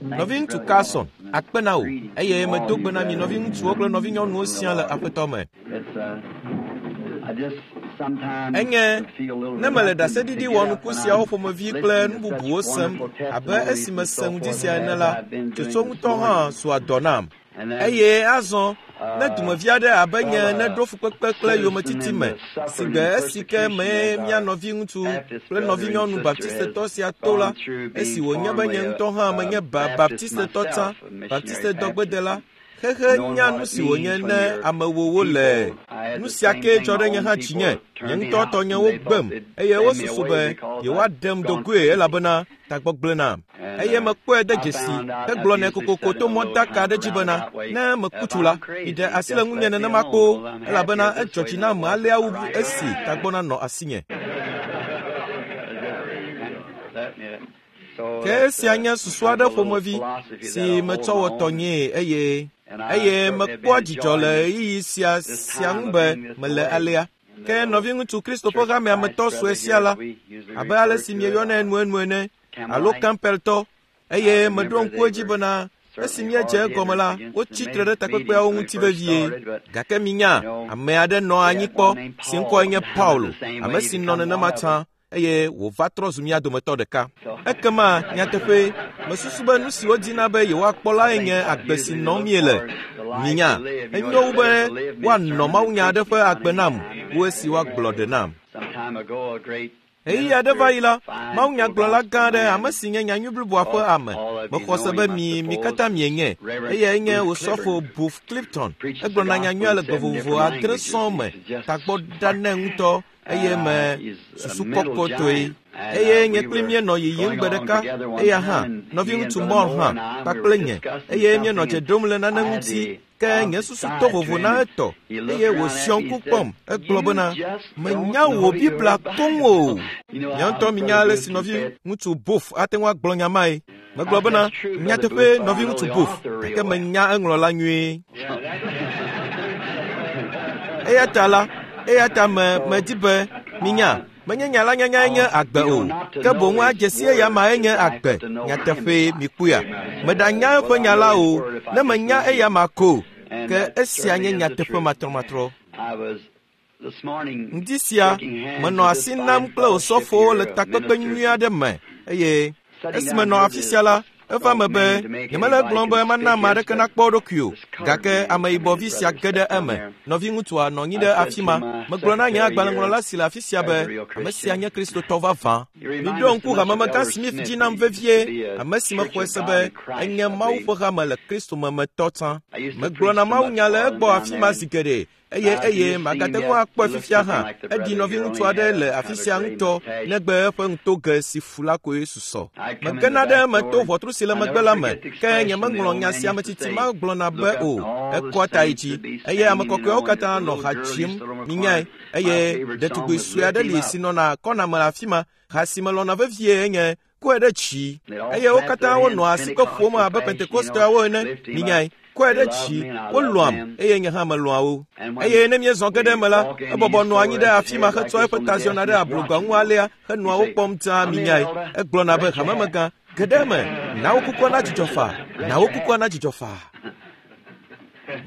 Nɔviŋutsu Carlson, akpe na wò eye medo gbe na mi nɔviŋutsuwo kple nɔvinyɔnuwo siaa le Aƒetɔ me. Enye ne mele ɖaseɖiɖi wɔnuku siawo ƒomevi kple nu bubuwo sem abe esi mese ŋdi sia ene la, tsotso ŋutɔ hã zua dɔ nam. Eye azɔ ne dumevi aɖe abe nye ene ɖo fukpekpe kple yometiti me, si gbe esi ke mee mía nɔviŋutsu kple nɔvinyɔnu Baptistetɔ sia to la, esi wònye be nye ŋutɔ hã menye ba Baptistetɔ tsã, Baptistetɔgbedela, xexe nya nu si wònye ne amewowo le. Nu sia kee dzɔ ɖe nye hã dzinye. Nye ŋutɔ tɔnyewo gbem eye wosusu be yewoaɖem do goe elabena tagbɔ gblẽ nam. Eye mekpɔe de dzesi hegblɔ nɛ kokoko to mɔdaka aɖe dzi bena, ne meku tsu la, miɖe asi le ŋunye nenema kpoo, elabena edzɔ dzi nam alea wu esi tagbɔ nanɔ asinye. Ke esia nye susu aɖe ƒomevi si metsɔ wɔ tɔnyee eye eye mekpɔa dzidzɔ le ɣeyiɣi sia sia ŋu be mele alea. Ke nɔviŋutsu Kristo ƒe hamea me tɔ sue sia la, abe ale si mieyɔnɛ enuenu ene, alo Campbelltɔ, eye meɖo ŋku edzi bena esi míedze egɔme la, wotsi tre ɖe takpekpeawo ŋuti vevie. Gake minya, ame aɖe nɔ anyi kpɔ si ŋkɔe nye Paulo, ame si nɔ nenema tsã eye wòva trɔ zu mía dometɔ ɖeka. Ekema nyateƒee, mesusu be nu si wodina be yewoakpɔ lae nye agbe si nɔm míele. Minya, enyo wu be woanɔ mawunya aɖe ƒe agbe nam wu esi woagblɔ ɖe nam. Ɣeyiɣi aɖe va yi la, mawunyagblɔla gã aɖe, ame si nye nyanyui bliboa ƒe ame, mexɔ se be mi mi katã mienye, eyae nye Osɔfo Booth Clifton. Egblɔna nyanyuia le gbe vovovo adre sɔŋ me, tagbɔ ɖa nɛ ŋutɔ eye me susu kɔkɔtɔe. Eye nye kpli míenɔ yiyim gbe ɖeka, eya hã, nɔviŋutsu Moore hã, kpakple nye, eye míenɔ dze ɖom le nane ŋuti, ke nye susu to vovo na etɔ, eye wòziɔ ŋku kpɔm. Egblɔ bena, menya wò Biblia koŋ o. Nye ŋutɔ minya ale si nɔviŋutsu Booth ate ŋu agblɔ nya mae. Megblɔ bena, nyateƒee nɔviŋutsu Booth, gake menya eŋlɔla nyuie. Eya ta la, eya ta me medi be minya, menye nya la nyanyae nye agbe o, ke boŋ adze si eya mae nye agbe. Nyateƒee mikpɔea? Meɖanya eƒe nya la o, ne menya eya ma ko, ke esia nye nyateƒe matrɔmatrɔ. Ŋdi sia, menɔ asi nam kple osɔfowo le takpekpe nyui aɖe me eye esi menɔ afi sia la, eva me be nyemele egblɔm be mana ame aɖeke nakpɔ eɖokui o, gake ameyibɔvi sia ge ɖe eme. Nɔviŋutsua nɔ anyi ɖe afi ma. Megblɔ na nye agbalẽŋlɔla si le afi sia be ame sia nye Kristotɔ vavã. Miɖo ŋku hamemegã Smith dzi nam vevie, ame si mexɔe se be enye Mawu ƒe hame le Kristo me me tɔ tsã. Megblɔna mawunya le egbɔ afi ma zi geɖe eye eye magate ŋu akpɔe fifia hã. Eɖi nɔviŋutsu aɖe le afi sia ŋutɔ negbe eƒe ŋutoge si fu la koe susɔ. Megena ɖe eme to ʋɔtru si le megbe la me, ke nyemeŋlɔ nya sia ame tsitsi ma gblɔna be o. Ekɔa ta yi dzi eye ame kɔkɔeawo katã nɔ ha dzim, minyae, eye ɖetugbui sue aɖe li si nɔna kɔna me le afi ma. Ha si melɔ̃na vevie enye kɔe ɖe dzi eye wo katã wonɔa asikpe ƒom abe Pentekosteawo ene, minyae, kɔe ɖe dzi, wolɔ̃am eye nye hã melɔ̃a wo. Eye ne míezɔ ge ɖe eme la, ebɔbɔ nɔa anyi ɖe afi ma hetsɔa eƒe ta ziɔna ɖe ablogba ŋu alea henɔa wo kpɔm dzaa, minyae. Egblɔna be, Hamemegã, ge ɖe eme, na wò kukua nadzudzɔ faa, na wò kukua nadzudzɔ faa.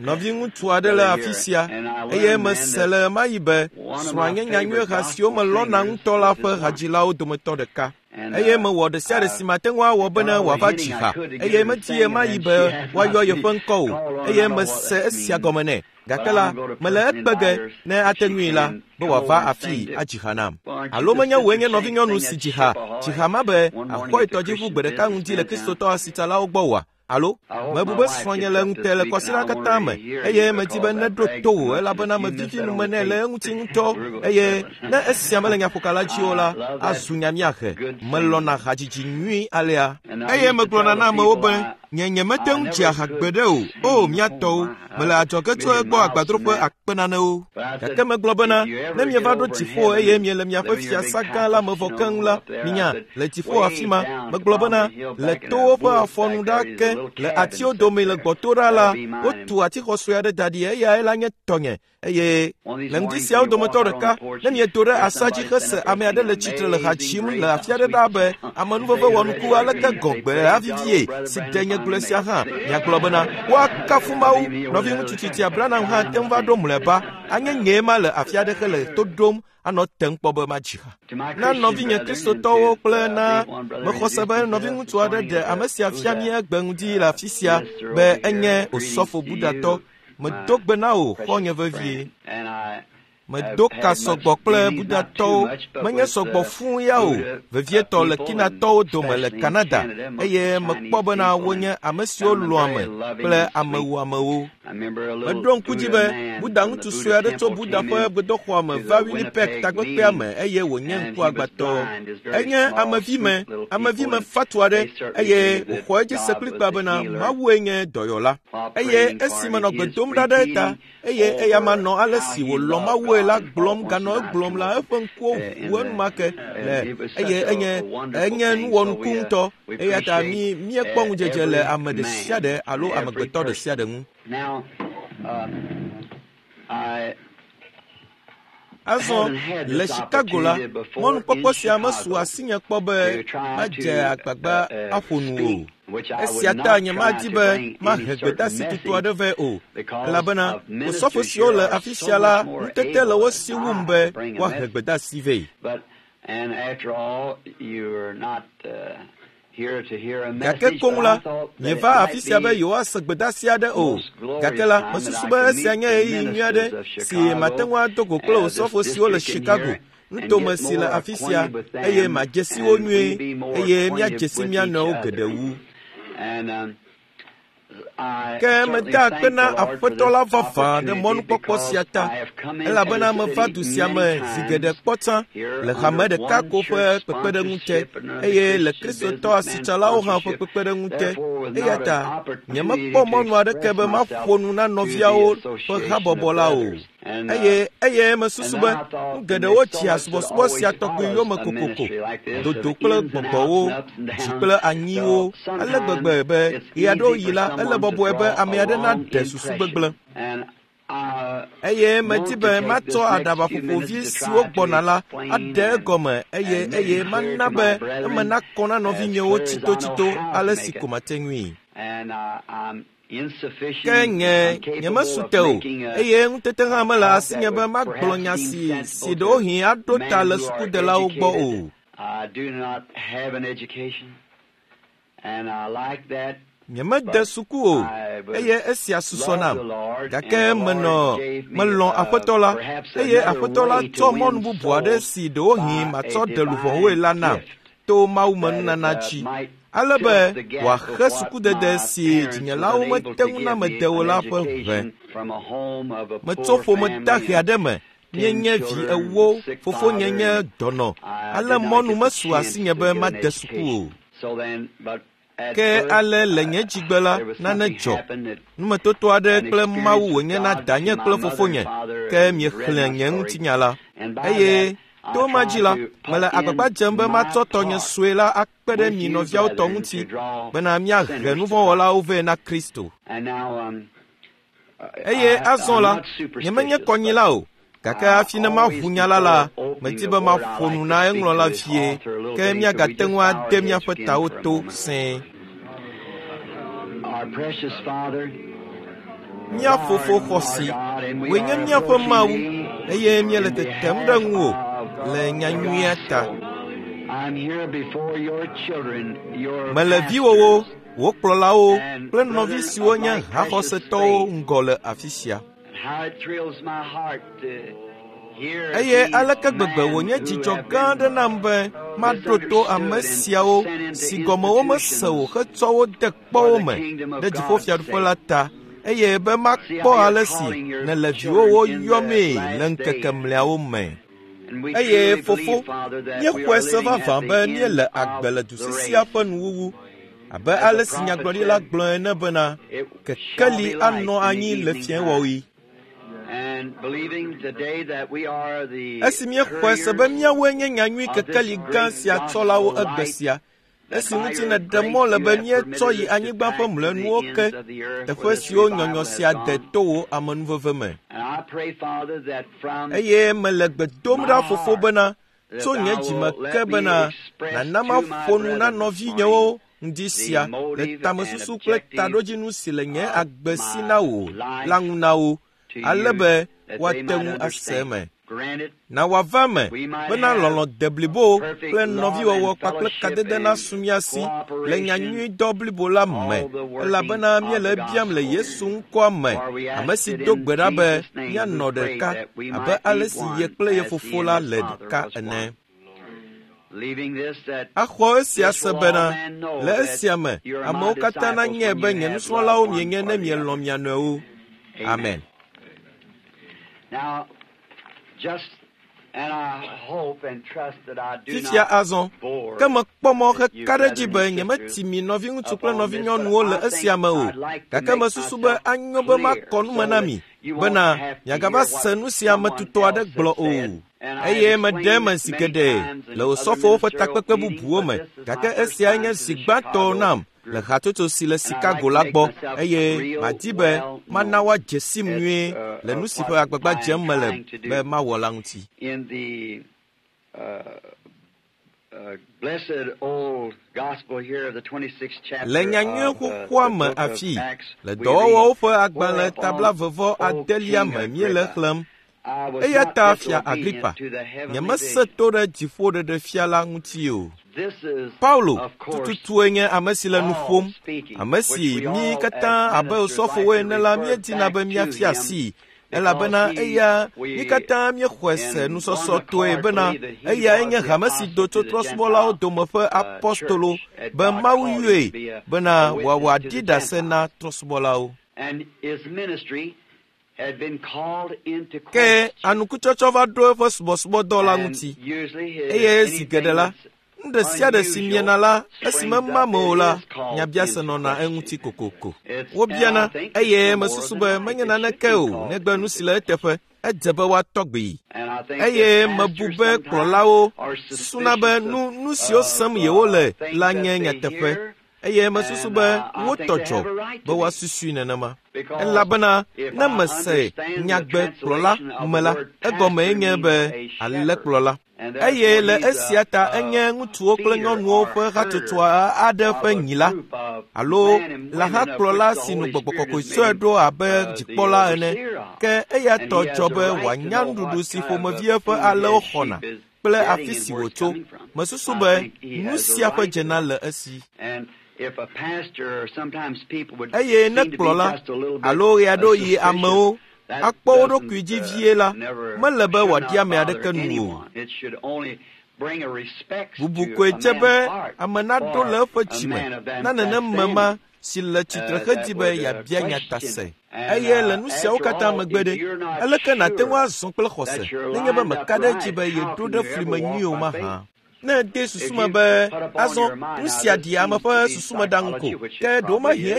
Nɔviŋutsu aɖe le afi sia eye mese le ɣemaɣi be srɔ̃a nye nyanyuieha siwo melɔ̃na ŋutɔ la ƒe hadzilawo dometɔ ɖeka. Eye mewɔ ɖe sia ɖe si mate ŋu awɔ bene wòava dzi ha eye medi ɣemaɣi be woayɔ yeƒe ŋkɔ o eye mese esia gɔme nɛ. Gake la, mele ekpe ge ne ate ŋui la be wòava afii adzi ha nam. Alo menye wòe nye nɔvinyɔnu si dzi ha, dzi ha ma be àxɔe tɔdziʋu gbe ɖeka ŋdi le Kristotɔ asitsalawo gbɔ oa? Alo, mebu be srɔ̃nye le ŋute le kɔsiɖa katã me, eye medi be neɖo to wò elabena mevivi nu me nɛ le eŋuti ŋutɔ, eye ne esia mele nyaƒokala dzi o la, azu nya míahe. Melɔ̃na hadzidzi nyui alea. Eye megblɔna na amewo be, Nye nyemete ŋu dzia ha gbeɖe o. O, mía tɔwo, mele adzɔge tso egbɔ agbadroƒe akpe nanewo. Gake megblɔ bena, ne mieva ɖo dziƒo eye miele miaƒe fiasa gã la me vɔ keŋ la, minya, le dziƒo afi ma, megblɔ bena, le towo ƒe afɔnu ɖa ke, le atiwo dome le gbɔto ɖa la, wotu atixɔ sue aɖe da ɖi, eyae la nye tɔnye. Eye le ŋdi siawo dometɔ ɖeka, ne miedo ɖe asa dzi hese ame aɖe le tsitre le ha dzim le afi aɖe ɖaa be, amenuveve wɔnuku aleke gɔgbe avivie si de nye gblɔe sia hã, miagblɔ bena, woakafu Mawu. Nɔviŋutsu tsitsi Abraham hã te ŋu va ɖo mlɔeba. Anye nyee ma le afi aɖe hele to ɖom anɔ tem kpɔ be madzi ha. Na nɔvinye Kristotɔwo kple na mexɔ se be nɔviŋutsu aɖe ɖe ame sia fia mí egbe ŋdi le afi sia be enye Osɔfo Buddhatɔ. Medo gbe na wò, xɔ̃nye vevie. Medo ka sɔgbɔ kple Buddhatɔwo, menye sɔgbɔ fũu ya o, vevietɔ le Kinatɔwo dome le Canada, eye mekpɔ bena wonye ame siwo lɔ̃ame kple amewuamewo. Meɖo ŋku dzi be Buddha ŋutsu sue aɖe tso Buddha ƒe gbedoxɔa me va Winnipeg takpekpea me eye wònye ŋkuagbãtɔ. Enye amevime, amevime fatu aɖe eye wòxɔ edzi se kplikpaa bena Mawue nye dɔyɔla. Eye esi menɔ gbe dom ɖa ɖe eta, eye eyama nɔ ale si wòlɔ̃ Mawue la gblɔm ganɔ egblɔm la, eƒe ŋkuwo ʋu enumake le eye enye enye nuwɔnuku ŋutɔ. Eya ta mí míekpɔ ŋudzedze le ame ɖe sia ɖe alo amegbetɔ ɖe sia ɖe ŋu. Azɔ le Chicago la, mɔnukpɔkpɔ sia mesu asinye kpɔ be madze agbagba aƒo nu o. Esia ta nyemadi be mahe gbedeasi tutu aɖe vɛ o, elabena osɔfo siwo le afi sia la ŋutete le wo si wum be woahe gbedeasi vɛ. Gake koŋ la, mieva afi sia be yewoase gbedeasi aɖe o. Gake la, mesusu be esia nye ɣeyiɣi nyui aɖe si mate ŋu ado go kple osɔfo siwo le Chicago, nutome si le afi sia, eye madze si wo nyuie, eye míadze si mía nɔewo geɖe wu. Ke meda akpe na Aƒetɔ la vavã ɖe mɔnukpɔkpɔ sia ta, elabena meva du sia me zi geɖe kpɔ tsã le hame ɖeka ko ƒe kpekpeɖeŋu te, eye le Kristotɔ asitsalawo hã ƒe kpekpeɖeŋu te. Eya ta nyemekpɔ mɔnu aɖeke be maƒo nu na nɔviawo ƒe habɔbɔ la o. Eye eye mesusu be nu geɖewo tsia subɔsubɔ sia tɔgbi yome kokoko, dodo kple gbɔgbɔwo, dzi kple anyiwo, ale gbegbe be ɣeaɖewoɣi la, ele bɔbɔe be ame aɖe naɖe susu gbegblẽ. Eye medi be matsɔ aɖabaƒoƒo vi siwo gbɔna la aɖe egɔme eye eye mana be eme nakɔ na nɔvinyewo tsitotsito ale si ko mate ŋui. Ke nye nyemesu te o, eye ŋutete hã mele asinye be magblɔ nya si si ɖewohĩ aɖo ta le sukudelawo gbɔ o. Nyemede suku o, eye esia susɔ nam. Gake menɔ melɔ̃ Aƒetɔ la, eye Aƒetɔ la tsɔ mɔnu bubu aɖe si ɖewohĩ matsɔ ɖe luʋɔwoe la nam to mawumenunana dzi, ale be wòaxe sukudede si dzinyelawo mete ŋu na mede o la ƒe ʋe. Metso ƒome dahe aɖe me, míenye vi ewo, fofonye nye dɔnɔ, ale mɔnu mesu asinye be made suku o. Ke ale le nye dzigbe la, nane dzɔ. Numetoto aɖe kple Mawu wònye na danye kple fofonye, ke miexlẽ nye ŋutinya la. Eye to ma dzi la, mele agbagba dzem be matsɔ tɔnye sue la akpe ɖe mi nɔviawo tɔ ŋuti bena míahe nuvɔ̃wɔlawo vɛ na Kristo. Eye azɔ la, nyemenye kɔnyila o, gake hafi ne maʋu nya la la, medi be maƒo nu na eŋlɔla vie, ke míagate ŋu ade míaƒe tawo to sẽe. Mía fofo xɔsi, wòe nye míaƒe Mawu, eye míele tetem ɖe ŋuwò le nyanyuia ta. Mele viwòwo, wò kplɔlawo kple nɔvi siwo nye haxɔsetɔwo ŋgɔ le afi sia. Eye aleke gbegbe wònye dzidzɔ gã aɖe nam be maɖo to ame siawo si gɔme womese o hetsɔ wo de kpɔwo me ɖe dziƒofiaɖuƒe la ta, eye be makpɔ ale si nèle viwòwo yɔmee le ŋkeke mlɔeawo me. Eye fofo, míexɔe se vavã be míele agbe le du sisia ƒe nuwuwu. Abe ale si nyagblɔɖila gblɔ ene bena, kekeli anɔ anyi le fiẽwɔɣi. Esi míexɔe se be míawoe nye nyanyui kekeli gã sia tsɔlawo egbe sia, esi ŋuti nèɖe mɔ le be míetsɔ yi anyigba ƒe mlɔenuwo ke, teƒe siwo nyɔnyɔ sia de to wò amenuveve me. Eye mele gbe dom ɖa fofo bena, tso nye dzime ke bena nàna maƒo nu na nɔvinyewo ŋdi sia le tamesusu kple taɖodzinu si le nye agbe si na wò la ŋu na wo, ale be woate ŋu ase eme. Na wòava eme bena lɔlɔ̃ deblibo kple nɔviwɔwɔ kpakple kadede nasu mía si le nyanyuidɔ blibo la me, elabena míele ebiam le Yesu ŋkɔa me, ame si do gbe ɖa be míanɔ ɖeka abe ale si ye kple ye fofo la le ɖeka ene. Axɔ esia se bena, le esia me, amewo katã nanyae be nye nusrɔ̃lawo mienye ne mielɔ̃ mia nɔewo. Amen. Fifia azɔ, ke mekpɔ mɔ heka ɖe edzi be nyemeti mi nɔviŋutsu kple nɔvinyɔnuwo le esia me o, gake mesusu be anyo be makɔ nu me na mi bena miagava se nu si ame tutɔ aɖe gblɔ o. Eye meɖe eme zi geɖe le osɔfowo ƒe takpekpe bubuwo me, gake esiae nye zi gbãtɔ nam le hatsotso si le Chicago la gbɔ, eye madi be mana woadze sim nyuie le nu si ƒe agbagba dzem mele be mawɔ la ŋuti. Le nyanyui xoxoa me afii, le dɔwɔwɔwo ƒe agbalẽ tabla vevɔ adelia me míele xlẽm. Eya ta fia Agripa, nyemese to ɖe dziƒoɖeɖefia la ŋuti o. Paulo tututue nye ame si le nu ƒom, ame si mí katã abe osɔfowo ene la míedina be míafia asii, elabena eya mí katã míexɔe se nusɔsɔtɔe bena eyae nye hame si do tso trɔ̃subɔlawo dome ƒe apɔstolo be Mawu yɔe bena wòawɔ aɖi ɖase na trɔ̃subɔlawo. Ke anukutsɔtsɔ va ɖo eƒe subɔsubɔdɔ la ŋuti, eye zi geɖe la, nu ɖe sia ɖe si miena la, esi mema me o la, nyabiase nɔna eŋuti kokoko. Wobiana, eye mesusu be menye naneke o negbe nu si le eteƒe, edze be woatɔ gbee. Eye mebu be kplɔlawo susuna be nu nu siwo sem yewole la nye nyateƒe, eye mesusu be wotɔ dzɔ be woasusui nenema. Elabena ne mese nyagbe kplɔla me la, egɔmee nye be alẽkplɔla. Eye le esia ta enye ŋutsuwo kple nyɔnuwo ƒe hatsotso aɖe ƒe nyila alo lãhakplɔla si nu gbɔgbɔ kɔkɔe sɔe ɖo abe dzikpɔla ene. Ke eya tɔ dzɔ be wòanya nuɖuɖu si ƒomevi eƒe alẽwo xɔna kple afi si wòtso. Mesusu be nu sia ƒe dzena le esi. Eye ne kplɔla alo ɣeaɖewoɣi amewo akpɔ wo ɖokui dzi vie la, mele be wòaɖi ame aɖeke nu o. Bubu koe dze be ame naɖo le eƒe dzime na nenem ma si le tsitre hedi be yeabia nya ta se. Eye le nu siawo katã megbe ɖe, aleke nàte ŋu azɔ kple xɔse nenye be mèka ɖe edzi be yeɖo ɖe fli me nyui o mahã? Ne ède susu me be azɔ nu sia ɖi ame ƒe susumeɖaŋu ko, ke ɖewomahi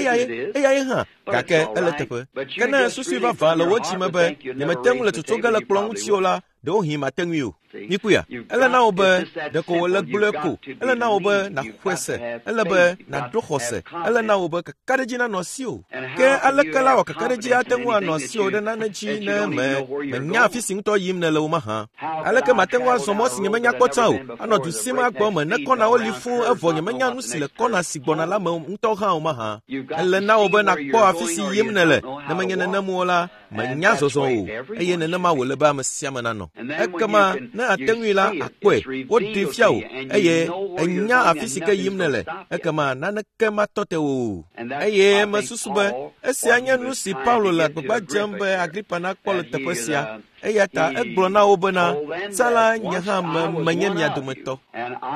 eyae hã, gake ele teƒe. Ke ne susui vavã le wò dzime be nyemete ŋu le tsotso ge le kplɔ̃ ŋuti o la, ɖewohĩ mate ŋui o. Mikpɔea, ele na wò be ɖeko wòle gblɔe ko, ele na wò be nàxɔe se, ele be nàɖo xɔse, ele na wò be kakaɖedzi nanɔ asiwò. Ke aleke la wɔ kakaɖedzi ate ŋu anɔ asiwò ɖe nane dzi ne mènya afi si ŋutɔ yim nèle o mahã? Aleke mate ŋu azɔ mɔ si nyemenya kpɔ tsã o, anɔ du sim agbɔ me ne kɔnawo li fũu evɔ nyemenya nu si le kɔna si gbɔna la me ŋutɔ hã o mahã? Ele na wò be nàkpɔ afi si yim nèle, ne menye nenem o la, mènya zɔzɔ o, eye nenema wòle be ame sia ame nanɔ. Ekema ne àte ŋui la, àkpɔe, woɖee fia wò, eye ènya afi si ke yim nèle, ekema naneke matɔ te wò o. Eye mesusu be esia nye nu si Paulo le agbagba dzem be Agripa nakpɔ le teƒe sia. Eya ta egblɔ na wo bena, tsã la nye hã menye mia dometɔ.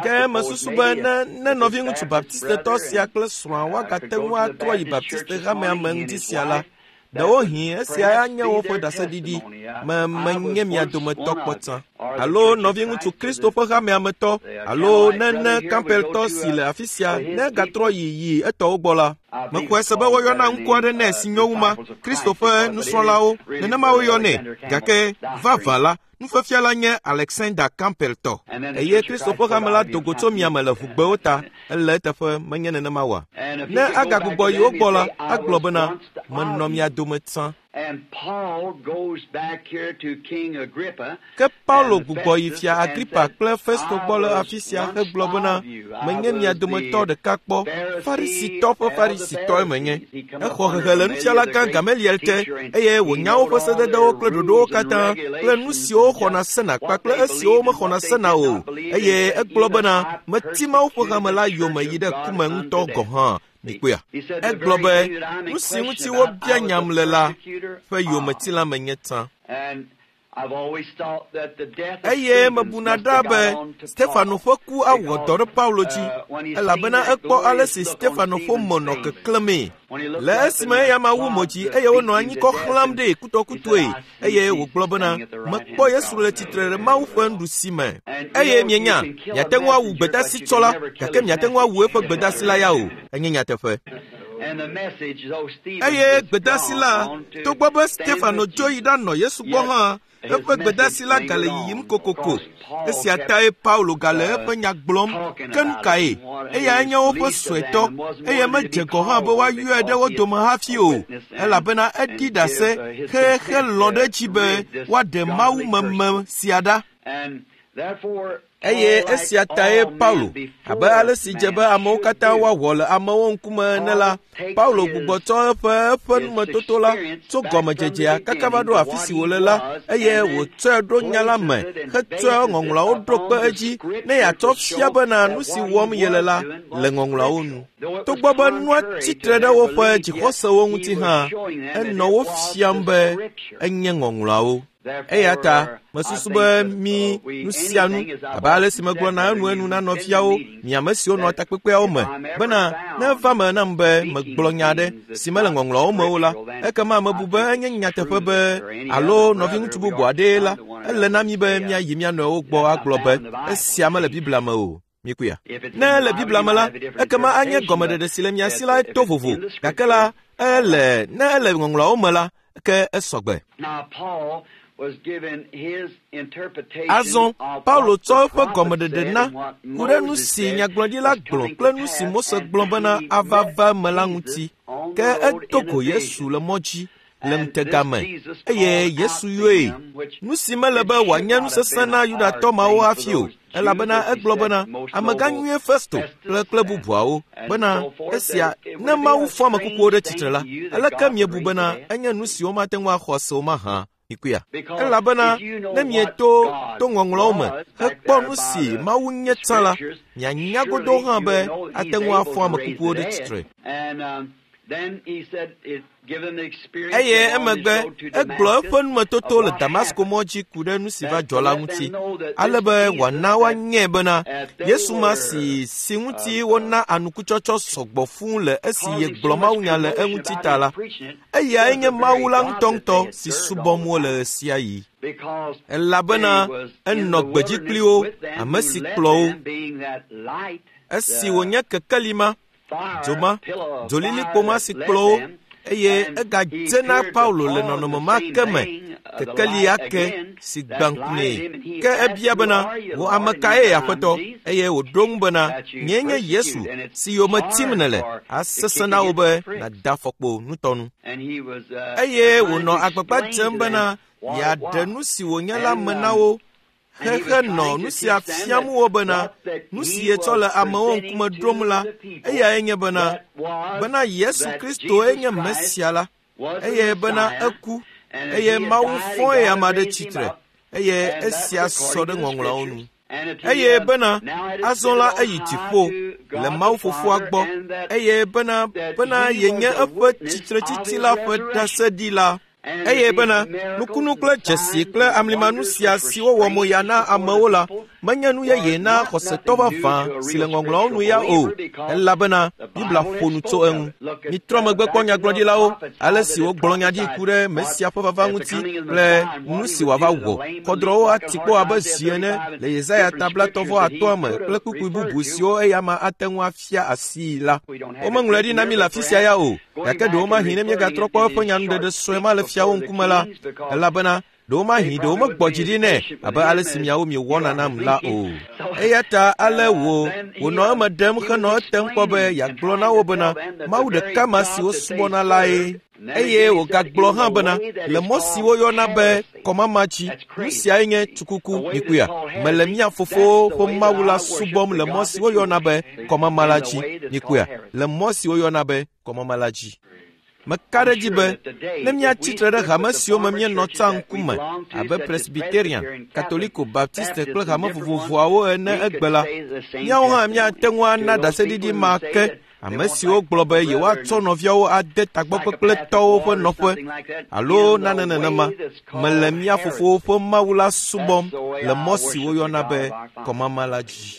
Ke mesusu be ne nɔviŋutsu Baptistetɔ sia kple srɔ̃a woagate ŋu atrɔ yi Baptiste hamea me ŋdi sia la, Ɖewohĩ esia anye woƒe ɖaseɖiɖi. Me menye mia dometɔ kpɔ tsã. Alo nɔviŋutsu Kristo ƒe hamea me tɔ, alo nene Campbelltɔ si le afi sia ne egatrɔ yi yi etɔwo gbɔ la. Mexɔe se be woyɔna ŋkɔ aɖe nɛ si nyo wu ma, Kristo ƒe nusrɔ̃lawo, nenema woyɔnɛ. Gake vavã la, nufiafia la nye Alexander Campbell tɔ. Eye Kristo ƒe hame la do go tso miame le ʋugbewo ta. Ele eteƒe menye nenema oa? Ne agagbugbɔ yi wo gbɔ la, agblɔ bena, menɔ mia dome tsã. Ke Paulo gbugbɔ yi fia Agripa kple Festo gbɔ le afi sia hegblɔ bena, menye mia dometɔ ɖeka kpɔ, Farisitɔ ƒe Farisitɔe menye. Exɔ hehe le nufialagã Gamaliel te eye wònya woƒe sededewo kple ɖoɖowo katã kple nu siwo woxɔna sena kpakple esiwo womexɔna sena o. Eye egblɔ bena, meti Mawu ƒe hame la yome yi ɖe ku me ŋutɔ gɔ̃ hã. Mikpɔea? Egblɔ be, nu si ŋuti wobia nyam le la ƒe yometila menye tsã. Eye mebuna ɖaa be Stefano ƒe ku awɔ dɔ ɖe Paulo dzi, elabena ekpɔ ale si Stefano ƒe mo nɔ keklẽmee. Le esime eya ma wu mo dzi eye wonɔ anyi kɔ xlãm ɖee kutɔkutɔe, eye wògblɔ bena, mekpɔ Yesu le tsitre ɖe Mawu ƒe nuɖusi me. Eye mienya, miate ŋu awu gbedasi tsɔ la, gake miate ŋu awu eƒe gbedasi la ya o. Enye nyateƒe. Eye gbedasi la, togbɔ be Stefano dzo yi ɖanɔ Yesu gbɔ hã, eƒe gbedasi la gale yiyim kokoko. Esia tae Paulo gale eƒe nya gblɔm. Ke nu kae? Eyae nye woƒe suetɔ, eye medze gɔ̃ hã be woayɔe ɖe wo dome hafi o, elabena eɖi ɖase xexe lɔ̃ ɖe edzi be woaɖe mawumeme sia ɖa. Eye esia tae Paulo, abe ale si dze be amewo katã woawɔ le amewo ŋkume ene la, Paulo gbugbɔ tsɔ eƒe eƒe numetoto la tso gɔmedzedzea kaka va ɖo afi si wòle la, eye wòtsɔe ɖo nya la me hetsɔe ŋɔŋlɔawo ɖo kpe edzi ne yeatsɔ fia bena nu si wɔm yele la le ŋɔŋlɔawo nu. Togbɔ be nua tsitre ɖe woƒe dzixɔsewo ŋuti hã, enɔ wo fiam be enye ŋɔŋlɔawo. Eya ta mesusu be mi nu sia nu abe ale si megblɔna enuenu na nɔviawo, mi ame siwo nɔ takpekpeawo me, bena ne eva me nam be megblɔ nya aɖe si mele ŋɔŋlɔawo me o la, ekema mebu be enye nyateƒe be alo nɔviŋutsu bubu aɖee la, ele na mi be míayi mía nɔewo gbɔ agblɔ be esia mele Biblia me o. Mikuya. Ne ele Biblia me la, ekema anye gɔmeɖeɖe si le mia si la to vovo, gake la, ele ne ele ŋɔŋlɔawo me la, ke esɔgbe. Azɔ Paulo tsɔ eƒe gɔmeɖeɖe na ku ɖe nu si nyagblɔɖila gblɔ kple nu si Mose gblɔ bena ava va eme la ŋuti. Ke edo go Yesu le mɔ dzi le ŋutega me, eye Yesu yɔe. Nu si mele be wòanye nu sesẽ na Yudatɔ mawo hafi o, elabena egblɔ bena, amegã nyuie Festo kple kple bubuawo, bena esia, ne Mawu fɔ ame kukuwo ɖe tsitre la, aleke miebu bena enye nu si womate ŋu axɔ se o mahã? Mikuya. Elabena ne mieto to ŋɔŋlɔawo me hekpɔ nu si Mawu nye tsã la, mianya godoo hã be ate ŋu afɔ ame kukuwo ɖe tsitre. Eye emegbe egblɔ eƒe numetoto le Damasko mɔ dzi ku ɖe nu si va dzɔ la ŋuti, ale be wòana woanyae bena Yesu ma si si ŋuti wona anukutsɔtsɔ sɔgbɔ fũu le esi yegblɔ mawunya le eŋuti ta la, eyae nye Mawu la ŋutɔŋutɔ si subɔm wole ɣesiaɣi. Elabena enɔ gbedzi kpli wo, ame si kplɔ wo. Esi wònye kekeli ma, dzo ma, dzolilikpo ma si kplɔ wo, eye egadze na Paulo le nɔnɔme ma ke me, kekeli ake si gbã ŋku nɛ. Ke ebia bena, wò ame kae, Aƒetɔ? Eye wòɖo ŋu bena, nyee nye Yesu, si yome tim nèle. Asesẽ na wò be nàda afɔkpo nutɔnu. Eye wònɔ agbagba dzem bena yeaɖe nu si wònye la me na wo xexe nɔ nu sia fiam wo bena nu si yetsɔ le amewo ŋkume ɖom la, eyae nye bena bena Yesu Kristoe nye Mesia la, eye bena eku, eye Mawu fɔe ame aɖe tsitre, eye esia sɔ ɖe ŋɔŋlɔawo nu. Eye bena azɔ la eyi dziƒo le Mawu Fofoa gbɔ, eye bena bena yenye eƒe tsitretsitsi la ƒe ɖaseɖila. Eye bena nukunu kple dzesi kple amlimanu sia si wowɔ mo ya na amewo la menye nu yeye na xɔsetɔ vavã si le ŋɔŋlɔawo nu ya o, elabena Biblia ƒo nu tso eŋu. Mitrɔ megbe kpɔ nyagblɔɖilawo, ale si wogblɔ nya ɖi ku ɖe Mesia ƒe vava ŋuti kple nu si wòava wɔ. Xɔdrɔ̃wo ati kpo abe zi ene le Yesaya ta 35 me kple kpukpui bubu siwo eyama ate ŋu afia asii la. Womeŋlɔe ɖi na mí le afi sia ya o, gake ɖewomahi ne míegatrɔ kpɔ eƒe nyanuɖeɖe sue ma le fiawo ŋkume la, elabena ɖewomahi ɖewo megbɔ dzi ɖi nɛ abe ale si miawo miewɔna nam la o. Eya ta ale wò wònɔ eme ɖem henɔ etem kpɔ be yeagblɔ na wo bena Mawu ɖeka ma si wosubɔna lae. Eye wògagblɔ hã bena le mɔ si woyɔna be kɔmama dzi, nu siae nye tukuku mikuya. Mele mía fofowo ƒe Mawu la subɔm le mɔ si woyɔna be kɔmama la dzi mikuya. Le mɔ si woyɔna be kɔmama la dzi. Meka ɖe edzi be ne míatsi tre ɖe hame siwo me míenɔ tsã ŋkume abe Presbyterian, Katoliko, Baptiste kple hame vovovoawo ene egbe la, míawo hã míate ŋu ana ɖaseɖiɖi ma ke ame siwo gblɔ be yewoatsɔ nɔviawo ade tagbɔkpekpletɔwo ƒe nɔƒe alo nane nenema. Mele mía fofowo ƒe Mawu la subɔm le mɔ si woyɔna be kɔmama la dzi.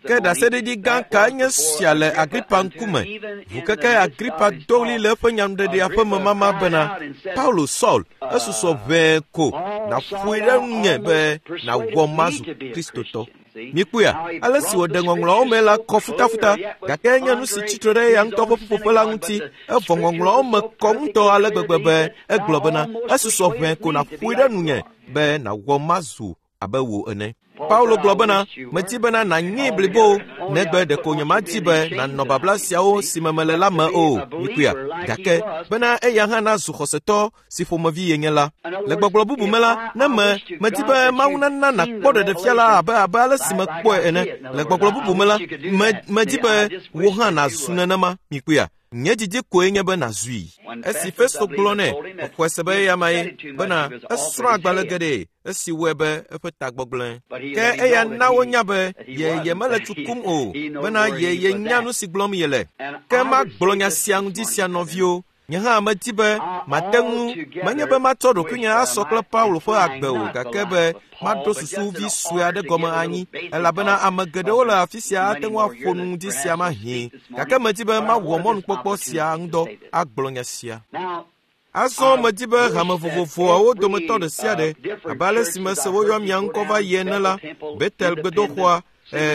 Ke ɖaseɖiɖi gã kae nye sia le Agripa ŋkume? Ŋukeke Agripa do ɣli le eƒe nyanuɖeɖea ƒe memama bena, Paulo Saul, esusɔ ʋɛe ko nàƒoe ɖe ŋunye be nàwɔ mazu Kristotɔ. Mikpɔea, ale si wòɖe ŋɔŋlɔawo me la kɔ futafuta, gake enye nu si tsi tre ɖe eya ŋutɔ ƒe ƒuƒoƒe la ŋuti. Evɔ ŋɔŋlɔawo me kɔ ŋutɔ ale gbegbe be egblɔ bena, esusɔ ʋɛe ko nàƒoe ɖe nunye be nàwɔ mazu abe wò ene. Paulo gblɔ bena, medi bena nànyee blibo, negbe ɖeko nyemadi be nànɔ babla siawo si me mele la me o, mikpɔea, gake bena eya hã nazu xɔsetɔ si ƒomevi yenye la. Le gbɔgblɔ bubu me la, ne me medi be Mawu nana nàkpɔ ɖeɖefia la abe abe ale si mekpɔe ene. Le gbɔgblɔ bubu me la, me medi be wò hã nàzu nenema, mikpɔea. Nye didi koe nye be nàzui. Esi Festo gblɔ nɛ, exɔe se be eya mae, bena esrɔ̃ agbalẽ geɖe esi wɔe be eƒe tagbɔ gblẽ. Ke eya na wonya be ye yemele tsu kum o, bena ye yenya nu si gblɔm yele. Ke magblɔ nya sia ŋdi sia nɔviwo, nye hã medi be mate ŋu, menye be matsɔ ɖokuinye asɔ kple Paulo ƒe agbe o, gake be maɖo susu vi sue aɖe gɔme anyi, elabena ame geɖewo le afi sia ate ŋu aƒo nu ŋdi sia mahĩ, gake medi be mawɔ mɔnukpɔkpɔ sia ŋudɔ agblɔ nya sia. Azɔ medi be hame vovovoawo dometɔ ɖe sia ɖe, abe ale si mese woyɔ mia ŋkɔ va yi ene la, Betel gbedoxɔa,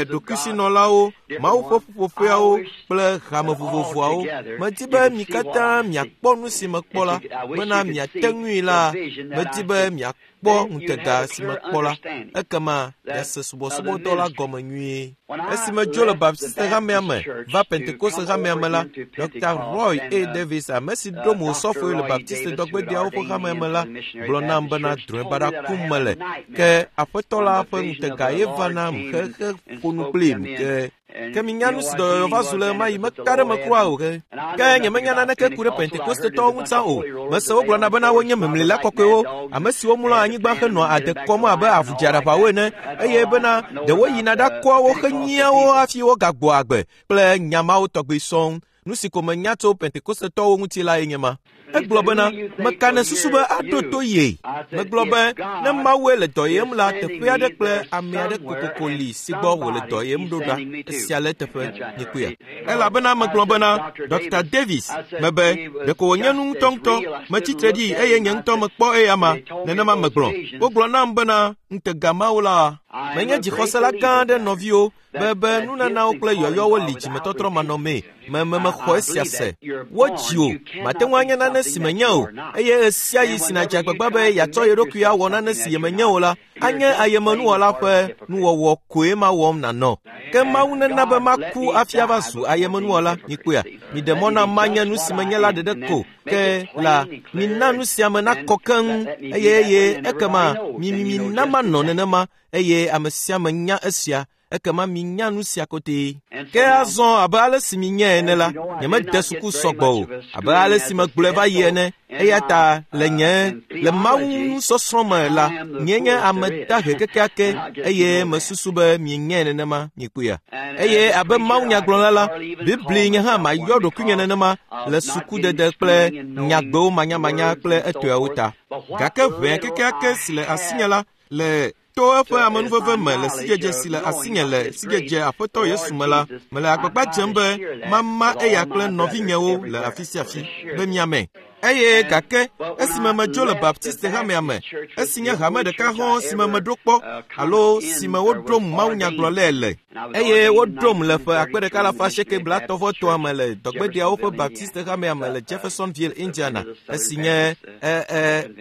ɖokuisinɔlawo, Mawu ƒe ƒuƒoƒeawo kple hame vovovoawo. Medi be mi katã miakpɔ nu si mekpɔ la, bena miate ŋui la, medi be miakpɔ ŋutega si mekpɔ la, ekema miase subɔsubɔdɔ la gɔme nyuie. Esi medzo le Baptiste hamea me va Pentekoste hamea me la, Dr. Roy A. Davis, ame si ɖo mo sɔfoe le Baptiste dɔgbedeawo ƒe hamea me la, gblɔ nam bena drɔ̃e baɖa kum mele. Ke aƒetɔ la ƒe ŋutega ye va nam xexe ƒo nu kplim ke. Ke minya nu si dɔyɔyɔ va zu le ɣemaɣi meka ɖe me kura o ke. Ke nyemenya naneke ku ɖe Pentekostetɔwo ŋu tsã o. Mese wogblɔna bena wonye memlila kɔkɔewo, ame siwo mlɔa anyigba henɔa ade kɔm abe avu dzeaɖaʋawo ene, eye bena ɖe woyina ɖakɔa wo henyia wo hafi wogagbɔa agbe kple nya mawo tɔgbi sɔŋ. Nu si ko menya tso Pentekostetɔwo ŋuti lae nye ma. Egblɔ bena, meka ne susu be aɖo to ye. Megblɔ be, ne Mawue le dɔ yem la, teƒe aɖe kple ame aɖe kokoko li si gbɔ wòle dɔ yem ɖo ɖa. Esia le eteƒe, mikpɔea. Elabena megblɔ bena, Dr. Davis, mebe, ɖeko wònye nu ŋutɔŋutɔ. Metsi tre ɖi eye nye ŋutɔ mekpɔ eyama. Nenema megblɔ. Wogblɔ nam bena, ŋutega Mawu la. Menye dzixɔsela gã aɖe nɔviwo, be be nunanawo kple yɔyɔwo li dzimetɔtrɔ manɔmee. Me me mexɔ esia se. Wodzi o, mate ŋu anye nane si menye o, eye ɣesiaɣi si nàdze agbagba be yeatsɔ ye ɖokui awɔ nane si yemenye o la, anye ayemenuwɔla ƒe nuwɔwɔ koe ma wɔm nànɔ. Ke Mawu nena be maku hafi ava zu ayemenuwɔla. Mikpɔea? Miɖe mɔ nam manye nu si menye la ɖeɖe ko. Ke la, mina nu sia me nakɔ keŋ, eye eye ekema mi mi mina manɔ nenema, eye ame sia ame nya esia. Ekema minya nu sia kotee. Ke azɔ abe ale si minyae ene la, nyemede suku sɔgbɔ o, abe ale si megblɔe va yi ene. Eya ta le nye le Mawu nusɔsrɔ̃ me la, nye nye ame dahe kekeake eye mesusu be mienyae nenema, mikpɔea. Eye abe Mawu nyagblɔla la, Bibli nye hã mayɔ ɖokuinye nenema le sukudede kple nyagbewo manyamanya kple etɔeawo ta. Gake ʋɛ kekeake si le asinye la le to eƒe amenuveve me le sidzedze si le asinye le sidzedze Aƒetɔ Yesu me la, mele agbagba dzem be mama eya kple nɔvinyewo le afi sia afi be miame. Eye gake esime medzo le Baptiste hamea me, esi nye hame ɖeka hɔ̃ si me meɖo kpɔ alo si me woɖom mawunyagblɔlae le, eye woɖom le ƒe 1933 me le dɔgbedeawo ƒe Baptiste hamea me le Jeffersonville, Indiana, esi nye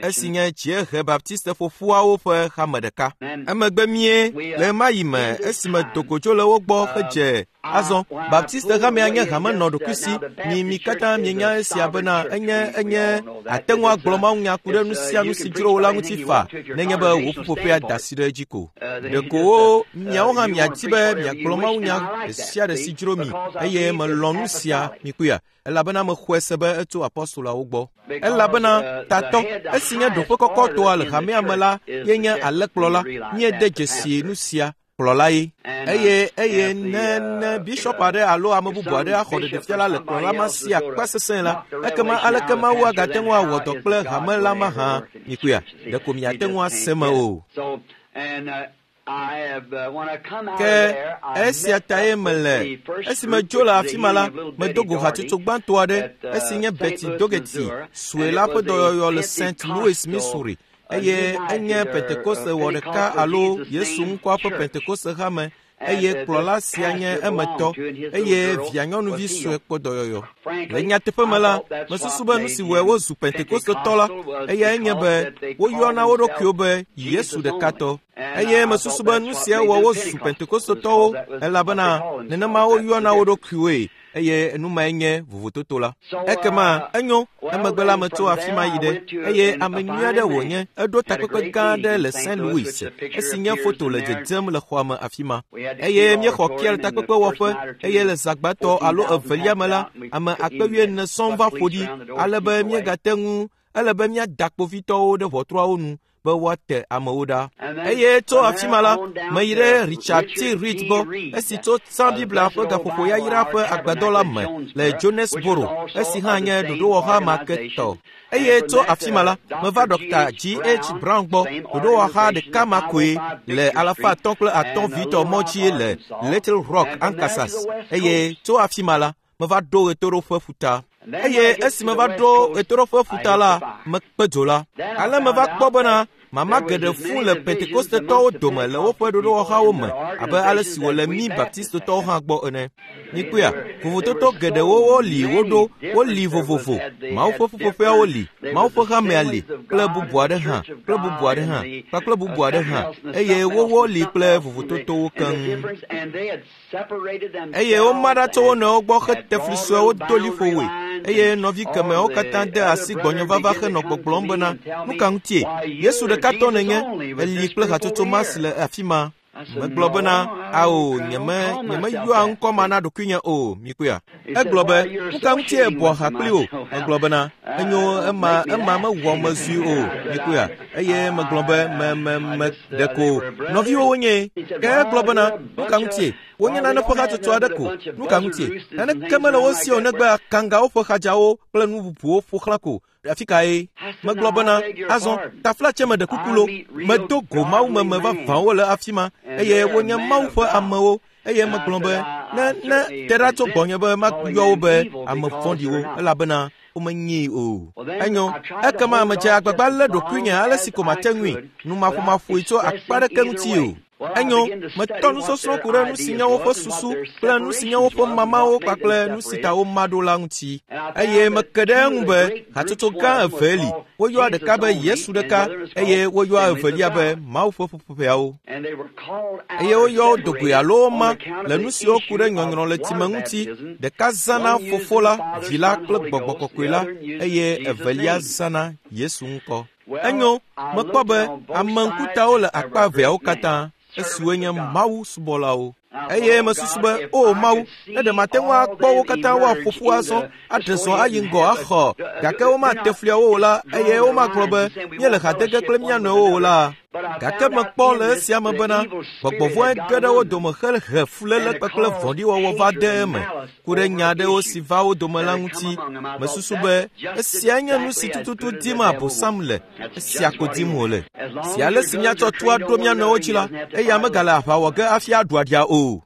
esi nye dziehe Baptiste ƒoƒuawo ƒe hame ɖeka. Emegbe mie le ɣemaɣi me esime dogo dzo le wo gbɔ hedze azɔ Baptiste hamea nye hame nɔ ɖokuisi. Mi mi katã mienya esia bena enye enye ate ŋu agblɔ mawunya ku ɖe nu sia nu si dzro wo la ŋuti fa nenye be wò ƒuƒoƒea da asi ɖe edzi ko. Ɖeko wo miawo hã miadi be miagblɔ mawunya ɖe sia ɖe si dzro mi eye melɔ̃ nu sia mikpɔea elabena mexɔe se be etso apɔstolawo gbɔ. Elabena tatɔ esi nye ɖoƒe kɔkɔtɔa le hamea me la ye nye alẽkplɔla. Míede dzesi nu sia kplɔla ye. Eye eye ne ne bishɔp aɖe alo ame bubu aɖe axɔ ɖeɖefia la le kplɔla ma si akpa sesẽ la, ekema aleke Mawu agate ŋu awɔ dɔ kple hame la mahã? Mikpɔea, ɖeko miate ŋu ase me o. Ke esia tae mele esi medzo le afi ma la, medo go hatsotso gbãtɔ aɖe esi nye Betty Dougherty sue la ƒe dɔyɔyɔ le St. Louis, Missouri, eye enye Pentekoste wɔ ɖeka alo Yesu ŋkɔa ƒe Pentekoste hame eye kplɔla sia nye emetɔ eye vianyɔnuvi sue kpɔ dɔyɔyɔ. Le nyateƒe me la, mesusu be nu si wɔe wozu Pentekostetɔ la, eyae nye be woyɔna wo ɖokuiwo be Yesu ɖekatɔ. Eye mesusu be nu sia wɔ wozu Pentekostetɔwo elabena nenema woyɔna wo ɖokuiwoe eye nu mae nye vovototo la. Ekema enyo, emegbe la metso afi ma yi ɖe eye ame nyui aɖe wònye eɖo takpekpe gã aɖe le St. Louis esi nye foto le dzedzem le xɔa me afi ma. Eye míexɔ kia le takpekpewɔƒe eye le zã gbãtɔ alo evelia me la, ame akpe wuiene sɔŋ va ƒo ɖi ale be míegate ŋu ele be míada kpovitɔwo ɖe ʋɔtruawo nu be woate amewo ɖa. Eye tso afi ma la, meyi ɖe Richard T. Reed gbɔ esi tso tsã Biblia ƒe gaƒoƒo yayra ƒe agbadɔ la me le Jonesboro, esi hã nye ɖoɖowɔha ma ke tɔ. Eye tso afi ma la, meva Dr. G. H. Brown gbɔ, ɖoɖowɔha ɖeka ma koe le 303 vitɔ mɔ dzi le Little Rock, Arkansas. Eye tso afi ma la, meva ɖo ɣetoɖoƒe ƒuta. Eye esi meva ɖo ɣetoɖoƒe ƒuta la, mekpe dzo la. Ale meva kpɔ bena mama geɖe fũ le Pentekostetɔwo dome le woƒe ɖoɖowɔhawo me abe ale si wòle mí Baptistetɔwo hã gbɔ ene. Mikpɔea, vovototo geɖewo woli woɖo, woli vovovo. Mawu ƒe ƒuƒoƒeawo li, Mawu ƒe hamea li, kple bubu aɖe hã, kple bubu aɖe hã, kpakple bubu aɖe hã, eye wowɔ li kple vovototowo keŋ. Eye woma ɖa tso wo nɔewo gbɔ hete fli suewo do liƒowoe. Eye nɔvi kemeawo katã de asi gbɔnye vava henɔ gbɔgblɔm bena, nu ka ŋutie? Yesu ɖekatɔ nènye, èli kple hatsotso ma si le afi ma. Megblɔ bena, ao, nyeme, nyemeyɔa ŋkɔ ma na ɖokuinye o, mikpɔea. Egblɔ be, nu ka ŋutie èbɔa ha kpli wò? Megblɔ bena, enyo, ema, ema mewɔ mezui o, mikpɔea. Eye megblɔ be, me, me, me, ɖeko nɔviwo wonye. Ke egblɔ bena, nu ka ŋutie? Wonye nane ƒe hatsotso aɖe ko. Nu ka ŋutie? Naneke mele wo si o negbe akangawo ƒe xadzawo kple nu bubuwo ƒo xlã ko. Afi kae? Megblɔ bena, azɔ taflatse meɖe kuku lo. Medo go mawumeme vavãwo le afi ma eye wonye Mawu ƒe amewo. Eye megblɔ be, ne ne te ɖa tso gbɔnye be mayɔ wo be ame vɔ̃ɖiwo elabena womenyii o. Enyo, ekema medze agbagba lé ɖokuinye ale si ko mate ŋui, numaƒomaƒoe tso akpa ɖeke ŋuti o. Enyo, metɔ nusɔsrɔ̃ ku ɖe nu si nye woƒe susu kple nu si nye woƒe mamawo kpakple nu si ta woma ɖo la ŋuti. Eye meke ɖe eŋu be hatsotso gã evee li. Woyɔa ɖeka be Yesu ɖeka eye woyɔa evelia be Mawu ƒe ƒuƒoƒeawo. Eye woyɔ wo do goe alo woma le nu siwo ku ɖe nyɔnyrɔ le tsime ŋuti. Ɖeka zãna Fofo la, Vi la kple Gbɔgbɔ Kɔkɔe la eye evelia zãna Yesu ŋkɔ. Enyo, mekpɔ be ame ŋkutawo le akpa eveawo katã, esiwoe nye Mawu subɔlawo. Eye mesusu be, o Mawu, ne ɖe mate ŋu akpɔ wo katã woaƒo ƒu azɔ, aɖe zɔ ayi ŋgɔ axɔ, gake womate fliawo o la, eye womagblɔ be míele ha de ge kple mía nɔewo o la. Gake mekpɔ le esia me bena gbɔgbɔ vɔ̃e ge ɖe wo dome hehe fuléle kpakple vɔ̃ɖiwɔwɔ va de eme ku ɖe nya aɖewo si va wo dome la ŋuti. Mesusu be esia nye nu si tututu dim Abosam le, esia ko dim wòle. Si ale si míatsɔ tu aɖo mía nɔewo dzi la, eya megale aʋa wɔ ge hafi aɖu aɖia o.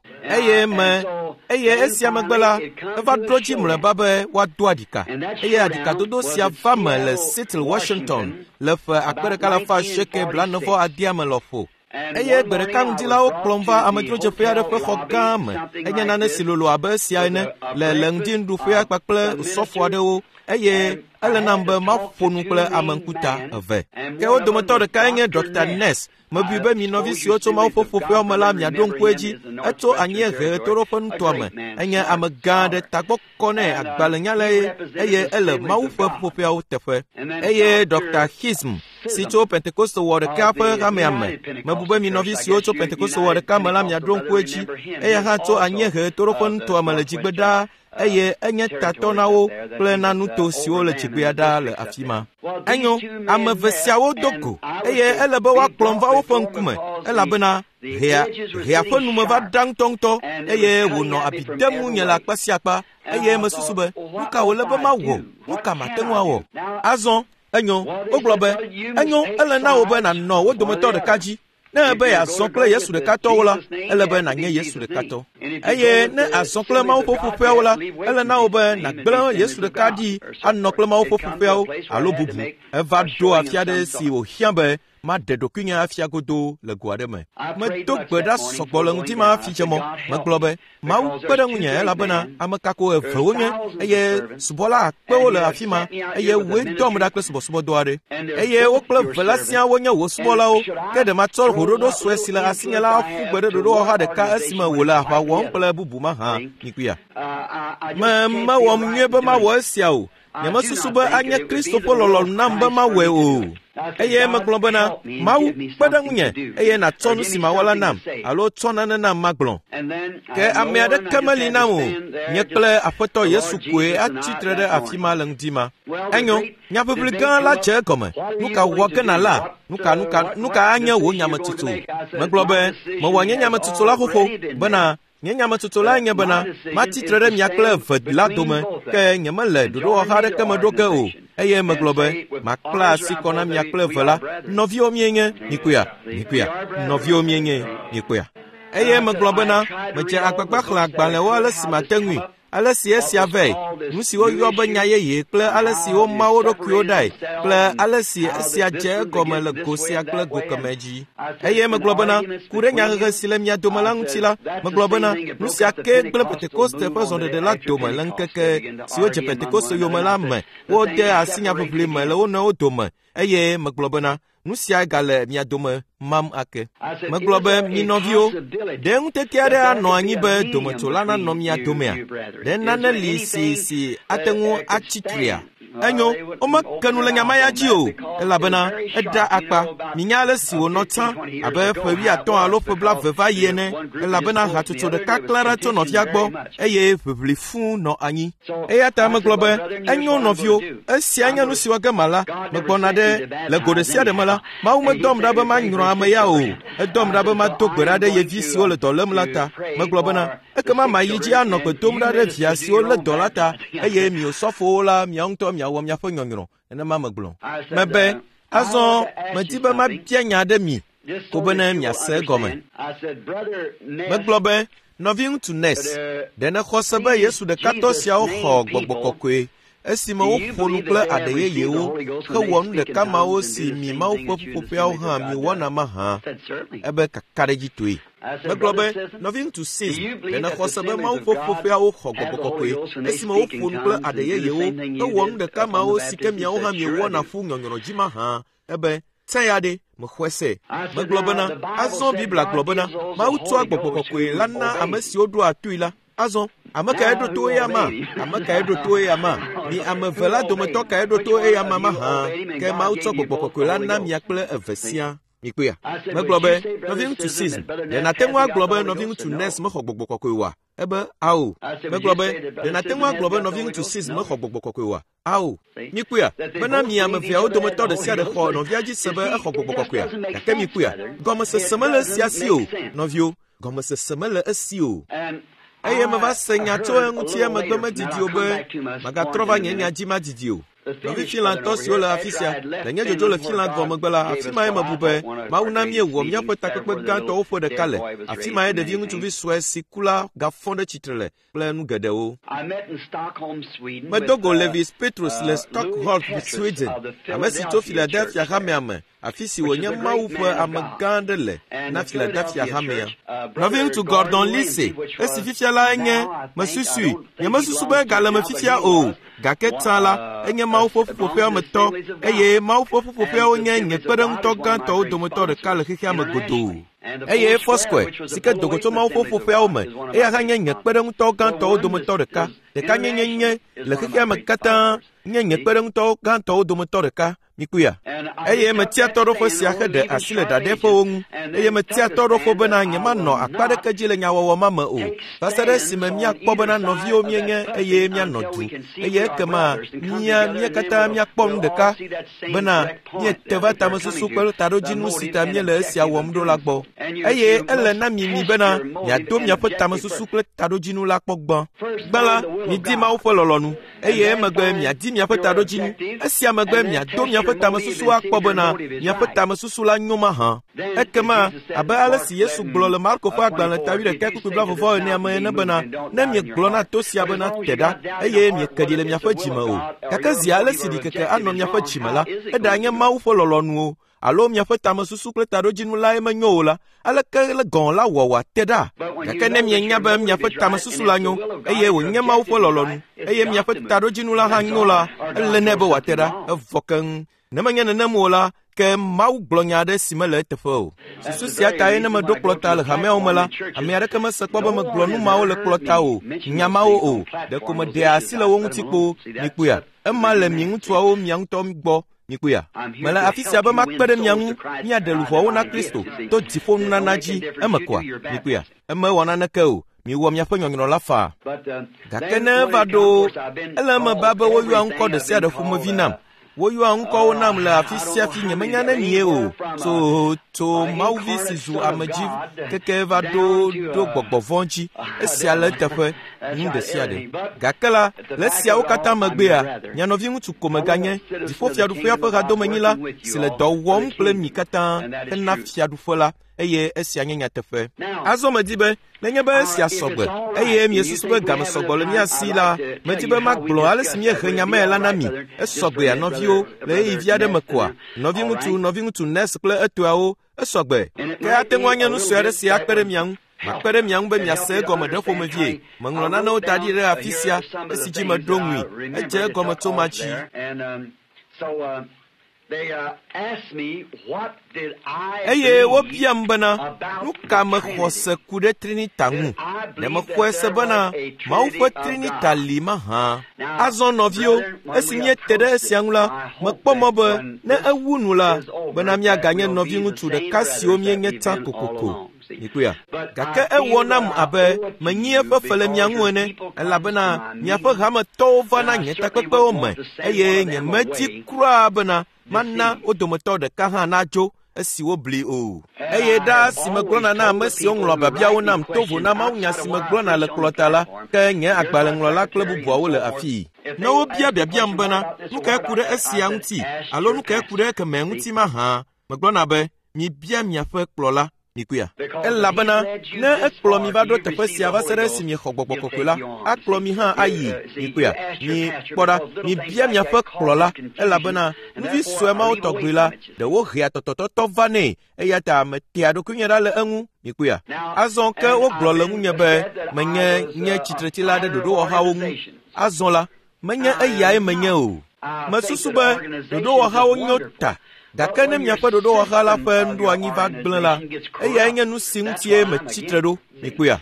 Eye esia megbe la, eva ɖo dzi mlɔeba be woado aɖika. Eye aɖikadodo sia va me le Seattle, Washington le ƒe 1946 me lɔƒo. Eye gbe ɖeka ŋdi la wokplɔm va amedzrodzeƒe aɖe ƒe xɔ gã me. Enye nane si lolo abe esia ene le ŋdinuɖuƒea kpakple osɔfo aɖewo eye ele nam be maƒo nu kple ame ŋkuta eve. Ke wo dometɔ ɖekae nye Dr. Ness. Mebui be mi nɔvi siwo tso Mawu ƒe ƒoƒeawo me la miaɖo ŋku edzi. Etso anyiehe ɣetoɖoƒe nutoa me. Enye ame gã aɖe, tagbɔ kɔ nɛ, agbalẽnyalae eye ele Mawu ƒe ƒoƒeawo teƒe. Eye Dr. Hism si tso Pentekoste wɔ ɖeka ƒe hamea me. Mebu be mi nɔvi siwo tso Pentekoste wɔ ɖeka me la miaɖo ŋku edzi. Eya hã tso anyiehe ɣetoɖoƒe nutoa me le dzigbe ɖaa eye enye tatɔ na wo kple na nuto siwo le dzigbea ɖaa le afi ma. Enyo, ame eve siawo do go eye ele be woakplɔm va woƒe ŋkume elabena hea ƒe nume va ɖa ŋutɔŋutɔ eye wònɔ abi dem ŋunye le akpa sia akpa eye mesusu be nu ka wòle be mawɔ, nu ka mate ŋu awɔ. Azɔ enyo, wogblɔ be enyo, ele na wò be nànɔ wo dometɔ ɖeka dzi. Ne ebe yeazɔ kple Yesu ɖekatɔwo la, ele be nànye Yesu ɖekatɔ. Eye ne azɔ kple Mawu ƒe ƒuƒoƒeawo la, ele na wò be nàgblẽ Yesu ɖeka ɖi anɔ kple Mawu ƒe ƒuƒoƒeawo alo bubu. Eva ɖo afi aɖe si wòhiã be maɖe ɖokuinye afia godoo le go aɖe me. Medo gbe ɖa sɔgbɔ le ŋdi ma hafi dze mɔ. Megblɔ be, Mawu kpe ɖe ŋunye elabena ame kako eve wonye eye subɔla akpewo le afi ma eye woe dɔm ɖa kple subɔsubɔdɔ aɖe. Eye wo kple eve la siaa wonye wò subɔlawo. Ke ɖe matsɔ hoɖoɖo sue si le asinye la aƒu gbe ɖe ɖoɖowɔha ɖeka esime wòle aʋa wɔm kple bubu mahã. Mikuia. Mewɔm nyuie be mawɔ esia o. Nyemesusu be anye Kristo ƒe lɔlɔ̃nu nam be mawɔe o. Eye megblɔ bena, Mawu, kpe ɖe ŋunye eye nàtsɔ nu si mawɔ la nam alo tsɔ nane nam magblɔ. Ke ame aɖeke meli nam o. Nye kple Aƒetɔ Yesu koe atsi tre ɖe afi ma le ŋdi ma. Enyo, nyaʋiʋli gã la dze egɔme. Nu ka wɔ ge nàla? Nu ka anye wò nyametsotso? Megblɔ be, mewɔ nye nyametsotso la xoxo bena nye nyametsotso lae nye bena matsi tre ɖe mia kple eve la dome, ke nyemele ɖoɖowɔha aɖeke me ɖo ge o. Eye megblɔ be makpla asi kɔ na mia kple eve la. Nɔviwo mienye, mikuya, nɔviwo mienye, mikuya. Eye megblɔ bena medze agbagba xlẽ agbalẽwo ale si mate ŋui, ale si esia vɛ, nu si woyɔ be nya yeye kple ale si woma wo ɖokuiwo ɖae kple ale si esia dze egɔme le go sia kple go kemɛ dzi. Eye megblɔ bena ku ɖe nyahehe si le mia dome la ŋuti la, megblɔ bena nu sia kee gblẽ Pentekoste ƒe zɔɖeɖe la dome le ŋkeke siwo dze Pentekoste yome la me. Wode asi nyaʋiʋli me le wo nɔewo dome eye megblɔ bena nu sia gale mia dome mam ake. Megblɔ be mi nɔviwo, ɖe ŋutete aɖe anɔ anyi be dometsola nanɔ mia domea? Ɖe nane li si ate ŋu atsi trea? Enyo, womeke nu le nya ma ya dzi o, elabena eɖa akpa. Minya ale si wònɔ tsã abe ƒe 50 alo ƒe 20 va yi ene, elabena hatsotso ɖeka klã ɖa tso nɔvia gbɔ eye ʋiʋli fũu nɔ anyi. Eya ta megblɔ be, enyo nɔviwo, esia nye nu si wɔ ge mala. Megbɔna ɖe le go ɖe sia ɖe me la, Mawu medɔm ɖa be manyrɔ ame ya o. Edɔm ɖa be mado gbe ɖa ɖe ye vi siwo le dɔ lém la ta. Megblɔ bena, ekema mayi dzi anɔ gbe dom ɖa ɖe via siwo lé dɔ la ta, eye mi osɔfowo la miawo ŋutɔ miawɔ miaƒe nyɔnyrɔ. Nenema megblɔ. Mebe, azɔ medi be mabia nya aɖe mi ko bene miase egɔme. Megblɔ be, nɔviŋutsu Ness, ɖe nèxɔ se be Yesu ɖekatɔ siawo xɔ gbɔgbɔ kɔkɔe esime woƒo nu kple aɖe yeyewo hewɔ nu ɖeka mawo si mi Mawu ƒe ƒuƒoƒeawo hã miwɔna mahã? Ebe kakaɖedzitɔe. Megblɔ be, nɔviŋutsu Sism, ɖe nèxɔ se be Mawu ƒe ƒuƒoƒeawo xɔ gbɔgbɔ kɔkɔe esime woƒo nu kple aɖe yeyewo hewɔ nu ɖeka mawo si ke miawo hã miewɔna ƒu nyɔnyrɔ dzi mahã? Ebe, tse ya ɖe, mexɔe se. Megblɔ bena, azɔ Biblia gblɔ bena, Mawu tsɔa gbɔgbɔ kɔkɔe la na ame siwo ɖoa toe la. Azɔ, ame kae ɖo to eya ma? Ame kae ɖo to eya ma? Mi ame eve la dometɔ kae ɖo to eya ma mahã? Ke Mawu tsɔ gbɔgbɔ kɔkɔe la na mia kple eve sia. Mikpɔea? Megblɔ be, Nɔviŋutsu Sism, ɖe nàte ŋu agblɔ be nɔviŋutsu Ness mexɔ gbɔgbɔ kɔkɔe oa? Ebe, Ao. Megblɔ be, Ɖe nàte ŋu agblɔ be nɔviŋutsu Sism mexɔ gbɔgbɔ kɔkɔe oa? Ao. Mikpɔea? Bena mi ame eveawo dometɔ ɖe sia ɖe xɔ nɔvia dzi se be exɔ gbɔgbɔ kɔkɔea. Gake mikpɔea? Gɔmesese mele esia si o, nɔviwo. Gɔmesese mele esi o. Eye meva se nya tso eŋuti emegbe medidi o be magatrɔ va nye nya dzi madidi o. Nɔvi Finlandtɔ siwo le afi sia, le nye dzodzo le Finland vɔ megbe la, afi mae mebu be Mawu na míewɔ míaƒe takpekpe gãtɔwo ƒe ɖeka le. Afi mae ɖevi ŋutsuvi sue si ku la gafɔ ɖe tsitre le kple nu geɖewo. Medo go Levis Pethrus le Stockholm, Sweden, ame si tso Philadelphia hamea me, afi si wònye Mawu ƒe ame gã aɖe le na Philadelphia hamea. Nɔviŋutsu Gordon Lindsay, esi fifia la enye, mesusui, nyemesusu be egale me fifia o, gake tsã la, enye Mawu ƒe ƒuƒoƒea me tɔ, eye Mawu ƒe ƒuƒoƒeawo nye nye kpeɖeŋutɔ gãtɔwo dometɔ ɖeka le xexea me godoo. Eye Foursquare, si ke do go tso Mawu ƒe ƒuƒoƒeawo me, eya hã nye nye kpeɖeŋutɔ gãtɔwo dometɔ ɖeka. Ɖekanyenye nye le xexea me katã nye nye kpeɖeŋutɔ gãtɔwo dometɔ ɖeka. Mikpɔea? Eye metia tɔɖoƒe sia heɖe asi le ɖaɖɛƒewo ŋu, eye metia tɔɖoƒe bena nyemanɔ akpa ɖeke dzi le nyawɔwɔ ma me o, va se ɖe esime míakpɔ bena nɔviwo míenye eye míanɔ du, eye ekema mía mía katã míakpɔ nu ɖeka bena míete va tamesusu kple taɖodzinu si ta míele esia wɔm ɖo la gbɔ. Eye ele na mi mi bena miado miaƒe tamesusu kple taɖodzinu la kpɔ gbã. Gbã la, midi Mawu ƒe lɔlɔ̃nu. eye emegbe miadi miaƒe taɖodzinu. Esia megbe miado miaƒe tamesusu akpɔ bena miaƒe tamesusu la nyo mahã. Ekema, abe ale si Yesu gblɔ le Marko ƒe agbalẽ ta wuiɖekɛ kpukpui blaeve-vɔ-enea me ene bena, ne miegblɔ na to sia bena te ɖa, eye mieke ɖi le miaƒe dzi me o, gake zi ale si ɖikeke anɔ miaƒe dzi me la, eɖanye Mawu ƒe lɔlɔ̃nu o, alo miaƒe tamesusu kple taɖodzinu lae menyo o la, aleke le gɔ̃ la wɔ wòate ɖa? Gake ne mienya be miaƒe tamesusu la nyo, eye wònye Mawu ƒe lɔlɔ̃nu, eye miaƒe taɖodzinu la hã nyo la, ele nɛ be wòate ɖa, evɔ keŋ. Ne menye nenem o la, ke Mawu gblɔ nya aɖe si mele eteƒe o. Susu sia tae ne meɖo kplɔta le hameawo me la, ame aɖeke mese kpɔ be megblɔ nu mawo le kplɔta o, nya mawo o. Ɖeko meɖea asi le wo ŋuti kpoo. Mikpɔea? Ema le mi ŋutsuawo mia ŋutɔ gbɔ. Mikpɔea? Mele afi sia be makpe ɖe mia ŋu míaɖe luʋɔwo na Kristo to dziƒonunana dzi. Eme kɔa? Mikpɔea? Eme wɔ naneke o. Miwɔ miaƒe nyɔnyrɔ la faa. Gake ne eva ɖo, ele eme ba be woyɔa ŋkɔ ɖe sia ɖe ƒomevi nam. Woyɔa ŋkɔwo nam le afi sia fi nyemenya nenie o. Tso tso Mawuvi si zu ame dzi keke va ɖo ɖo gbɔgbɔ vɔ̃ dzi. Esia le eteƒe. Nu ɖe sia ɖe. Gake la, le esiawo katã megbea, mia nɔviŋutsu ko meganye Dziƒofiaɖuƒea ƒe hadomenyila si le dɔ wɔm kple mi katã hena fiaɖuƒe la, eye esia nye nyateƒe. Azɔ medi be, nenye be esia sɔgbe, eye miesusu be game sɔgbɔ le mía si la, medi be magblɔ ale si míehe nya mae la na mi. Esɔgbea, nɔviwo, le ɣeyiɣi vi aɖe me koa? Nɔviŋutsu, nɔviŋutsu Ness kple etɔeawo, esɔgbe. Ke ate ŋu anye nu sue aɖe si akpe ɖe mia ŋu. Makpe ɖe mia ŋu be miase egɔme ɖe ƒomevie. Meŋlɔ nanewo da ɖi ɖe afi sia esi dzi meɖo ŋui. Edze egɔme tso ma dzi. Eye wobiam bena, nu ka mexɔ se ku ɖe Trinita ŋu? Ɖe mexɔe se bena Mawu ƒe Trinita li mahã? Azɔ nɔviwo, esi míete ɖe esia ŋu la, mekpɔ mɔ be ne ewu nu la, bena míaganye nɔviŋutsu ɖeka siwo míenye tsã kokoko. Mikpɔea? Gake ewɔ nam abe menyi eƒe fe le mia ŋu ene, elabena miaƒe hametɔwo vana nye takpekpewo me, eye nyemedi kura bena mana wo dometɔ ɖeka hã nadzo esi wobli o. Eye ɖaa si megblɔna na ame siwo ŋlɔ biabiawo nam to vo na mawunya si megblɔna le kplɔta la, ke nye agbalẽŋlɔla kple bubuawo le afii. Ne wobia biabiam bena, nu kae ku ɖe esia ŋuti alo nu kae ku ɖe ekemɛ ŋuti mahã, megblɔna be, mibia miaƒe kplɔla. Mikpɔea? Elabena ne ekplɔ mi va ɖo teƒe sia va se ɖe esi miexɔ gbɔgbɔ kɔkɔe la, akplɔ mi hã ayi. Mikpɔea? Mi kpɔ ɖa, mibia miaƒe kplɔla, elabena nuvi sue mawo tɔgbi la, ɖe wohea tɔtɔtɔtɔ vanɛ, eya ta metea ɖokuinye ɖa le eŋu. Mikpɔea? Azɔ ke wogblɔ le ŋunye be menye nye tsitretsila ɖe ɖoɖowɔhawo ŋu. Azɔ la, menye eyae menye o. Mesusu be ɖoɖowɔhawo nyo ta, gake ne miaƒe ɖoɖowɔha la ƒe nuɖoanyi va gblẽ la, eyae nye nu si ŋutie metsi tre ɖo. Mikpɔea?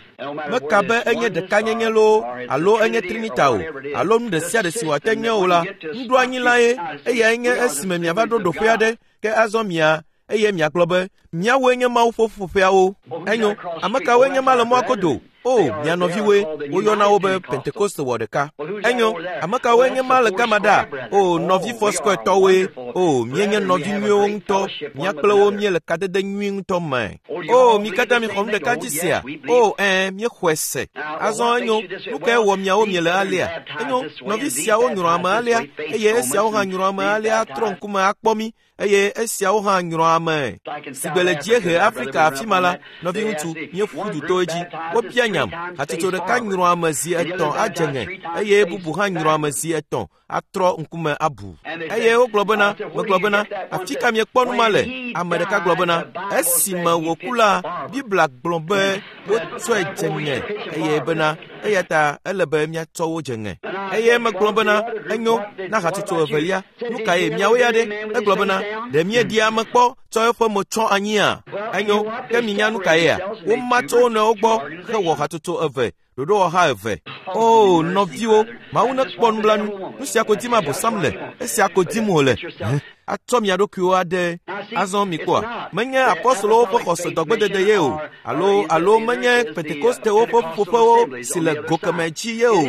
Meka be enye ɖekanyenye loo alo enye Trinita o, alo nu ɖe sia ɖe si wòate nye o la, nuɖoanyi lae, eyae nye esime miava ɖo ɖoƒe aɖe, ke azɔ mia. eye miagblɔ be míawoe nye Mawu ƒe ƒuƒoƒeawo. Enyo, ame kawoe nye ma le mɔa godo? O, mia nɔviwoe, woyɔna wo be Pentekoste wɔ ɖeka. Enyo, ame kawoe nye ma le gama ɖa? O, nɔvi Foursquare-tɔwoe. O, míenye nɔvi nyuiwo ŋutɔ. Mía kple wo míele kadede nyui ŋutɔ me. O, mi katã mixɔ nu ɖeka dzi sea? O, ɛ̃, míexɔe se. Azɔ enyo, nu kae wɔ miawo miele alea? Enyo, nɔvi siawo nyrɔ ame alea, eye esiawo hã nyrɔ ame alea atrɔ ŋkume akpɔ mí eye esiawo hã nyrɔ ame. Si gbe le dziehe Afrika afi ma la, nɔviŋutsu, míeƒu du to edzi. Wobia nyam, hatsotso ɖeka nyrɔ ame zi etɔ̃ adze ŋe eye bubu hã nyrɔ ame zi etɔ̃ atrɔ ŋkume abu. Eye wogblɔ bena, megblɔ bena, afi ka miekpɔ nu ma le? Ame ɖeka gblɔ bena, esime wòku la, Biblia gblɔ be wotsɔe dze ŋe eye bena eya ta ele be míatsɔ wo dze ŋe. Eye megblɔ bena, enyo, na hatsotso evelia, nu kae miawo ya ɖe? Egblɔ bena, ɖe míeɖia ame kpɔ tsɔ eƒe mo tsɔ anyia? Enyo, ke minya nu kaea? Woma tso wo nɔewo gbɔ hewɔ hatsotso eve, ɖoɖowɔha eve. O, nɔviwo, Mawu nekpɔ nublanui. Nu sia ko dim Abosam le, esia ko dim wòle. Atsɔ mia ɖokuiwo aɖe. Azɔ mikpɔa, menye apɔstolowo ƒe xɔse dɔgbedede ye o, alo alo menye Pentekostewo ƒe ƒuƒoƒewo si le go kemɛ dzi ye o,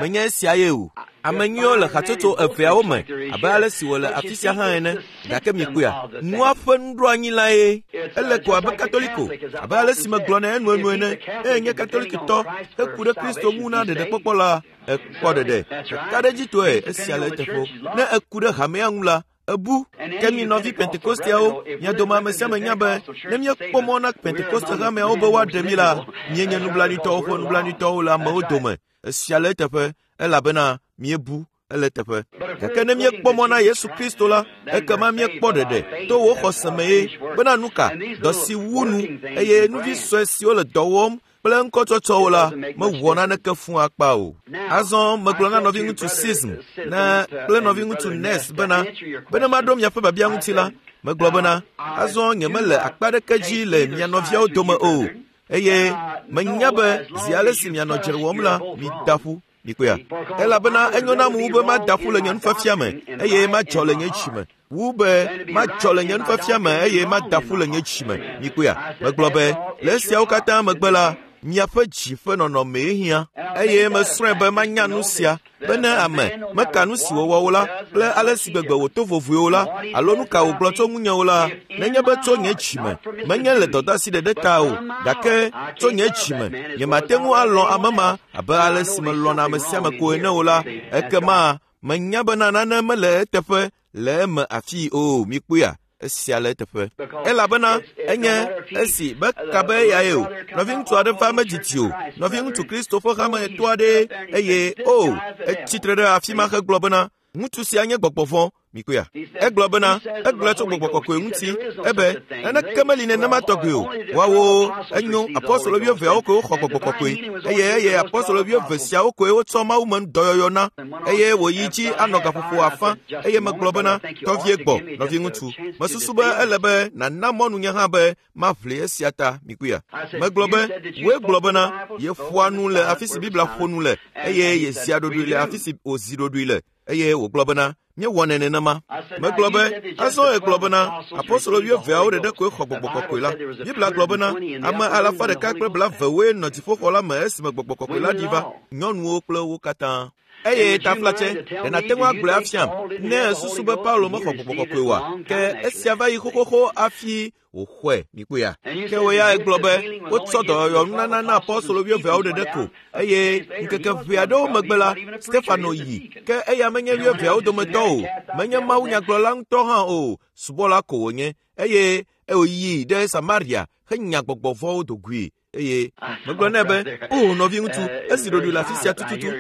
menye esia ye o. Ame nyuiwo le hatsotso eveawo me abe ale si wòle afi sia hã ene. Gake mikpɔea, nua ƒe nuɖoanyi lae. Ele ko abe Katoliko, abe ale si megblɔnɛ enuenu ene. Eye nye Katolikitɔ heku ɖe Kristo ŋu na ɖeɖekpɔkpɔ la, ekpɔ ɖeɖe. Kakaɖedzitɔe esia le eteƒe. Ne eku ɖe hamea ŋu la, ebu. Ke mi nɔvi Pentekosteawo, mia dome ame sia ame nya be ne míekpɔ mɔ na Pentekoste hameawo be woaɖe mí la, míenye nublanuitɔwo ƒe nublanuitɔwo le amewo dome. Esia le eteƒe elabena míebu ele eteƒe. Gake ne míekpɔ mɔ na Yesu Kristo la, ekema míekpɔ ɖeɖe to wò xɔse me ye bena nu ka dɔ si wu nu eye nuvi sue siwo le dɔ wɔm kple ŋkɔtsɔtsɔwo la mewɔ naneke fũ akpa o. Azɔ megblɔ na nɔviŋutsu Sism ne kple nɔviŋutsu Nes bena bene maɖo miaƒe biabia ŋuti la, megblɔ bena azɔ nyemele akpa ɖeke dzi le mia nɔviawo dome o eye menya be zi ale si mianɔ dzre wɔm la, mida ƒu. Mikpɔea? Elabena enyo nam wu be mada ƒu le nye nufiafia me eye madzɔ le nye dzi me wu be madzɔ le nye nufiafia me eye mada ƒu le nye dzi me. Mikpɔea? Megblɔ be le esiawo katã megbe la, miaƒe dzi ƒe nɔnɔmee hiã eye mesrɔ̃e be manya nu sia be ne ame meka nu si wòwɔ o la kple ale si gbegbe wòto vovoe o la alo nu ka wògblɔ tso ŋunye o la, nenye be tso nye dzi me, menye le dɔdeasi ɖeɖe ta o, gake tso nye dzi me, nyemate ŋu alɔ̃ ame ma abe ale si melɔ̃na ame sia ame ko ene o la, ekema menya bena nane mele eteƒe le eme afii o. Mikpɔea? Esia le eteƒe. Elabena enye esi meka be eyae o. Nɔviŋutsu aɖe va medidi o. Nɔviŋutsu Kristo ƒe hametɔ aɖee eye o, etsi tre ɖe afi ma hegblɔ bena, ŋutsu sia nye gbɔgbɔ vɔ̃. Mikpɔea? Egblɔ bena, egblɔ tso gbɔgbɔ kɔkɔe ŋuti ebe naneke meli nenema tɔgbi o. Woawo enyo apɔstolo wuieveawo koe woxɔ gbɔgbɔ kɔkɔe eye eye apɔstolo wuieve siawo koe wotsɔ Mawu me dɔyɔyɔ na eye wòyi dzi anɔ gaƒoƒo afã eye megblɔ bena tɔvie gbɔ nɔviŋutsu. Mesusu be ele be nàna mɔnu nye hã be maʋli esia ta. Mikpɔea? Megblɔ be wòe gblɔ bena yeƒoa nu le afi si Biblia ƒo nu le eye yezia ɖoɖoe le afi si wòzi ɖoɖoe le eye wògblɔ bena míewɔnɛ nenema. Megblɔ be azɔ egblɔ bena apɔstolo wuieveawo ɖeɖe koe xɔ gbɔgbɔ kɔkɔe la. Biblia gblɔ bena ame alafa ɖeka kple blavewoe nɔ dziƒoxɔ la me esime gbɔgbɔ kɔkɔe la ɖi va, nyɔnuwo kple wo katã. Eye taflatse, ɖe nàte ŋu agblɔe afiam ne èsusu be Paulo mexɔ gbɔgbɔ kɔkɔe oa? Ke esia va yi xoxoxo hafi wòxɔe. Mikpɔea? Ke wò ya egblɔ be wotsɔ dɔyɔyɔ nunana na apɔstolo wuieveawo ɖeɖe ko eye ŋkeke ʋɛ aɖewo megbe la, Stefano yi. Ke eya menye wuieveawo dometɔ o, menye mawunyagblɔla ŋutɔ hã o, subɔla ko wònye eye wòyi ɖe Samaria henya gbɔgbɔ vɔ̃wo do goe. Eye megblɔ nɛ be, o nɔviŋutsu, ezi ɖoɖoe le afi sia tututu.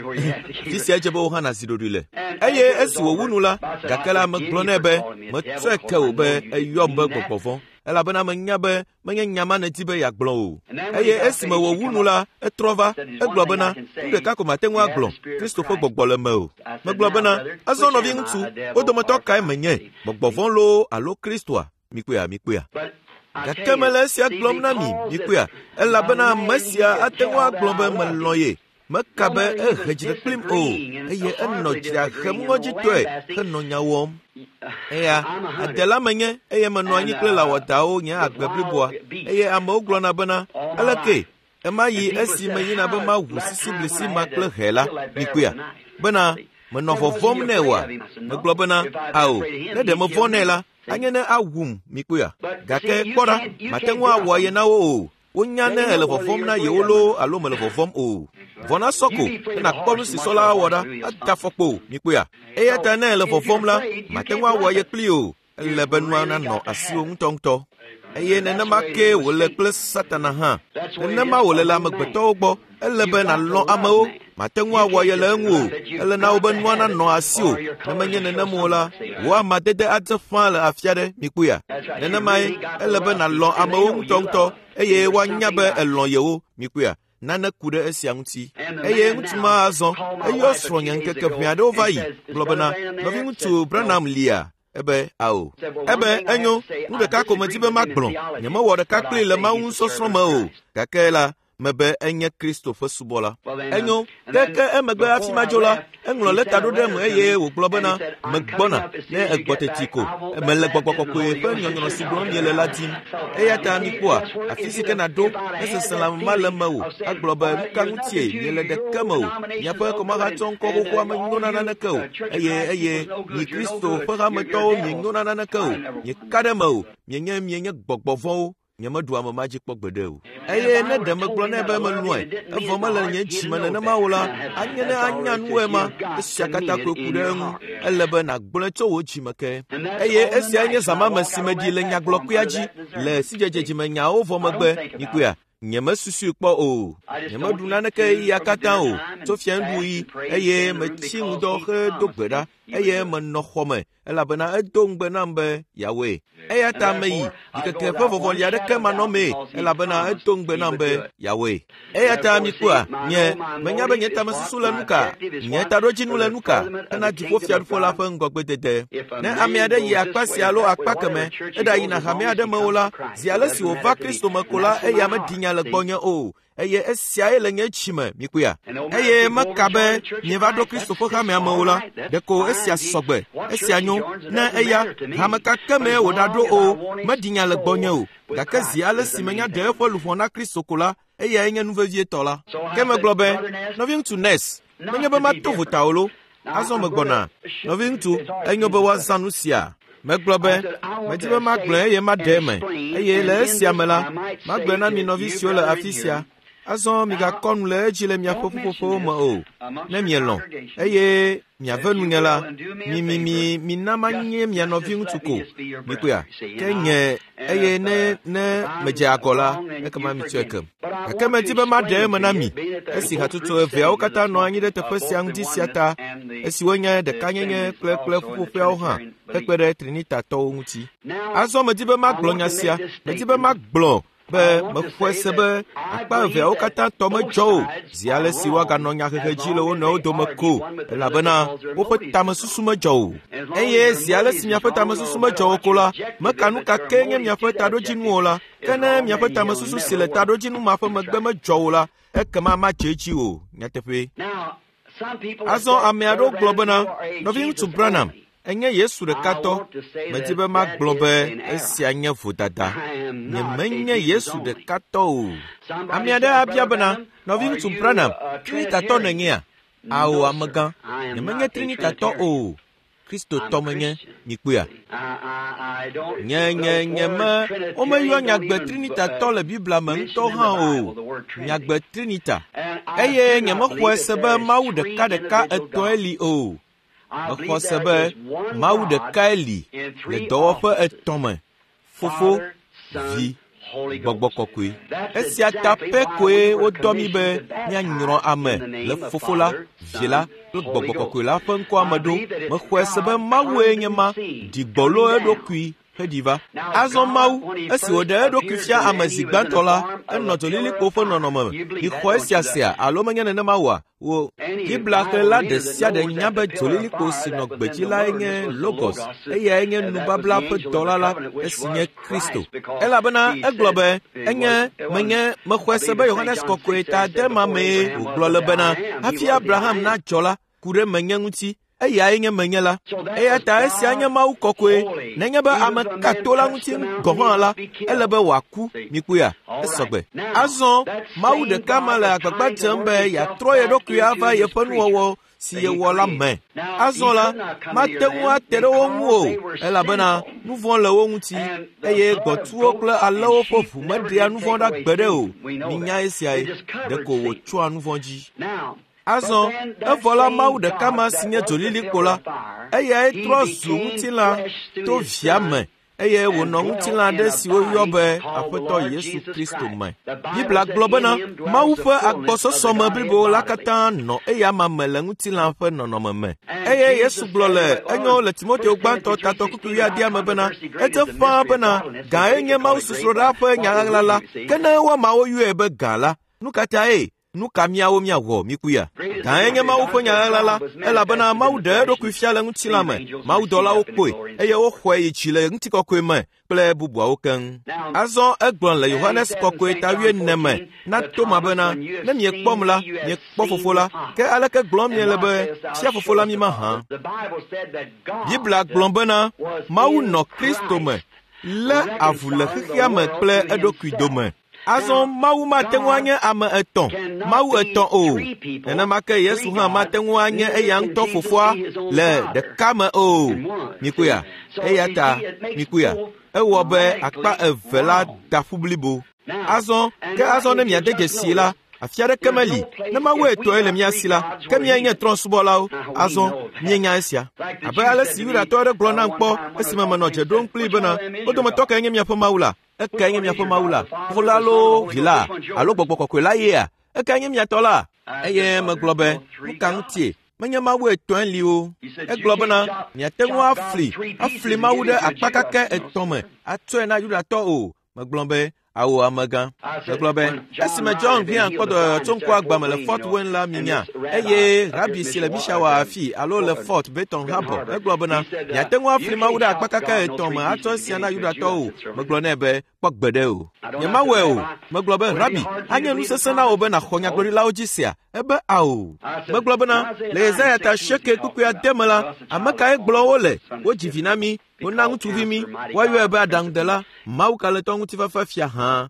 Afi sia dze be wò hã nàzi ɖoɖoe le. Eye esi wòwu nu la, gake la megblɔ nɛ be, metsɔe ke wò be èyɔm be gbɔgbɔ vɔ̃, elabena menya be menye nya ma nèdi be yeagblɔ o. Eye esime wòwu nu la, etrɔ va, egblɔ bena, nu ɖeka ko mate ŋu agblɔ, Kristo ƒe gbɔgbɔ le mewò. Megblɔ bena, azɔ nɔviŋutsu, wo dometɔ kae menye, gbɔgbɔ vɔ̃ loo alo Kristoa? Mikpɔea, mikpɔea. Gake mele esia gblɔm na mi, mikpɔea, elabena ame sia ate ŋu agblɔ be melɔ̃ ye. Meka be ehe dzre kplim o, eye enɔ dzrea hem ŋɔdzitɔe henɔ nya wɔm. Eya, adela menye eye menɔ anyi kple lãwɔdawo nye agbe bliboa eye amewo gblɔna bena, aleke ema yi esi meyina be maʋu sisiblisi ma kple hɛ la, mikpɔea? Bena menɔ vɔvɔ̃m nɛ oa? Megblɔ bena, ao, ne ɖe mevɔ̃ nɛ la, anye ne awum, mikpɔea? Gake kpɔ ɖa, mate ŋu awɔ ye na wo o. Wonya ne ele vɔvɔ̃m na yewo loo alo mele vɔvɔ̃m o. Vɔ̃ na sɔ ko ne nàkpɔ nu si sɔ la awɔ ɖa, ada afɔkpo, mikpɔea? Eya ta ne ele vɔvɔ̃m la, mate ŋu awɔ ye kpli o. Ele be nua nanɔ asiwò ŋutɔŋutɔ. Eye nenema kee wòle kple Satana hã. Nenema wòle le amegbetɔwo gbɔ. Ele be nàlɔ̃ amewo. Mate ŋu awɔ ye le eŋu o. Ele na wo be nua nanɔ asiwò. Ne menye nenem o la, wò amadede adze ƒãa le afi aɖe, mikpɔea? Nenemae ele be nàlɔ̃ amewo ŋutɔŋutɔ eye woanya be èlɔ̃ yewo, mikpɔea? Nane ku ɖe esia ŋuti. Eye ŋutsu ma azɔ, eyɔ srɔ̃nye ŋkeke ʋɛ aɖewo va yi, gblɔ bena, nɔviŋutsu Branham lia? Ebe, ao. Ebe, enyo, nu ɖeka ko medi be magblɔ. Nyemewɔ ɖeka kplii le Mawu ŋusɔsrɔ̃ me o. Gake la, mebe enye Kristo ƒe subɔla. Enyo, ke emegbe hafi madzo la, eŋlɔ lɛta ɖo ɖem eye wògblɔ bena, megbɔna, ne egbɔ teti ko. Mele gbɔgbɔ kɔkɔe ƒe nyɔnyrɔ si gblɔm miele la dim. Eya ta mikpɔa, afi si ke nàɖo, ne seselãme ma le mewò, agblɔ be, nu ka ŋutie miele ɖeke me o. Miaƒe kɔmahatsɔ ŋkɔ xoxoa menyo na naneke o. Eye, eye, mi Kristo ƒe hametɔwo mienyo na naneke o. Mieka ɖe eme o. Mienye, mienye gbɔgbɔ vɔ̃wo. Nyemeɖu ame ma dzi kpɔ gbeɖe o. Eye ne ɖe megblɔ nɛ be melɔ̃e, evɔ mele nye dzi me nenema o la, anye ne anya nu ema. Esia katã koe ku ɖe eŋu. Ele be nàgblɔe tso wò dzi me ke. Eye esiae nye zã ma me si meɖi le nyagblɔkpea dzi le sidzedze dzimenyawo vɔ megbe, mikpɔea? Nyemesusui kpɔ o. Nyemeɖu naneke ɣeyiɣia katã o, tso fiaŋuɖuɣi, eye metsi ŋudɔ hedo gbe ɖa, eye menɔ xɔ me, elabena edo ŋugbe nam be yeawɔe. Eya ta meyi, ɖikeke ƒe vɔvɔli aɖeke manɔmee, elabena edo ŋugbe nam be yeawɔe. Eya ta mikpɔa, nye, menya be nye tamesusu le nu ka, nye taɖodzinu le nu ka, hena dziƒofiaɖuƒe la ƒe ŋgɔgbedede. Ne ame aɖe yi akpa sia alo akpa keme, eɖayina hame aɖe me o la, zi ale si wòva Kristo me ko la, eya meɖi nya le gbɔnye o. Eye esiae le nye dzi me, mikpɔea? Eye meka be mieva ɖo Kristo ƒe hamea me o la, ɖeko esia sɔgbe, esia nyo. Ne eya, hame ka ke mee wòɖaɖo o, meɖi nya le gbɔnye o. Gake zi ale si menya ɖe eƒe luʋɔ na Kristo ko la, eyae nye nu vevietɔ la. Ke megblɔ be, nɔviŋutsu Ness, menye be mato vota o lo. Azɔ megbɔna. Nɔviŋutsu, enyo be woazã nu sia. Megblɔ be, medi be magblɔe eye maɖe eme. Eye le esia me la, magblɔe na mi nɔvi siwo le afi sia. Azɔ migakɔ nu le edzi le miaƒe ƒuƒoƒewo me o, ne mielɔ̃. Eye miave nunye la, mi mi mi mina manye mia nɔviŋutsu ko. Mikpɔea? Ke nye, eye ne ne medze agɔ la, ekema mitsɔe kem. Gake medi be maɖe eme na mi, esi hatsotso eveawo katã nɔ anyi ɖe teƒe sia ŋdi sia ta, esi wonye ɖekanyenye kple kple ƒuƒoƒeawo hã, hekpe ɖe Trinitatɔwo ŋuti. Azɔ medi be magblɔ nya sia, medi be magblɔ be mexɔe se be akpa eveawo katã tɔ medzɔ o, zi ale si woaganɔ nyahehe dzi le wo nɔewo dome ko, elabena woƒe tamesusu medzɔ o. Eye zi ale si miaƒe tamesusu medzɔ o ko la, meka nu ka kee nye miaƒe taɖodzinu o la, ke ne miaƒe tamesusu si le taɖodzinu ma ƒe megbe medzɔ o la, ekema madze edzi o. Nyateƒee. Azɔ ame aɖewo gblɔ bena, nɔviŋutsu Branham, enye Yesu ɖekatɔ. Medi be magblɔ be esia nye vodada. Nyemenye Yesu ɖekatɔ o. Ame aɖe abia bena, nɔviŋutsu Branham, Trinitatɔ nènyea? Ao, amegã, nyemenye Trinitatɔ o. Kristotɔ menye, mikpɔea? Nye, nye, nye me, womeyɔ nyagbe Trinitatɔ le Biblia me ŋutɔ hã o. Nyagbe Trinita. Eye nyemexɔe se be Mawu ɖekaɖeka etɔ̃e li o. Mexɔ se be Mawu ɖekae li le dɔwɔƒe etɔ̃ me, Fofo, Vi, Gbɔgbɔ kɔkɔe. Esia ta pɛ koe wodɔ mí be míanyrɔ ame le Fofo la, Vi la kple Gbɔgbɔ kɔkɔe la ƒe ŋkɔa me ɖo. Mexɔe se be Mawue nye ma, ɖi gbɔlo eɖokui heɖi va. Azɔ Mawu, esi wòɖe eɖokui fia ame zi gbãtɔ la, enɔ dzolilikpo ƒe nɔnɔme me. Mixɔ esia sea alo menye nenema oa? Wo Biblia xlẽla ɖe sia ɖe nya be dzolilikpo si nɔ gbedzi lae nye Logos, eyae nye nubabla ƒe dɔla la, esi nye Kristo. Elabena egblɔ be, enye, menye, mexɔe se be Yohanes Kɔkɔe ta de ma mee wògblɔ le bena, hafi Abraham nadzɔ la, ku ɖe menye ŋuti. Eyae nye menye la. Eya ta esia nye Mawu kɔkɔe. Nenye be ame ka to la ŋuti gɔ̃ hã la, ele be wòaku. Mikpɔea? Esɔgbe. Azɔ Mawu ɖeka ma le agbagba dzem be yeatrɔ ye ɖokui ava yeƒe nuwɔwɔ si yewɔ la me. Azɔ la, mate ŋu ate ɖe wo ŋu o, elabena nu vɔ̃ le wo ŋuti, eye gbɔ̃tsuwo kple alẽwo ƒe ʋu meɖea nu vɔ̃ ɖa gbeɖe o. Minya esiae, ɖeko wòtsyɔa nu vɔ̃ dzi. Azɔ, evɔ la Mawu ɖeka ma si nye dzolilikpo la, eyae trɔ zu ŋutilã to via me eye wònɔ ŋutilã aɖe si woyɔ be Aƒetɔ Yesu Kristo me. Biblia gblɔ bena Mawu ƒe agbɔsɔsɔme blibo la katã nɔ eyama me le ŋutilã ƒe nɔnɔme me. Eye Yesu gblɔ le enyo le Timoteo gbãtɔ tatɔ kpukpui wuiadea me bena edze ƒãa bena gãe nye Mawu sosroɖa ƒe nyaɣaɣla la, ke ne woamawo yɔe be gã la, nu ka tae? Nu ka míawo míawɔ míkuya? Gãe nye Mawu ƒe nyaɣaɣla la, elabena Mawu ɖe eɖokui fia le ŋutilã me. Mawudɔlawo kpɔe, eye woxɔe yi dzi le ŋutikɔkɔe me kple bubuawo keŋ. Azɔ egblɔ le Yohanes kɔkɔe ta wuiene me na Toma bena, ne miekpɔm la, miekpɔ fofo la. Ke aleke gblɔm miele be, fia fofo la mi mahã? Biblia gblɔ bena Mawu nɔ Kristo me, lé avu le xexea me kple eɖokui dome. Azɔ Mawu mate ŋu anye ame etɔ̃, Mawu etɔ̃ o. Nenema ke Yesu hã mate ŋu anye eya ŋutɔ fofoa le ɖeka me o. Mikpɔea? Eya ta mikpɔea? Ewɔ be akpa eve la da ƒu blibo. Azɔ, ke azɔ ne miade dzesi la, afi aɖeke meli. Ne Mawu etɔ̃e le mía si la, ke míae nye trɔ̃subɔlawo. Azɔ, míenya esia. Abe ale si Yudatɔ aɖe gblɔ nam kpɔ esime menɔ dze ɖom kplii bena, wo dometɔ kae nye miaƒe Mawu la? Ekae nye miaƒe Mawu la? Fofo la loo, Vi la, alo Gbɔgbɔ Kɔkɔe la yea? Ekae nye mia tɔ la? Eye megblɔ be, nu ka ŋutie? Menye Mawu etɔ̃e li o. Egblɔ bena, miate ŋu afli, afli Mawu ɖe akpa kakɛ etɔ̃ me atsɔe na Yudatɔ o. Megblɔ be, awo amegã. Megblɔ be, esime John Vian kpɔ dɔyɔyɔ tso ŋku agba me le Fort Wayne la minya, eye rabi si le Mishawa afi alo le Fort Benton Harbor, egblɔ bena, miate ŋu afli Mawu ɖe akpa kakɛ etɔ̃ me atsɔ esia na Yudatɔwo o. Megblɔ nɛ be, kpɔ gbeɖe o. Nyemawɔe o. Megblɔ be, rabi, anye nu sesẽ na wò be nàxɔ nyagblɔɖilawo dzi sea? Ebe ao. Megblɔ bena, le Yesaya ta asieke kpukpui ade me la, ame kae gblɔ wo le? Wodzi vi na mí, wona ŋutsuvi mí, woayɔe be aɖaŋudela, Mawu kalẽtɔ ŋutifafa fia hã.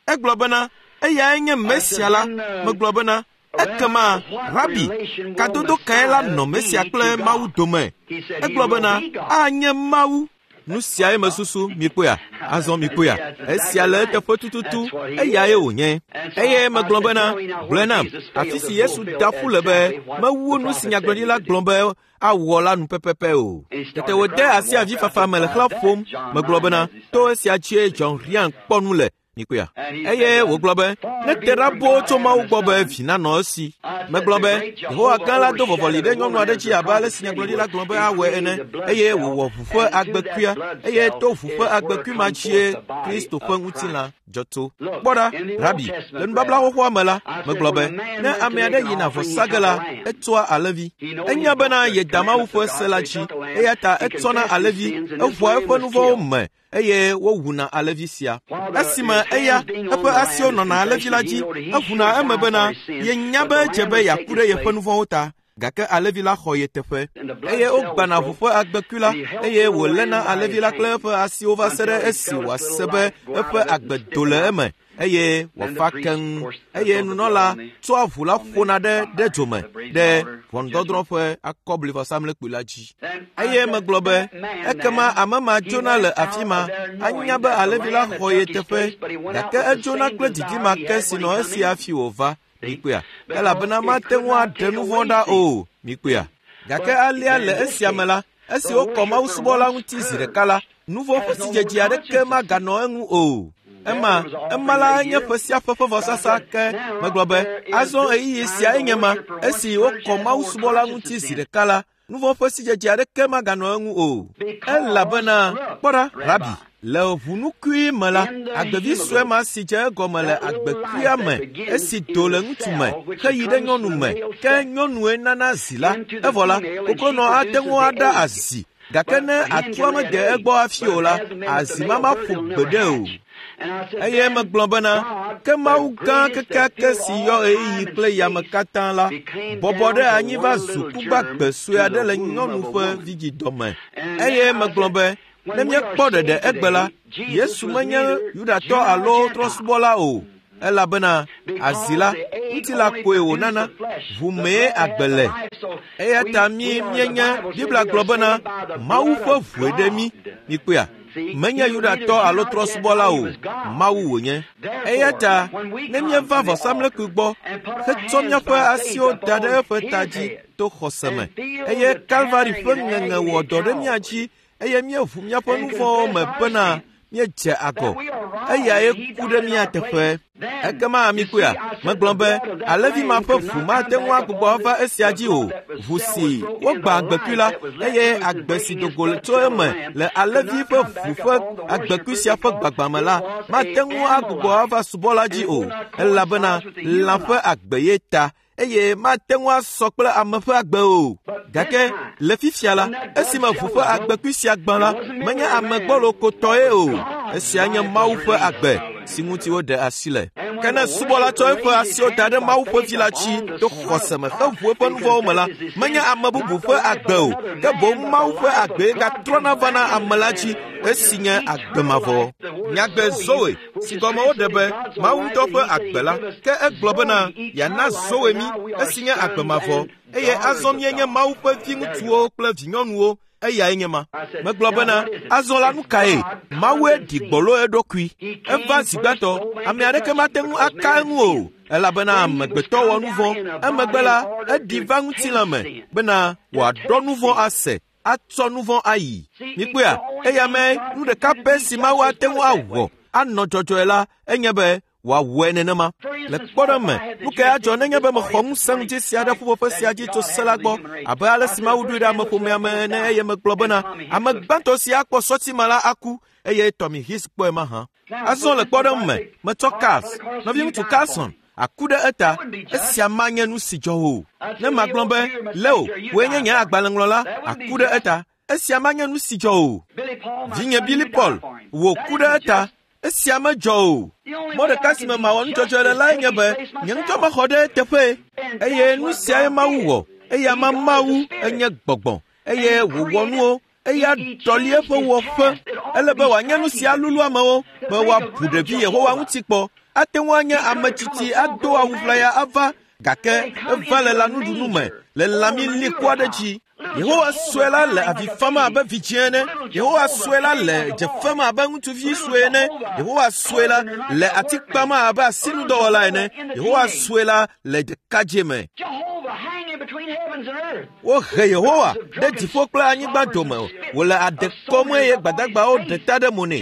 Egblɔ bena, eyae nye Mesia la. Megblɔ bena, ekema, Rabi, kadodo kae la nɔ Mesia kple Mawu dome? Egblɔ bena, anye Mawu. Nu siae mesusu, mikpɔea? Azɔ mikpɔea? Esia le eteƒe tututu, eyae wònye. Eye megblɔ bena, gblɔe nam, afi si Yesu da ƒu le be mewu nu si nyagblɔɖila gblɔ be awɔ la nu pɛpɛpɛ o. Tete wòde asi avifafa me le xlã ƒom. Megblɔ bena, to esia dzie John Ryan kpɔ nu le. Mikpɔea? Eye wògblɔ be, ne te ɖa boo tso Mawu gbɔ be vi nanɔ esi. Megblɔ be, Yehowa gã la do vɔvɔli ɖe nyɔnu aɖe dzi abe ale si nyagblɔɖila gblɔ be awɔe ene, eye wòwɔ ʋu ƒe agbekuia, eye to ʋu ƒe agbekui ma dzie Kristo ƒe ŋutilã dzɔ tso. Kpɔ ɖa, Rabi, le nubabla xoxoa me la, megblɔ be, ne ame aɖe yina vɔ sa ge la, etsɔa alẽvi. Enya bena yeda Mawu ƒe se la dzi, eya ta etsɔna alẽvi, eʋua eƒe nu vɔ̃wo me, eye wowuna alẽvi sia. Esime eya, eƒe asiwo nɔna alẽvi la dzi, eʋuna eme bena yenya be edze be yeaku ɖe yeƒe nu vɔ̃wo ta, gake alẽvi la xɔ ye teƒe. Eye wogbãna ʋu ƒe agbekui la, eye wòléna alẽvi la kple eƒe asiwo va se ɖe esi wòase be eƒe agbe do le eme, eye wòafa keŋ. Eye nunɔla tsɔa ʋu la ƒona ɖe ɖe dzome ɖe ʋɔnudɔdrɔ̃ ƒe akɔblivɔsamlekpui la dzi. Eye megblɔ be, ekema ame ma dzona le afi ma, anya be alẽvi la xɔ ye teƒe, gake edzona kple didi ma ke si nɔ esi hafi wòva. Mikpɔea? Elabena mate ŋu aɖe nu vɔ̃ ɖa o. Mikpɔea? Gake alea le esia me la, esi wokɔ mawusubɔla ŋuti zi ɖeka la, nu vɔ̃ ƒe sidzedze aɖeke maganɔ eŋu o. Ema, ema la nye ƒe sia ƒe ƒe vɔsasa ke. Megblɔ be, azɔ ɣeyiɣi siae nye ma, esi wokɔ mawusubɔla ŋuti zi ɖeka la, nu vɔ̃ ƒe sidzedze aɖeke maganɔ eŋu o. Elabena, kpɔ ɖa, Rabi, le ʋunukui me la, agbevi sue ma si dze egɔme le agbekuia me, esi do le ŋutsu me, heyi ɖe nyɔnu me, ke nyɔnue nana zi la. Evɔ la, koklonɔ ate ŋu aɖa azi, gake ne atua mede egbɔ hafi o la, azi ma maƒo gbeɖe o. Eye megblɔ bena, ke Mawu gã kekeake si yɔ ɣeyiɣi kple yame katã la, bɔbɔ ɖe anyi va zu kugbagbe sue aɖe le nyɔnu ƒe vidzidɔme. Eye megblɔ be, ne míekpɔ ɖeɖe egbe la, Yesu menye Yudatɔ alo trɔ̃subɔla o, elabena azi la, ŋutilã koe wònana, ʋu mee agbe le. Eya ta mí míenye Biblia gblɔ bena Mawu ƒe ʋue ɖe mí. Mikpɔea? Menye Yudatɔ alo trɔ̃subɔla o, Mawu wònye. Eya ta ne míeva vɔsamlekpui gbɔ hetsɔ míaƒe asiwo da ɖe eƒe ta dzi to xɔse me, eye Kalvari ƒe ŋeŋe wɔ dɔ ɖe mía dzi eye míeʋu míaƒe nu vɔ̃wo me bena míedze agɔ, eyae ku ɖe mía teƒe. Ekema mikpɔea, megblɔ be alẽvi ma ƒe ʋu mate ŋu agbugbɔ ava esia dzi o. Ʋu si wogbã agbekui la, eye agbe si do go tso eme le alẽvi ƒe ʋu ƒe agbekui sia ƒe gbagbã me la, mate ŋu agbugbɔ ava subɔla dzi o, elabena lã ƒe agbe ye ta eye mate ŋu asɔ kple ame ƒe agbe o. Gake le fifia la, esime ʋu ƒe agbekui sia gbã la, menye ame gbɔlo ko tɔe o. Esia nye Mawu ƒe agbe si ŋuti woɖe asi le. Ke ne subɔla tsɔ eƒe asiwo da ɖe Mawu ƒe vi la dzi to xɔse me heʋu eƒe nu vɔ̃wo me la, menye ame bubu ƒe agbe o, ke boŋ Mawu ƒe agbee gatrɔna vana ame la dzi esi nye agbe mavɔ. Nyagbe Zoe si gɔme woɖe be Mawu ŋutɔ ƒe agbe la, ke egblɔ bena yeana Zoe mí esi nye agbe mavɔ, eye azɔ míenye Mawu ƒe viŋutsuwo kple vinyɔnuwo, eyae nye ma. Megblɔ bena, azɔ la nu kae? Mawue ɖi gbɔlo eɖokui. Eva zi gbãtɔ, ame aɖeke mate ŋu aka eŋu o, elabena amegbetɔ wɔ nu vɔ̃. Emegbe la, eɖi va ŋutilã me bena wòaɖɔ nu vɔ̃ ase, atsɔ nu vɔ̃ ayi. Mikpɔea, eya me nu ɖeka pɛ si Mawu ate ŋu awɔ anɔ dzɔdzɔe la enye be wòawɔe nenema. Le kpɔɖeŋu me, nu kae adzɔ nenye be mexɔ ŋusẽ ŋudzesi aɖe ƒuƒoƒe sia dzi tso se la gbɔ, abe ale si Mawu ɖoe ɖe ameƒomea me ene eye megblɔ bena, ame gbãtɔ si akpɔ sɔti ma la aku, eye Tommy Hicks kpɔe mahã. Azɔ le kpɔɖeŋu me, metsɔ Cars, nɔviŋutsu Carlson, aku ɖe eta, esia manye nu si dzɔ o. Ne magblɔ be, Leo, wòe nye nye agbalẽŋlɔla, aku ɖe eta, esia manye nu si dzɔ o. Vinye Billy Paul, wò ku ɖe eta, esia medzɔ o. Mɔ ɖeka si me mawɔ nudzɔdzɔe le lae nye be nye ŋutɔ mexɔ ɖe eteƒe. Eye nu siae Mawu wɔ. Eya ma Mawu enye gbɔgbɔ eye wòwɔ nuwo eya ɖɔli eƒe wɔƒe. Ele be wòanye nu si alulu amewo be woabu ɖevi Yehowa ŋuti kpɔ. Ate ŋu anye ame tsitsi ado awu ʋlaya ava gake eva le lãnuɖunu me le lãmi liku aɖe dzi. Yehowa sue la le avi fam abe vidzĩ ene. Yehowa sue la le dze fem abe ŋutsuvi sue ene. Yehowa sue la le ati kpam abe asinudɔwɔla ene. Yehowa sue la le ɖekadze me. Wohe Yehowa ɖe dziƒo kple anyigba dome wòle ade kɔm eye gbadagbawo ɖe ta ɖe mo nɛ.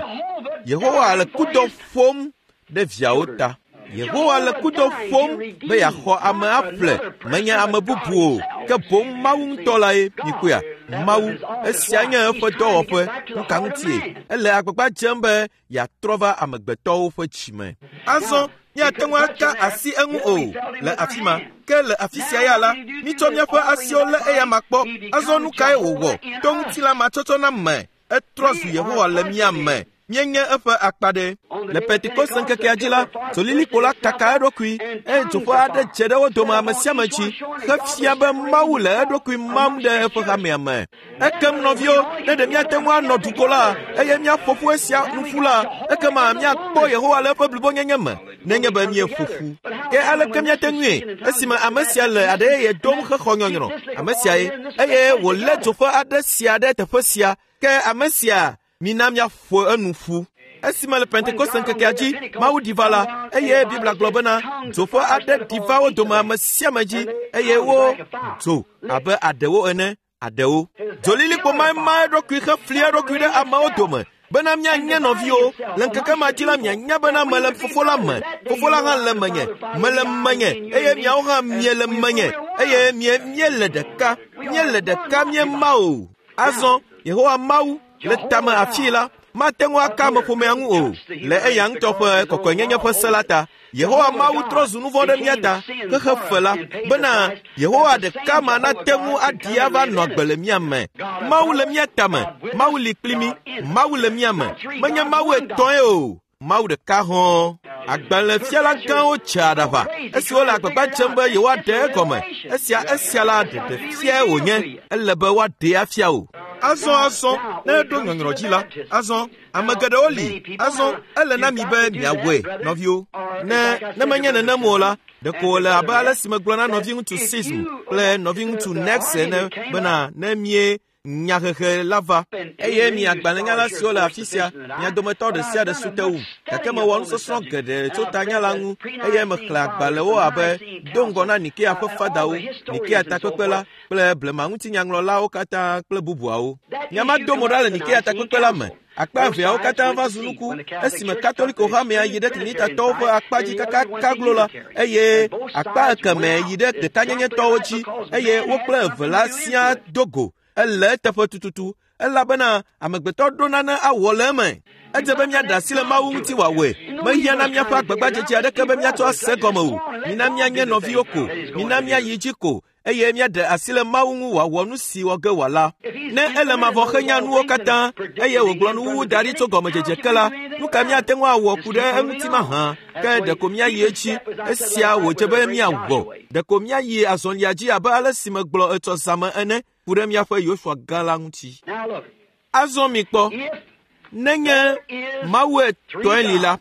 Yehowa le kudɔ ƒom ɖe viawo ta. Yehowa le kudɔ ƒom be yeaxɔ ame aƒle, menye ame bubu o, ke boŋ Mawu ŋutɔ lae. Mikpɔea? Mawu, esia nye eƒe dɔwɔƒe. Nu ka ŋutie? Ele agbagba dzem be yeatrɔ va amegbetɔwo ƒe dzime. Azɔ míate ŋu aka asi eŋu o le afi ma. Ke le afi sia ya la, mítsɔ míaƒe asiwo lé eyama kpɔ. Azɔ nu kae wòwɔ to ŋutilã matsɔtsɔ na me? Etrɔ zu Yehowa le mía me. Míenye eƒe akpa ɖe. Le Pentekoste ŋkekea dzi la, dzolilikpo la kaka eɖokui eye dzoƒe aɖe dze ɖe wo dome ame sia ame dzi hefia be Mawu le eɖokui mam ɖe eƒe hamea me. Ekem nɔviwo, ne ɖe míate ŋu anɔ duko la eye míaƒo ƒu esia nu ƒu la, ekema míakpɔ Yehowa le eƒe blibonyenye me nenye be míeƒo ƒu. Ke aleke míate ŋui esime ame sia le aɖe yeye dom hexɔ nyɔnyrɔ? Ame siae eye wòlé dzoƒe aɖe sia ɖe teƒe sia. Ke ame sia mina míaƒo enu ƒu. Esime le Pentekoste ŋkekea dzi Mawu ɖi va la, eye Biblia gblɔ bena dzoƒe aɖe ɖi va wo dome ame sia ame dzi eye wo dzo abe aɖewo ene aɖewo. Dzolilikpo mae ma eɖokui hefli eɖokui ɖe amewo dome bena míanye nɔviwo. Le ŋkeke ma dzi la mianya bena mele Fofo la me, Fofo la hã le menye, mele menye eye miawo hã miele menye eye mie míele ɖeka, míele ɖeka míema o. Azɔ Yehowa Mawu le tame afii la, mate ŋu aka ameƒomea ŋu o le eya ŋutɔ ƒe kɔkɔenyenye ƒe se la ta. Yehowa Mawu trɔ zu nu vɔ̃ ɖe mía ta xexe fe la bena Yehowa ɖeka ma nate ŋu aɖi ava nɔ agbe le mía me. Mawu le mía tame, Mawu li kpli mí, Mawu le mía me. Menye Mawu etɔ̃e o. Mawu ɖeka hɔ̃ɔ. Agbalẽfiala gãwo tse aɖaʋa esi wole agbagba dzem be yewoaɖe egɔme. Esia la ɖeɖe fiae wònye. Ele be woaɖee afia o. Azɔ ne eɖo nyɔnyrɔ dzi la, azɔ ame geɖewo li. Azɔ ele na mi be miawɔe, nɔviwo. Ne menye nenem o la, ɖeko wòle abe ale si megblɔ na nɔviŋutsu Sism kple nɔviŋutsu Nex ene bena ne mie nyahehe la va eye mi agbalẽnyala siwo le afi sia, mia dometɔ ɖe sia ɖe su te wum. Gake mewɔ nusɔsrɔ̃ geɖe tso tanya la ŋu eye mexlẽ agbalẽwo abe do ŋgɔ na Nikea ƒe fadawo, Nikea takpekpe la kple blema ŋutinyaŋlɔlawo katã kple bubuawo. Nya ma do mo ɖa le Nikea takpekpe la me. Akpa eveawo katã va zu nuku esime Katoliko hamea yi ɖe Trinitatɔwo ƒe akpa dzi kakaka glo la eye akpa ekemɛ yi ɖe ɖekanyenyetɔwo dzi eye wo kple eve la siaa do go. Ele eteƒe tututu elabena amegbetɔ ɖo nane awɔ le eme. Edze be míaɖe asi le Mawu ŋuti wòawɔe. Mehiã na míaƒe agbagbadzedze aɖeke be míatsɔ ase gɔme o. Mina míanye nɔviwo ko. Mina míayi dzi ko eye míaɖe asi le Mawu ŋu wòawɔ nu si wɔ ge wòala. Ne ele mavɔ xenya nuwo katã eye wògblɔ nuwuwu da ɖi tso gɔmedzedze ke la, nu ka míate ŋu awɔ ku ɖe eŋuti mahã? Ke ɖeko míayi edzi. Esia wòdze be míawɔ. Ɖeko míayi azɔlia dzi abe ale si megblɔ etsɔ zãme ene ku ɖe míaƒe Yosua gã la ŋuti. Azɔ mikpɔ, nenye Mawu etɔ̃e li la,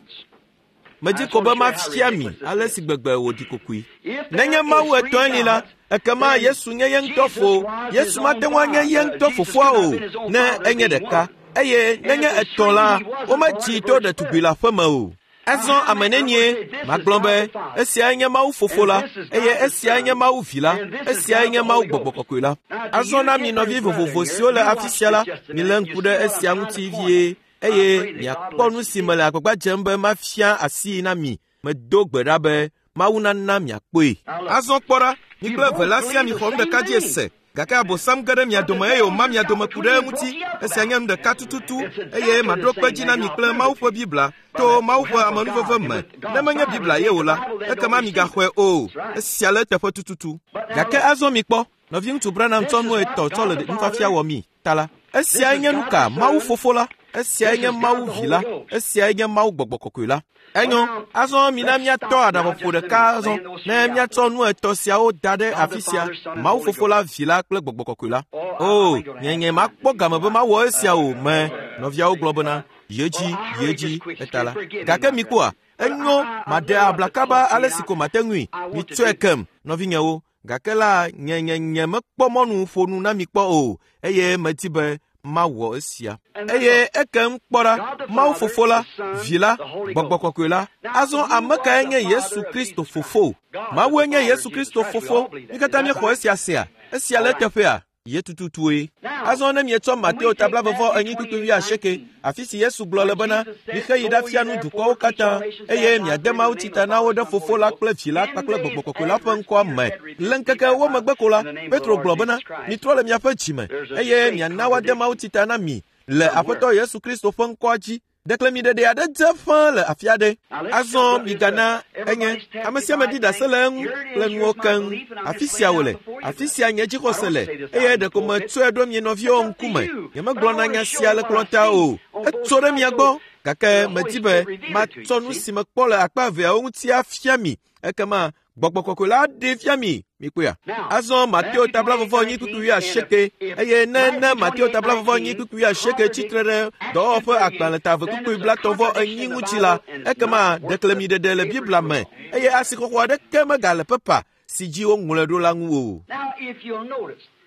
medzi ko be mafia mi ale si gbegbe wòɖi kokoe. Nenye Mawu etɔ̃e li la, ekema Yesu nye ye ŋutɔ fo. Yesu mate ŋu anye ye ŋutɔ fofoa o ne enye ɖeka. Eye nenye etɔ̃ la, womedzi to ɖetugbi le aƒeme o. Azɔ ame nenie magblɔ be esiae nye Mawu fofo la, eye esiae nye Mawu vi la, esiae nye Mawu gbɔgbɔ kɔkɔe la. Azɔ na mi nɔvi vovovo siwo le afi sia la, milé ŋku ɖe esia ŋuti vie eye miakpɔ nu si mele agbagba dzem be mafia asii na mi. Medo gbe ɖa be Mawu nana miakpɔe. Azɔ kpɔ ɖa, mi kple eve la sia mixɔ nu ɖeka dzi ese. Gake Abosam ge ɖe mia dome eye wòma mia dome ku ɖe eŋuti. Esia nye nu ɖeka tututu eye maɖo kpe dzi na mi kple Mawu ƒe Biblia to Mawu ƒe amenuveve me. Ne menye Biblia ye o la, ekema migaxɔe o. Esia le eteƒe tututu. Gake azɔ mikpɔ, nɔviŋutsu Branham tsɔ nu etɔ̃ tsɔ le nufiafia wɔ mi ta la. Esiae nye nu ka? Mawu fofo la, esiae nye Mawu vi la, esiae nye Mawu gbɔgbɔ kɔkɔe la. Enyo, azɔ mina míatɔ aɖaʋaƒo ɖeka azɔ ne míatsɔ nu etɔ̃ siawo da ɖe afi sia, Mawu fofo la, vi la kple gbɔgbɔ kɔkɔe la. O, nye makpɔ game be mawɔ esia o me, nɔviawo gblɔ bena, yi edzi, eta la. Gake mikpɔa, enyo, maɖe abla kaba ale si ko mate ŋui. Mitsɔe kem, nɔvinyewo. Gake la, nye mekpɔ mɔnu ƒo nu na mi kpɔ o, eye medi be mawɔ esia. Eye ekem kpɔ ɖa, Mawu fofo la, vi la, gbɔgbɔ kɔkɔe la. Azɔ ame kae nye Yesu Kristo fofo? Mawue nye Yesu Kristo fofo. Mi katã míexɔ esia sea? Esia le eteƒea? Ye tututue. Azɔ ne mietsɔ Mateo ta 24 kpukpui 80, afi si Yesu gblɔ le bena, mixe yi ɖafia nu dukɔwo katã, eye miade mawutsi ta na wo ɖe fofo la kple vi la kpakple gbɔgbɔ kɔkɔe la ƒe ŋkɔa me. Le ŋkeke ewo megbe ko la, Petro gblɔ bena, mitrɔ le miaƒe dzime, eye miana woade mawutsi ta na mi le Aƒetɔ Yesu Kristo ƒe ŋkɔa dzi. Ɖeklemiɖeɖe aɖe dze ƒãa le afi aɖe. Azɔ migana enye ame sia ame ɖi ɖase le eŋu kple nuwo keŋ. Afi sia wòle, afi sia nye dzixɔse le, eye ɖeko metsɔe ɖo mie nɔviwo ŋkume. Nyemegblɔna nya sia le kplɔ̃ta o. Etso ɖe mia gbɔ, gake medi be matsɔ nu si mekpɔ le akpa eveawo ŋuti afia mi. Ekema gbɔgbɔ kɔkɔe la aɖee fia mi. Mikpɔea? Azɔ Mateo ta 24 kpukpui 80, eye ne Mateo ta 24 kpukpui 80 tsitre ɖe dɔwɔwɔ ƒe agbalẽ ta 2 kpukpui 35 ŋuti la, ekema ɖeklemiɖeɖe le Biblia me eye asixɔxɔ aɖeke megale pepa si dzi woŋlɔe ɖo la ŋu o.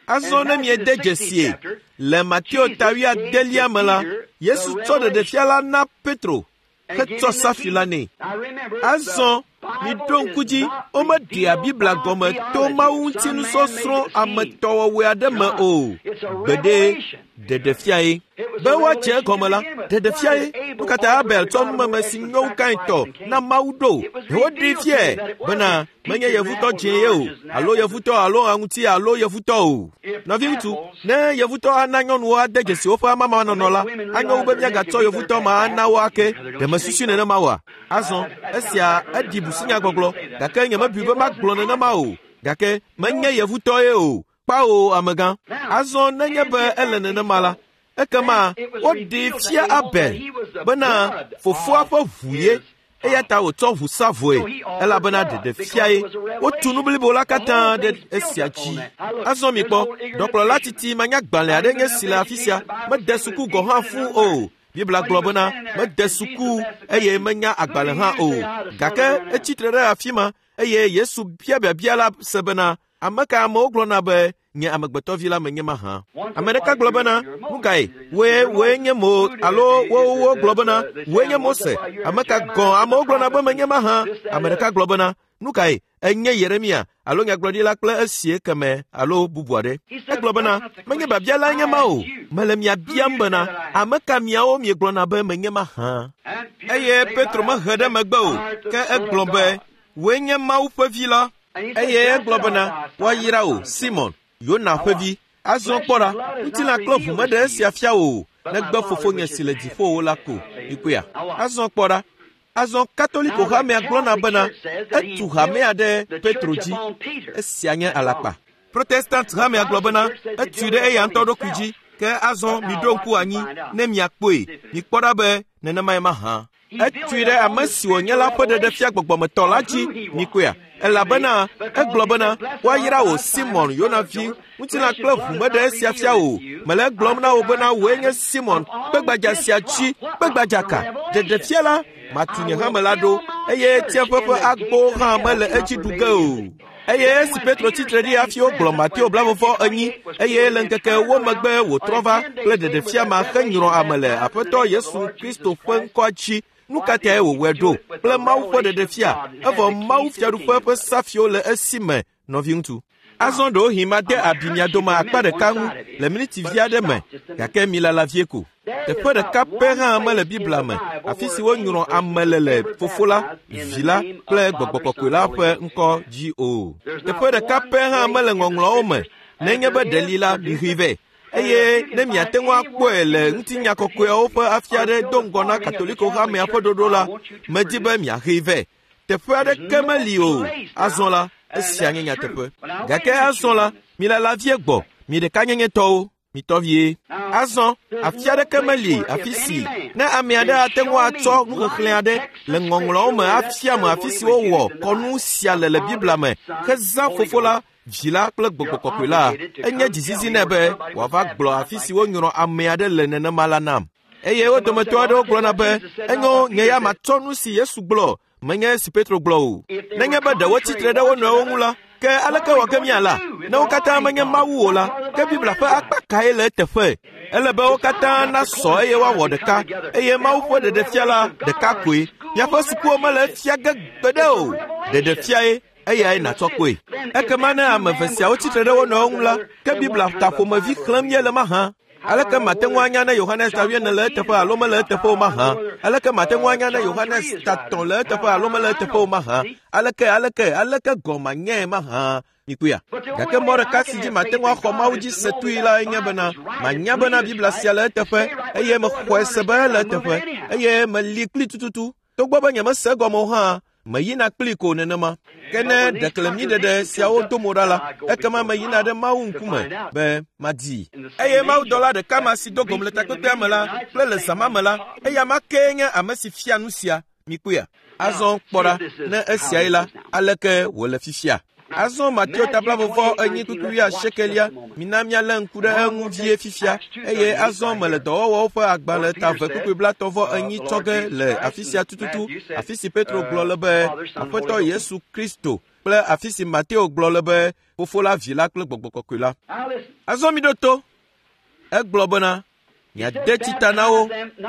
Azɔ ne miede dzesie, le Mateo ta 80 me la, Yesu tsɔ ɖeɖefia la na Petro hetsɔ safi la nɛ. Azɔ miɖo ŋku dzi, womeɖea Biblia gɔme to Mawu ŋuti nusɔsrɔ̃ ametɔwɔwɔe aɖe me o. Gbeɖe, ɖeɖefiae. Be woadze egɔme la, ɖeɖefiae. Nu ka ta Abel tsɔ numeme si nyo wu Kain tɔ na Mawu ɖo? Ɖe woɖee fiae bena menye yevutɔ dzĩ ye o, alo yevutɔ alo aŋuti alo yevutɔ o. Nɔviŋutsu, ne yevutɔ ana nyɔnuwo ade dzesi woƒe amamanɔnɔ la, anyo wu be míagatsɔ yevutɔ ma ana wo ake. Ɖe mesusui nenema oa? Azɔ, esia eɖi busunyagbɔgblɔ, gake nyemebui be magblɔ nenema o. Gake menye yevutɔ ye o. Kpao, amegã. Azɔ nenye be ele nenema la, Ekema woɖee fia Abel bena fofoa ƒe ʋu ye, eya ta wòtsɔ ʋu sa vɔe, elabena ɖeɖe fiae. Wotu nu blibo la katã ɖe esia dzi. Azɔ mikpɔ, ɖɔkplɔla titi manyagbalẽ aɖe nye si le afi sia, mede suku gɔ̃ hã fũu o. Biblia gblɔ bena mede suku eye menya agbalẽ hã o. Gake etsi tre ɖe afi ma eye Yesu bia biabia la se bena, ame ka amewo gblɔna be nye amegbetɔvi la menye mahã? Ame ɖeka gblɔ bena, nu kae? Wòe nye Mo alo wowo gblɔ bena, wòe nye Mose. Ame ka gɔ̃ amewo gblɔna be menye mahã? Ame ɖeka gblɔ bena, nu kae? Enye Yeremia alo nyagblɔɖila kple esie keme alo bubu aɖe. Egblɔ bena, menye biabia lae nye ma o. Mele mia biam bena, ame ka miawo miegblɔna be menye mahã? Eye Petro mehe ɖe megbe o, ke egblɔ be, wòe nye Mawu ƒe vi la. Eye egblɔ bena, woayra wò, Simon, Yona ƒe vi. Azɔ kpɔ ɖa, ŋutilã kple ʋu meɖe esia fia wò o, negbe fofonye si le dziƒowo la ko. Mikpɔea? Azɔ kpɔ ɖa. Azɔ Katoliko hamea gblɔna bena etu hamea ɖe Petro dzi. Esia nye alakpa. Protestant hamea gblɔ bena etui ɖe eya ŋutɔ ɖokui dzi. Ke azɔ miɖo ŋku anyi ne miakpɔe. Mikpɔ ɖa be nenemae mahã. Etui ɖe ame si wònye la ƒe ɖeɖefia gbɔgbɔmetɔ la dzi. Mikpɔea? Elabena egblɔ bena, woayra wò Simon Yona vi, ŋutilã kple ʋu meɖe esia fia wò. Mele egblɔm na wò bena wòe nye Simon, kpegbadza sia dzi, kpegbadza ka? Ɖeɖefia la, matu nye hame la ɖo, eye tsiẽƒe ƒe agbowo hã mele edzi ɖu ge o. Eye esi Petro tsi tre ɖi hafi wogblɔ Mateo 24, eye le ŋkeke ewo megbe wòtrɔ va kple ɖeɖefia ma henyrɔ ame le Aƒetɔ Yesu Kristo ƒe ŋkɔa dzi. Nu ka tae wòwɔe ɖo kple Mawu ƒe ɖeɖefia, evɔ Mawu fiaɖuƒe ƒe safiwo le esi me, nɔviŋutsu? Azɔ ɖewohĩ made abi mia dome akpa ɖeka ŋu le miniti vi aɖe me, gake milala vie ko. Teƒe ɖeka pɛ hã mele Biblia me, afi si wonyrɔ ame le le Fofo la, Vi la kple Gbɔgbɔ Kɔkɔe la ƒe ŋkɔ dzi o. Teƒe ɖeka pɛ hã mele ŋɔŋlɔawo me, nenye be ɖe li la, mixɔe vɛ. Eye ne miate ŋu akpɔe le ŋutinya kɔkɔeawo ƒe afi aɖe do ŋgɔ na Katoliko hamea ƒe ɖoɖo la, medi be miaxee vɛ. Teƒe aɖeke meli o. Azɔ la, esia nye nyateƒe. Gake azɔ la, milala vie gbɔ, mi ɖekanyenyetɔwo, mitɔ vie. Azɔ, afi aɖeke meli afi si ne ame aɖe ate ŋu atsɔ nuxexlẽ aɖe le ŋɔŋlɔawo me afia me afi si wowɔ kɔnu sia le le Biblia me hezã Fofo la, Vi la kple Gbɔgbɔ Kɔkɔe la, enye dzizizi nɛ be wòava gblɔ afi si wonyrɔ ame aɖe le nenema la nam. Eye wo dometɔ aɖewo gblɔna be, enyo, nye ya matsɔ nu si Yesu gblɔ, menye esi Petro gblɔ o. Nenye be ɖe wotsi tre ɖe wo nɔewo ŋu la, ke aleke wɔ ge míala? Ne wo katã menye Mawu o la, ke Biblia ƒe akpa kae le eteƒe? Ele be wo katã nasɔ eye woawɔ ɖeka, eye Mawu ƒe ɖeɖefia la ɖeka koe. Miaƒe sukuwo mele efia ge gbeɖe o. Ɖeɖefiae, eyae nàtsɔ kpɔe. Ekema ne ame eve siawo tsi tre ɖe wo nɔewo ŋu la, ke Biblia ta ƒomevi xlẽm míele mahã? Aleke mate ŋu anya ne Yohanes ta 4 le eteƒe alo mele eteƒe o mahã? Aleke mate ŋu anya ne Yohanes ta 3 le eteƒe alo mele eteƒe o mahã? Aleke, aleke, aleke gɔ̃ manyae mahã? Mikpɔea? Gake mɔ ɖeka si dzi mate ŋu axɔ Mawu dzi se tui lae nye bena manya bena Biblia sia le eteƒe, eye mexɔe se be ele eteƒe, eye meli kpli tututu. Togbɔ be nyemese egɔme o hã, meyina kpli ko nenema. Ke ne ɖeklemiɖeɖe siawo do mo ɖa la, ekema meyina ɖe Mawu ŋkume be madii. Eye mawudɔla ɖeka ma si do gom le takpekpea me la kple le zã ma me la, eya ma kee nye ame si fia nu sia. Mikpɔea? Azɔ kpɔ ɖa, ne esiae la, aleke wòle fifia? Azɔ Mateo ta 24:80, mina míalé ŋku ɖe eŋu vie fifia. Eye azɔ mele dɔwɔwɔwo ƒe agbalẽ ta 2:34 tsɔ ge le afi sia tututu, afi si Petro gblɔ le be Aƒetɔ Yesu Kristo kple afi si Mateo gblɔ le be Fofo la, Vi la kple Gbɔgbɔ Kɔkɔe la. Azɔ miɖo to. Egblɔ bena, miade tsi ta na wo,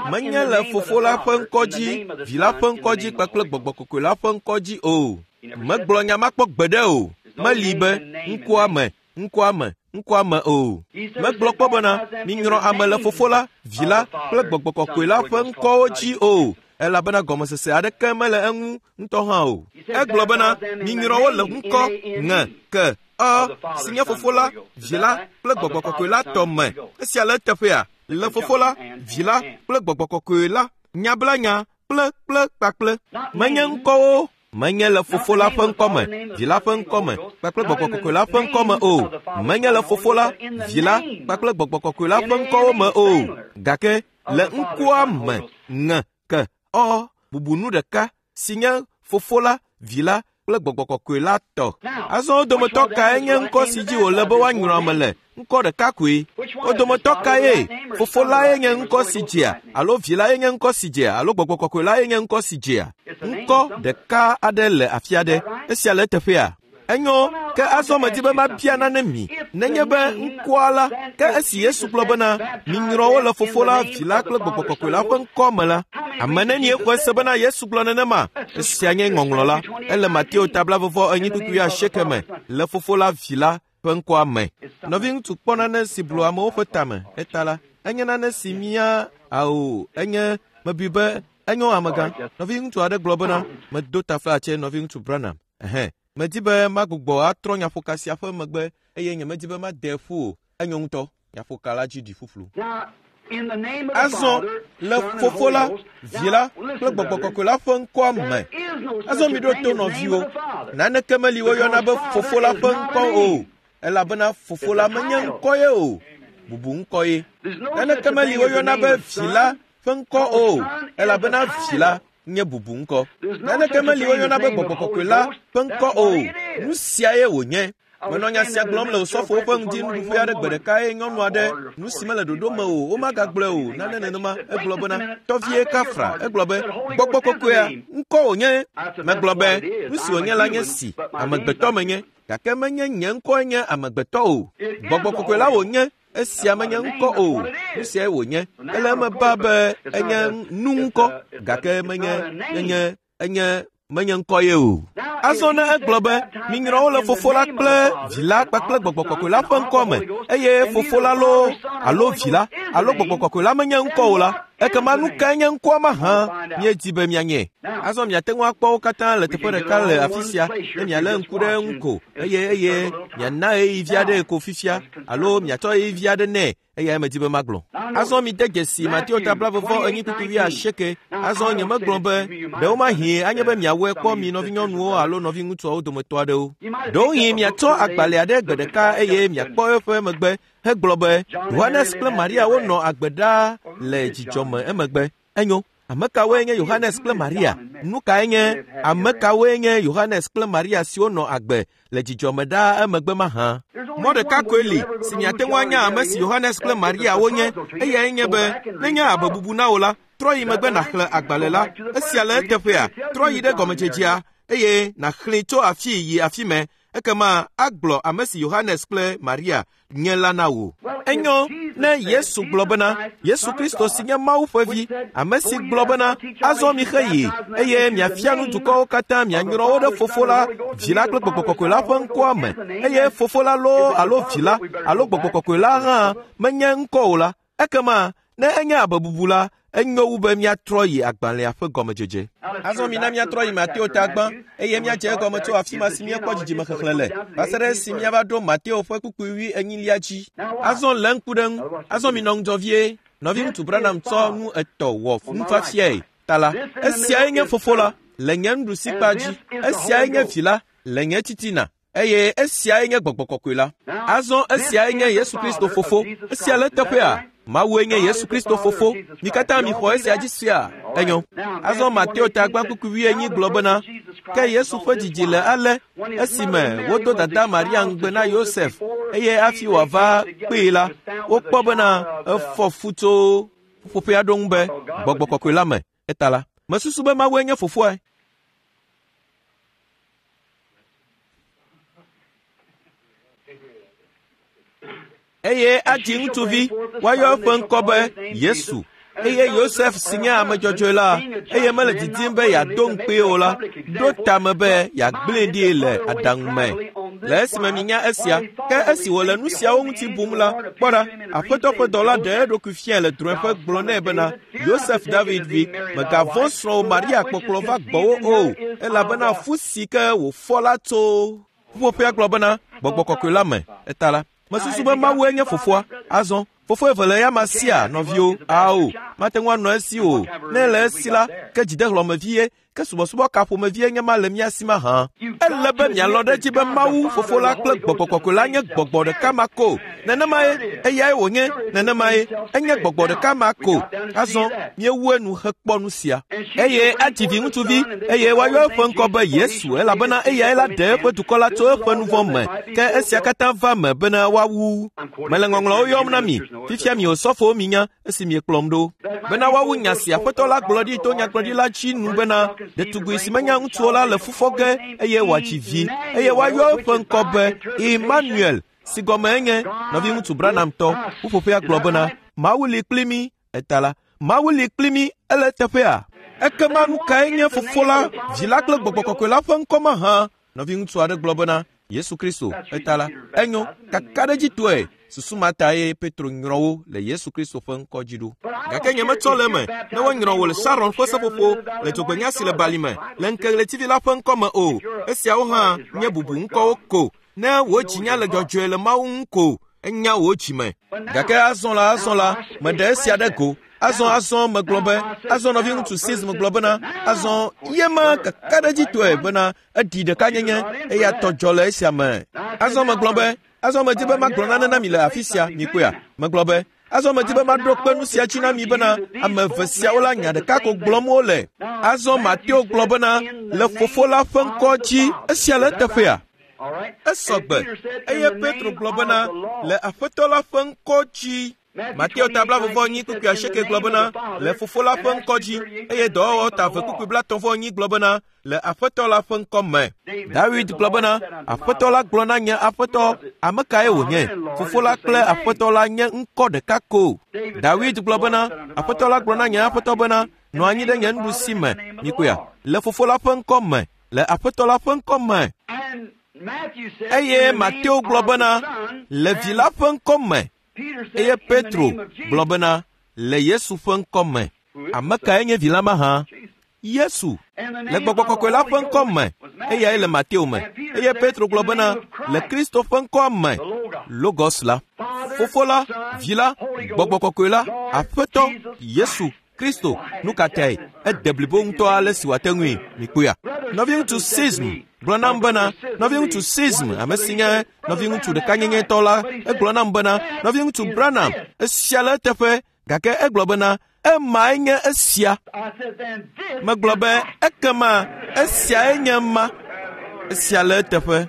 menye le Fofo la ƒe ŋkɔ dzi, Vi la ƒe ŋkɔ dzi kpakple Gbɔgbɔ Kɔkɔe la ƒe ŋkɔ dzi o. Megblɔ nya ma kpɔ gbeɖe o. Meli be ŋkɔa me, ŋkɔa me, ŋkɔa me o. Megblɔ kpɔ bena, minyrɔ ame le Fofo la, Vi la kple Gbɔgbɔ Kɔkɔe la ƒe ŋkɔwo dzi o, elabena gɔmesese aɖeke mele eŋu ŋutɔ hã o. Egblɔ bena, minyrɔ wo le ŋkɔ, ŋe, ke, ɔ, si nye Fofo la, Vi la kple Gbɔgbɔ Kɔkɔe la tɔ me. Esia le eteƒea? Le Fofo la, Vi la kple Gbɔgbɔ Kɔkɔe la, nya bla nya kple kple kpakple. Menye ŋkɔwo. Menye le Fofo la ƒe ŋkɔme, Vi la ƒe ŋkɔme kpakple Gbɔgbɔ Kɔkɔe la ƒe ŋkɔme o. Menye le Fofo la, Vi la kpakple Gbɔgbɔ Kɔkɔe la ƒe ŋkɔwo me o. Gake le ŋkɔa me ŋe ke ɔ bubu nu ɖeka si nye Fofo la, Vi la kple Gbɔgbɔ Kɔkɔe la tɔ. Azɔ wo dometɔ kae nye ŋkɔ si dzi wòle be woanyrɔ ame le? Ŋkɔ ɖeka koe. Wo dometɔ kae? Fofo lae nye ŋkɔ si dzea, alo Vi lae nye ŋkɔ si dzea, alo Gbɔgbɔ Kɔkɔe lae nye ŋkɔ si dzea? Ŋkɔ ɖeka aɖe le afi aɖe. Esia le eteƒea? Enyo, ke azɔ medi be mabia nane mi. Nenye be ŋkɔa la, ke esi Yesu gblɔ bena, minyrɔ wo le Fofo la, Vi la kple Gbɔgbɔ Kɔkɔe la ƒe ŋkɔ me la, ame nenie xɔe se bena Yesu gblɔ nenema? Esia nye ŋɔŋlɔ la. Ele Mateo ta 28 me, le Fofo la, Vi la ƒe ŋkɔa me. Nɔviŋutsu kpɔ nane si blu amewo ƒe tame. Eta la, enye nane si mía ao enye mebui be enyo amegã. Nɔviŋutsu aɖe gblɔ bena, medo taflatse nɔviŋutsu Branham. Ɛhɛ, medi be magbugbɔ atrɔ nyaƒoka sia ƒe megbe eye nyemedi be made ƒu o. Enyo ŋutɔ, nyaƒoka la dzi ɖi ƒuƒlu. Azɔ le Fofo la, Vi la kple Gbɔgbɔ Kɔkɔe la ƒe ŋkɔa me. Azɔ miɖo to nɔviwo. Naneke meli woyɔna be Fofo la ƒe ŋkɔ o, elabena Fofo la menye ŋkɔ ye o, bubu ŋkɔ ye. Naneke meli woyɔna be Vi la ƒe ŋkɔ o, elabena Vi la nye bubu ŋkɔ. Naneke meli woyɔna be Gbɔgbɔ Kɔkɔe la ƒe ŋkɔ o. Nu siae wònye. Menɔ nya sia gblɔm le osɔfowo ƒe ŋdi nuɖuƒe aɖe gbe ɖeka eye nyɔnu aɖe, nu si mele ɖoɖo me o, womagagblɔe o, nane nenema, egblɔ bena, tɔvie kafra, egblɔ be, Gbɔgbɔ Kɔkɔea, ŋkɔ wònye. Megblɔ be, nu si wònye la nye si, amegbetɔ menye, gake menye nye ŋkɔe nye amegbetɔ o. Gbɔgbɔ Kɔkɔe la wònye, esia menye ŋkɔ o, nu siae wònye. Ele eme ba be enye nu ŋkɔ, gake menye, enye, enye menye ŋkɔ ye o. Azɔ ne egblɔ be, minyrɔ wo le Fofo la kple Vi la kpakple Gbɔgbɔ Kɔkɔe la ƒe ŋkɔ me, eye Fofo la loo alo Vi la alo Gbɔgbɔ Kɔkɔe la menye ŋkɔ o la, ekema nu kae nye ŋkɔa mahã míedi be míanye? Azɔ miate ŋu akpɔ wo katã le teƒe ɖeka le afi sia, ne mialé ŋku ɖe eŋu ko, eye eye miana ɣeyiɣi vi aɖee ko fifia, alo miatsɔ ɣeyiɣi vi aɖe nɛ, eyae medi be magblɔ. Azɔ mide dzesi Mateo ta 24:28. Azɔ nyemegblɔ be ɖewomahi anye be miawɔe kpɔ mi nɔvinyɔnuwo alo nɔviŋutsuawo dometɔ aɖewo. Ɖewohĩ miatsɔ agbalẽ aɖe gbe ɖeka eye miakpɔ eƒe megbe hegblɔ be Yohanes kple Maria wonɔ agbe ɖaa le dzidzɔ me emegbe. Enyo, ame kawoe nye Yohanes kple Maria? Nu kae nye ame kawoe nye Yohanes kple Maria siwo nɔ agbe le dzidzɔ me ɖaa emegbe mahã? Mɔ ɖeka koe li si miate ŋu anya ame si Yohanes kple Maria wonye, eyae nye be nenye abe bubu na wò la, trɔ yi megbe nàxlẽ agbalẽ la. Esia le eteƒea, trɔ yi ɖe gɔmedzedzea eye nàxlẽe tso afii yi afi mɛ. Ekema agblɔ ame si Yohanes kple Maria nye la na wò. Enyo ne Yesu gblɔ bena, Yesu Kristo si nye Mawu ƒe vi, ame si gblɔ bena, azɔ mixe yi, eye miafia nu dukɔwo katã mianyrɔ wo ɖe Fofo la, Vi la kple Gbɔgbɔ Kɔkɔe la ƒe ŋkɔa me, eye Fofo la loo alo Vi la alo Gbɔgbɔ Kɔkɔe la hã menye ŋkɔ o la, ekema ne enye abe bubu la, enyo wu be míatrɔ yi agbalẽa ƒe gɔmedzedze. Azɔ mina míatrɔ yi Mateo ta gbã, eye míadze egɔme tso afi ma si míekpɔ dzidzime xexlẽ le, va se ɖe esi míava ɖo Mateo ƒe kpukpui 40 dzi. Azɔ lé ŋku ɖe ŋu. Azɔ minɔ ŋudzɔ vie. Nɔviŋutsu Branham tsɔ nu etɔ̃ wɔ nufiafiae ta la, esiae nye Fofo la le nye nuɖusikpa dzi, esiae nye Vi la le nye titina, eye esiae nye Gbɔgbɔ Kɔkɔe la. Azɔ esiae nye Yesu Kristo Fofo. Esia le eteƒea? Mawue nye Yesu Kristo Fofo. Mi katã mixɔ esia dzi sea? Enyo. Azɔ Mateo ta gbã kpukpui 40 gblɔ bena, ke Yesu ƒe dzidzi le ale esime wodo dada Maria ŋugbe na Yosef, eye hafi wòava kpee la, wokpɔ bena efɔ fu tso ƒuƒoƒea ɖo ŋu be Gbɔgbɔ Kɔkɔe la me. Eta la, mesusu be Mawue nye fofoae. Eye adzi ŋutsuvi, woayɔ eƒe ŋkɔ be Yesu. Eye Yosef si nye ame dzɔdzɔe la, eye mele didim be yeado ŋukpee o la, ɖo tame be yeagblẽe ɖi le aɖaŋu me. Le esime minya esia, ke esi wòle nu siawo ŋuti bum la, kpɔ ɖa, Aƒetɔ ƒe dɔla ɖe eɖokui fiae le drɔ̃eƒe gblɔ nɛ bena, Yosef David vi, mègavɔ̃ srɔ̃wò Maria kpɔkplɔ va gbɔwò o, elabena fu si ke wòfɔ la tso ƒuƒoƒea gblɔ bena, Gbɔgbɔ Kɔkɔe la me. Eta la, mesusu be Mawue nye fofoa. Azɔ, fofo eve le eyama sia, nɔviwo. Ao, Mate ŋu anɔ esi o. Ne ele esi la, ke dzidehlɔ̃mevie, ke subɔsubɔ ka ƒomevie nye ma le mía si mahã? Ele be mialɔ̃ ɖe edzi be Mawu, Fofo la kple Gbɔgbɔ Kɔkɔe la nye gbɔgbɔ ɖeka ma ko. Nenemae eyae wònye, nenemae enye gbɔgbɔ ɖeka ma ko. Azɔ míewu enu hekpɔ nu sia. Eye adzi viŋutsuvi, eye woayɔ eƒe ŋkɔ be Yesu, elabena eyae la ɖe eƒe dukɔ la tso eƒe nu vɔ̃ me. Ke esia katã va eme bena woawu. Mele ŋɔŋlɔwo yɔm na mi. Fifia mi osɔfowo minya esi miekplɔm ɖo. Bena woawu nya si Aƒetɔ la gblɔ ɖi to nyagblɔɖila dzi nu bena, ɖetugbi si menya ŋutsu o la le fu fɔ ge eye wòadzi vi, eye woayɔ eƒe ŋkɔ be Emmanuel, si gɔme enye nɔviŋutsu Branham tɔ. Ƒuƒoƒea gblɔ bena, Mawu li kpli mí. Eta la, Mawu li kpli mí, ele eteƒea? Ekema nu kae nye Fofo la, Vi la kple Gbɔgbɔ Kɔkɔe la ƒe ŋkɔ mahã? Nɔviŋutsu aɖe gblɔ bena, Yesu Kristo, eta la, enyo, kakaɖedzitɔe, susu ma tae Petro nyrɔ wo le Yesu Kristo ƒe ŋkɔ dzi ɖo. Gake nyemetsɔ le eme ne wonyrɔ wò le Sharon ƒe seƒoƒo, le dzogbenya si le bali me, le ŋkeɣletivi la ƒe ŋkɔ me o. Esiawo hã nye bubu ŋkɔwo ko. Ne wò dzinya le dzɔdzɔe le Mawu ŋu ko, enya wò dzime. Gake azɔ la, azɔ la, meɖe esia ɖe go. Azɔ, azɔ megblɔ be, azɔ nɔviŋutsu Sism gblɔ bena, azɔ ye ma kakaɖedzitɔe bena eɖi ɖekanyenye eya tɔ dzɔ le esia me. Azɔ megblɔ be, azɔ medi be magblɔ nane na mi le afi sia, mikpɔea? Megblɔ be, azɔ medi be maɖo kpe nu sia dzi na mi bena ame eve siawo la nya ɖeka ko gblɔm wole. Azɔ Mateo gblɔ bena le Fofo la ƒe ŋkɔ dzi, esia le eteƒea? Esɔ gbe. Eye Petro gblɔ bena le Aƒetɔ la ƒe ŋkɔ dzi. Mateo ta blaeve-vɔ-enyi kpukpui asieke gblɔ bena, le Fofo la ƒe ŋkɔ dzi, eye dɔwɔwɔ ta eve kpukpui blaetɔ̃-vɔ-enyi gblɔ bena, le Aƒetɔ la ƒe ŋkɔ me. Dawid gblɔ bena, Aƒetɔ la gblɔ na nye Aƒetɔ, ame kae wònye? Fofo la kple Aƒetɔ la nye ŋkɔ ɖeka ko. Dawid gblɔ bena, Aƒetɔ la gblɔ na nye Aƒetɔ bena, nɔ anyi ɖe nye nuɖusi me, mikpɔea, le Fofo la ƒe ŋkɔ me, le Aƒetɔ la ƒe ŋkɔ me. Eye Mateo gblɔ bena, le Vi la ƒe ŋkɔ me, eye Petro gblɔ bena, le Yesu ƒe ŋkɔ me. Ame kae nye vi la mahã? Yesu. Le Gbɔgbɔ Kɔkɔe la ƒe ŋkɔ me, eyae le Mateo me. Eye Petro gblɔ bena, le Kristo ƒe ŋkɔa me, Logos la, Fofo la, Vi la, Gbɔgbɔ Kɔkɔe la, Aƒetɔ Yesu Kristo. Nu ka tae? Ede blibo ŋutɔ ale si wòate ŋui. Mikpɔea? Nɔviŋutsu Sism gblɔ nam bena, nɔviŋutsu Sism, ame si nye nɔviŋutsu ɖekanyenyetɔ la, egblɔ nam bena, nɔviŋutsu Branham, esia le eteƒe, gake egblɔ bena, emae nye esia. Megblɔ be, ekema esiae nye ma. Esia le eteƒe.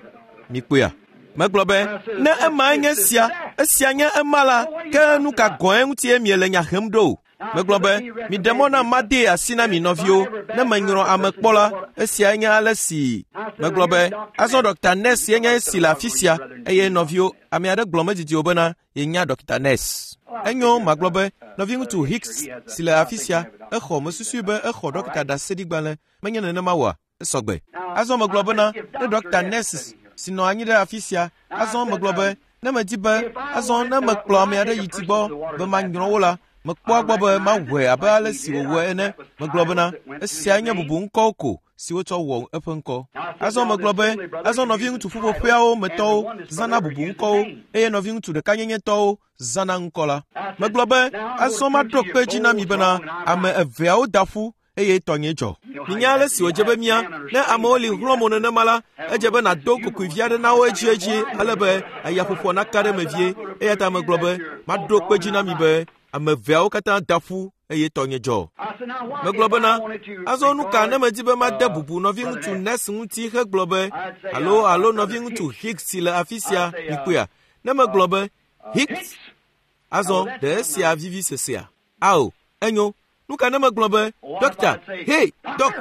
Mikpɔea? Megblɔ be, ne emae nye esia, esia nye ema la, ke nu ka gɔ̃e ŋutie miele nya hem ɖo? Megblɔ be, miɖe mɔ nam madee asi na mi nɔviwo. Ne menyrɔ ame kpɔ la, esiae nye ale si. Megblɔ be, azɔ Dr. Ness ye nye esi le afi sia, eye nɔviwo, ame aɖe gblɔ medidi o bena yenya Dr. Ness. Enyo, magblɔ be, nɔviŋutsu Hicks si le afi sia, exɔ, mesusui be exɔ ɖɔkita ɖaseɖigbalẽ, menye nenema oa? Esɔ gbe. Azɔ megblɔ bena, ne Dɔkta Ness si nɔ anyi ɖe afi sia, azɔ megblɔ be, ne medi be, azɔ ne mekplɔ ame aɖe yi ti gbɔ be manyrɔ wo la, mekpɔa gbɔ be mawɔe abe ale si wòwɔe ene. Megblɔ bena, esiae nye bubu ŋkɔwo ko si wotsɔ wɔ eƒe ŋkɔ. Azɔ megblɔ be, azɔ nɔviŋutsu ƒuƒoƒeawo me tɔwo zãna bubu ŋkɔwo eye nɔviŋutsu ɖekanyenyetɔwo zãna ŋkɔ la. Megblɔ be, azɔ maɖo kpe edzi na mi bena ame eveawo da ƒu eye tɔnye dzɔ. Minya ale si wòdze be mía, ne amewo li hlɔ̃ mo nenema la, edze be nàdo kokoe vi aɖe na wo edziedzi ale be ayaƒoƒoa naka ɖe eme vie. Eya ta megblɔ be, maɖo kpe dzi na mi be ame eveawo katã da ƒu eye tɔnye dzɔ. Megblɔ bena, azɔ nu ka ne medi be made bubu nɔviŋutsu Ness ŋuti hegblɔ be, alo alo nɔviŋutsu Hicks si le afi sia, mikpɔea, ne megblɔ be, Hicks, azɔ ɖe esia vivi sesea? Ao, enyo. Nu ka ne megblɔ be, Ɖɔkta, hei, dɔk,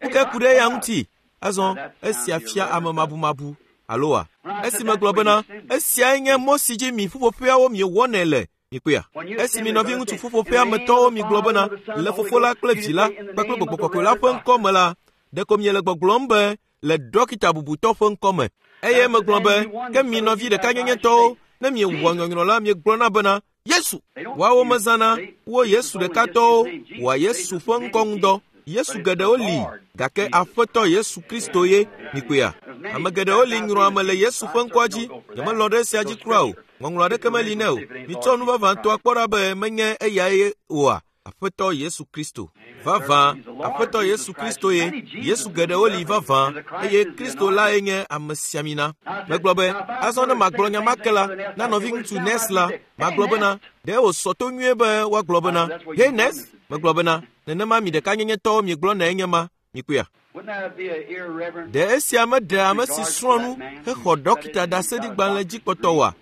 nu kae ku ɖe eya ŋuti? Azɔ, esia fia ame mabumabu, alo wa? Esi megblɔ bena, esiae nye mɔ si dzi mi ƒuƒoƒeawo miewɔnɛ le, mikpɔea? Esi mi nɔviŋutsu ƒuƒoƒea me tɔwo migblɔ bena, le Fofo la kple Vi la kpakple Gbɔgbɔ Kɔkɔe la ƒe ŋkɔ me la, ɖeko miele gbɔgblɔm be le ɖɔkita bubutɔ ƒe ŋkɔ me. Eye megblɔ be, ke mi nɔvi ɖekanyenyetɔwo, ne miewɔ nyɔnyrɔ la, miegblɔna bena, Yesu! Woawo mezãna wo Yesu ɖekatɔwo wɔa Yesu ƒe ŋkɔ ŋudɔ. Yesu geɖewo li, gake Aƒetɔ Yesu Kristo ye. Mikpɔea? Ame geɖewo li nyrɔ ame le Yesu ƒe ŋkɔa dzi. Nyemelɔ̃ ɖe esia dzi kura o. Ŋɔŋlɔ aɖeke meli nɛ o. Mitsɔ nu vavãtɔa kpɔ ɖa be menye eyae oa? Aƒetɔ Yesu Kristo. Vavã, Aƒetɔ Yesu Kristo ye. Yesu geɖewo li vavã, eye Kristo lae nye amesiamina. Megblɔ be, azɔ ne magblɔ nya ma ke la, na nɔviŋutsu Ness la, magblɔ bena, ɖe wòsɔ to nyuie be woagblɔ bena, Hey Ness, megblɔ bena, nenema mi ɖekanyenyetɔwo miegblɔnae nye ma, mikpɔea? Ɖe esia meɖe ame si srɔ̃ nu hexɔ ɖɔkita ɖaseɖigbalẽ dzi kpɔtɔ oa?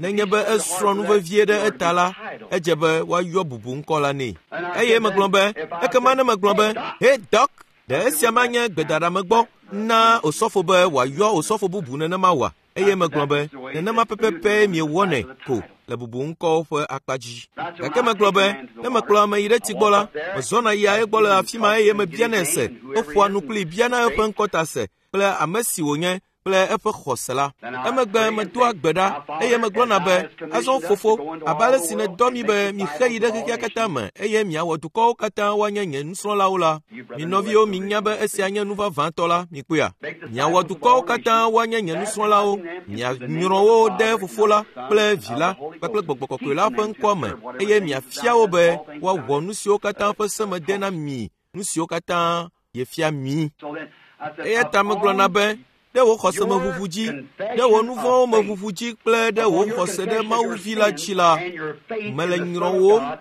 Nenye be esrɔ̃ nu vevie ɖe eta la, edze be woayɔ bubu ŋkɔ la nɛ. Eye megblɔ be, ekema ne megblɔ be, Hey Doc, ɖe esia manye gbedaɖamegbɔ na osɔfo be wòayɔ osɔfo bubu nenema oa? Eye megblɔ be, nenema pɛpɛpɛ miewɔnɛ ko le bubu ŋkɔwo ƒe akpa dzi. Gake megblɔ be, ne mekplɔ ame yi ɖe tsi gbɔ la, mezɔna yia egbɔ le afi ma eye mebianɛ se, meƒoa nu kplii biana eƒe ŋkɔ ta se kple ame si wònye kple eƒe xɔse la. Emegbe medoa gbe ɖa eye megblɔna be, azɔ fofo, abe ale si nèdɔ mi be mixe yi ɖe xexea katã me eye miawɔ dukɔwo katã woanye nye nusrɔ̃lawo la, mi nɔviwo minya be esia nye nu vavãtɔ la, mikpɔea? Miawɔ dukɔwo katã woanye nye nusrɔ̃lawo, mianyrɔ wo ɖe Fofo la kple Vi la kpakple Gbɔgbɔ Kɔkɔe la ƒe ŋkɔ me eye miafia wo be woawɔ nu siwo katã ƒe se mede na mi, nu siwo katã yefia mi. Eya ta megblɔna be, ɖe wò xɔse me ʋuʋu dzi, ɖe wò nu vɔ̃wo me ʋuʋu dzi kple ɖe wò xɔse ɖe Mawu Vi la dzi la, mele nyrɔwòm,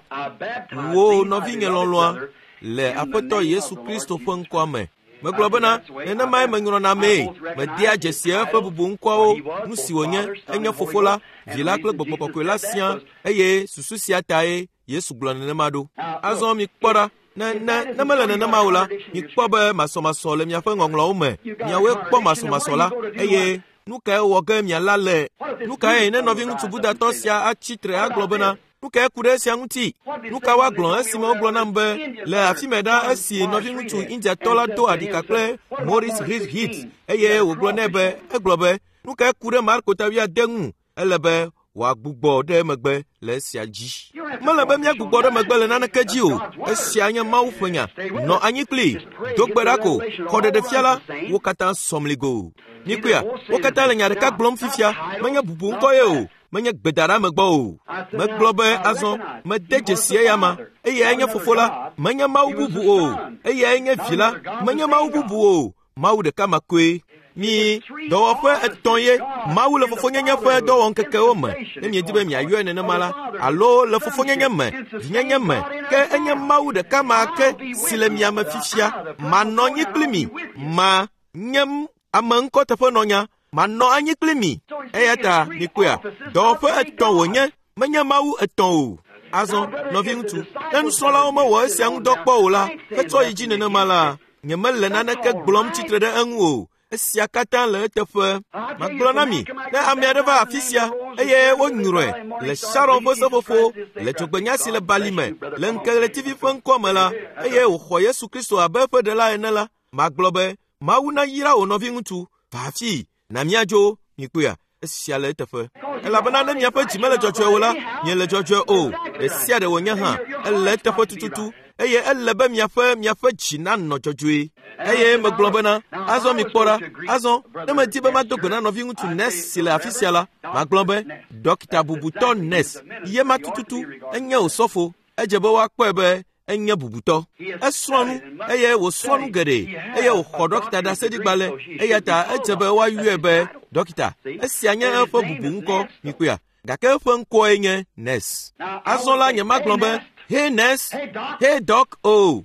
wò nɔvinye lɔlɔ̃a, le Aƒetɔ Yesu Kristo ƒe ŋkɔa me. Megblɔ bena, nenemae menyrɔna amee. Medea dzesi eƒe bubu ŋkɔawo, nu si wònye, enye Fofo la, Vi la kple Gbɔgbɔ Kɔkɔe la siaa, eye susu sia tae Yesu gblɔ nenema ɖo. Azɔ mikpɔ ɖa, ne ne ne mele nenema o la, mikpɔ be masɔmasɔ le miaƒe ŋɔŋlɔwo me. Miawoe kpɔ masɔmasɔ la, eye nu kae wɔ ge miala le? Nu kae ne nɔviŋutsu Budatɔ sia atsi tre agblɔ bena, nu kae ku ɖe esia ŋuti? Nu ka woagblɔ esime wogblɔ nam be le afi mɛ ɖa esi nɔviŋutsu Indiatɔ la do aɖika kple Maurice Hit eye wògblɔ nɛ be egblɔ be nu kae ku ɖe Marko ta wuiade ŋu? Ele be wòagbugbɔ ɖe megbe le esia dzi. Mele be míagbugbɔ ɖe megbe le naneke dzi o. Esia nye Mawu ƒe nya. Nɔ anyi kplii, do gbe ɖa ko, xɔ ɖeɖefia la, wo katã sɔ mligo. Mikpɔea, wo katã le nya ɖeka gblɔm fifia, menye bubu ŋkɔ ye o, menye gbedaɖeamegbɔ o. Megblɔ be azɔ, mede dzesi eyama, eyae nye Fofo la, menye Mawu bubu o, eyae nye Vi la, menye Mawu bubu o, Mawu ɖeka ma koe. Mi dɔwɔƒe etɔ̃ ye Mawu le fofonyenye ƒe dɔwɔŋkekewo me, ne miedi be miayɔe nenema la, alo le fofonyenye me, vinyenye me, ke enye Mawu ɖeka ma ke si le mia me fifia. Manɔ anyi kpli mi, ma nye ame ŋkɔteƒenɔnya, manɔ anyi kpli mi. Eya ta mikpɔea, dɔwɔƒe etɔ̃ wònye, menye Mawu etɔ̃ o. Azɔ, nɔviŋutsu, ne nusrɔ̃lawo mewɔ esia ŋudɔ kpɔ o la, hetsɔ yi dzi nenema la, nyemele naneke gblɔm tsitre ɖe eŋu o. Esia katã le eteƒe. Magblɔ na mi, ne ame aɖe va afi sia eye wonyrɔe le Sharon ƒe seƒoƒo le dzogbenya si le bali me le ŋkeɣletivi ƒe ŋkɔ me la, eye wòxɔ Yesu Kristo abe eƒe ɖela ene la, magblɔ be, Mawu nayra wò nɔviŋutsu, va afii, na míadzo, mikpɔea, esia le eteƒe. Elabena ne miaƒe dzi mele dzɔdzɔe o la, miele dzɔdzɔe o, ɖe sia ɖe wònye hã, ele eteƒe tututu, eye ele be miaƒe miaƒe dzi nanɔ dzɔdzɔe. Eye megblɔ bena, azɔ mikpɔ ɖa, azɔ, ne medi be mado gbe na nɔviŋutsu Ness si le afi sia la, magblɔ be, Ɖɔkita bubutɔ Ness, ye ma tututu, enye osɔfo, edze be woakpɔe be enye bubutɔ. Esrɔ̃ nu eye wòsrɔ̃ nu geɖe eye wòxɔ ɖɔkita ɖaseɖigbalẽ eya ta edze be woayɔe be ɖɔkita. Esia nye eƒe bubu ŋkɔ, mikpɔea? Gake eƒe ŋkɔe nye Ness. Azɔ la nyemagblɔ be, Hey Ness, hey Doc o.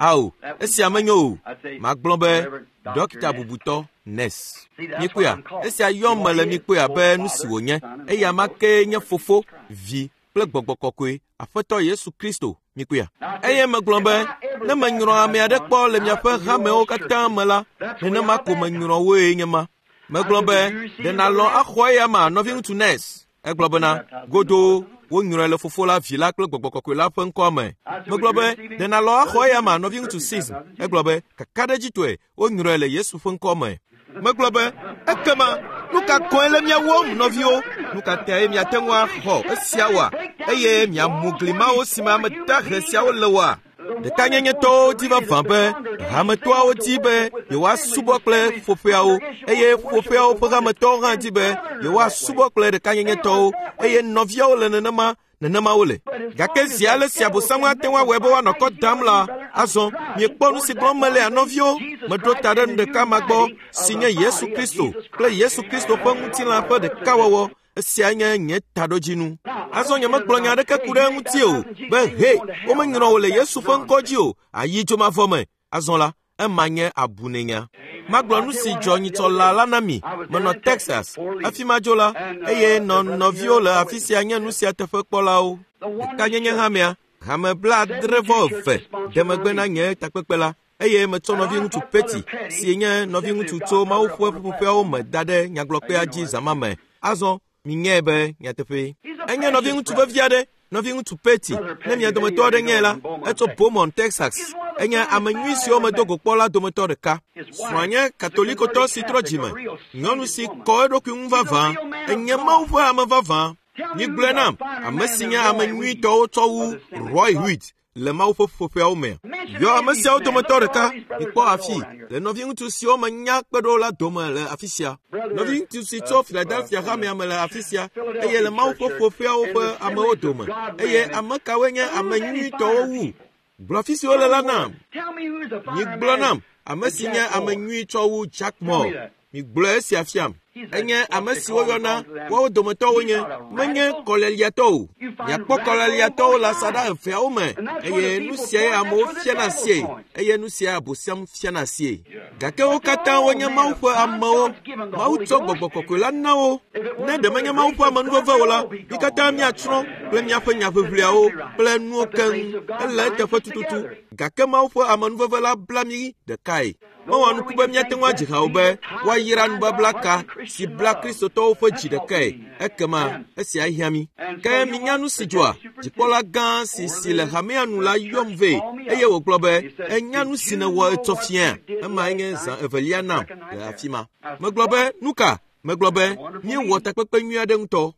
Ao, esia menyo o. Magblɔ be, Ɖɔkita bubutɔ Ness. Mikpɔea? Esia yɔm mele mikpɔea be nu si wònye. Eya ma kee nye Fofo, Vi kple Gbɔgbɔ Kɔkɔe, Aƒetɔ Yesu Kristo, mikpɔea? Eye megblɔ be, ne menyrɔ ame aɖe kpɔ le miaƒe hamewo katã me la, nenema ko menyrɔ woe nye ma. Megblɔ be, ɖe nàlɔ̃ axɔ eya ma, nɔviŋutsu Ness? Egblɔ bena, godoo, wonyrɔe le Fofo la, Vi la kple Gbɔgbɔ Kɔkɔe la ƒe ŋkɔa me. Megblɔ be, ɖe nàlɔ̃ axɔ eya ma, nɔviŋutsu Sism? Egblɔ be, kakaɖedzitɔe, wonyrɔe le Yesu ƒe ŋkɔ me. Megblɔ be, ekema nu ka gɔ̃e le mia wɔm, nɔviwo? Nu ka tae miate ŋu axɔ esia oa? Eye miamu gli mawo si me ame dahe siawo le oa? Ɖekanyenyetɔwo di vavã be hametɔawo di be yewoasubɔ kple ƒoƒeawo, eye ƒoƒeawo ƒe hametɔwo hã di be yewoasubɔ kple ɖekanyenyetɔwo, eye nɔviawo le nenema. Nenema wole. Gake zi ale si Abosam ate ŋu awɔe be woanɔ kɔ dam la, azɔ miekpɔ nu si gblɔm mele nɔviwo. Meɖo ta ɖe nu ɖeka ma gbɔ si nye Yesu Kristo kple Yesu Kristo ƒe ŋutilã ƒe ɖekawɔwɔ. Esia nye nye taɖodzinu. Azɔ nyemegblɔ nya aɖeke ku ɖe eŋuti o be he womenyrɔ wò le Yesu ƒe ŋkɔ dzi o, ayi dzomavɔ me. Azɔ la, ema nye abunenya. Magblɔ nu si dzɔ nyitsɔ la la na mi. Menɔ Texas, hafi madzo la, eye nɔ nɔviwo le afi sia nye nu sia teƒe kpɔlawo. Ɖekanyenye hamea, hame 72 de megbe na nye takpekpe la, eye metsɔ nɔviŋutsu Petty, si nye nɔviŋutsu tso Mawu ƒe ƒuƒoƒeawo me da ɖe nyagblɔkpea dzi zã ma me. Azɔ minyae be nyateƒee. Enye nɔviŋutsu vevi aɖe, nɔviŋutsu Petty, ne mia dometɔ aɖe nyae la, etso Beaumont, Texas. Enye ame nyui siwo medo go kpɔ la dometɔ ɖeka. Srɔ̃a nye Katolikotɔ si trɔ dzime, nyɔnu si kɔ eɖokui ŋu vavã. Enye Mawu ƒe ame vavã. Migblɔe nam, ame si nye ame nyuitɔwo tsɔ wu Roy Huit le Mawu ƒe ƒuƒoƒeawo me. Yɔ ame siawo dometɔ ɖeka, mikpɔ afi, le nɔviŋutsu siwo menya kpe ɖo la dome le afi sia. Nɔviŋutsu si tso Philadelphia hamea me le afi sia, eye le Mawu ƒe ƒuƒoƒeawo ƒe amewo dome. Eye ame kawoe nye ame nyuitɔwo wu? Gblɔ afi si wole la nam. Migblɔ nam, ame si nye ame nyui tsɔ wu Jack Moore. Migblɔ esia fiam. Enye ame si woyɔna woawo dometɔwo nye, menye kɔleliatɔ o. Miakpɔ kɔleliatɔwo le asaɖa eveawo me, eye nu siae amewo fiana sie, eye nu siae Abosam fiana sie. Gake wo katã wonye Mawu ƒe amewo. Mawu tsɔ gbɔgbɔ kɔkɔe la na wo. Ne ɖe menye Mawu ƒe amenuveve o la, mi katã miatsrɔ̃ kple miaƒe nyaʋiʋliawo kple nuwo keŋ. Ele eteƒe tututu. Gake Mawu ƒe amenuveve la bla mí ɖekae. Mewɔ nuku be míate ŋu adzi ha o be woayra nubabla ka si bla Kristotɔwo ƒe dzi ɖekae. Ekema esia hiã mí. Ke minya nu si dzɔa? Dzikpɔla gã si si le hamea nu la yɔm vɛ eye wògblɔ be, enya nu si nèwɔ etsɔ fia. Emae nye zã evelia nam le afi ma. Megblɔ be, nu ka? Megblɔ be, míewɔ takpekpe nyui aɖe ŋutɔ.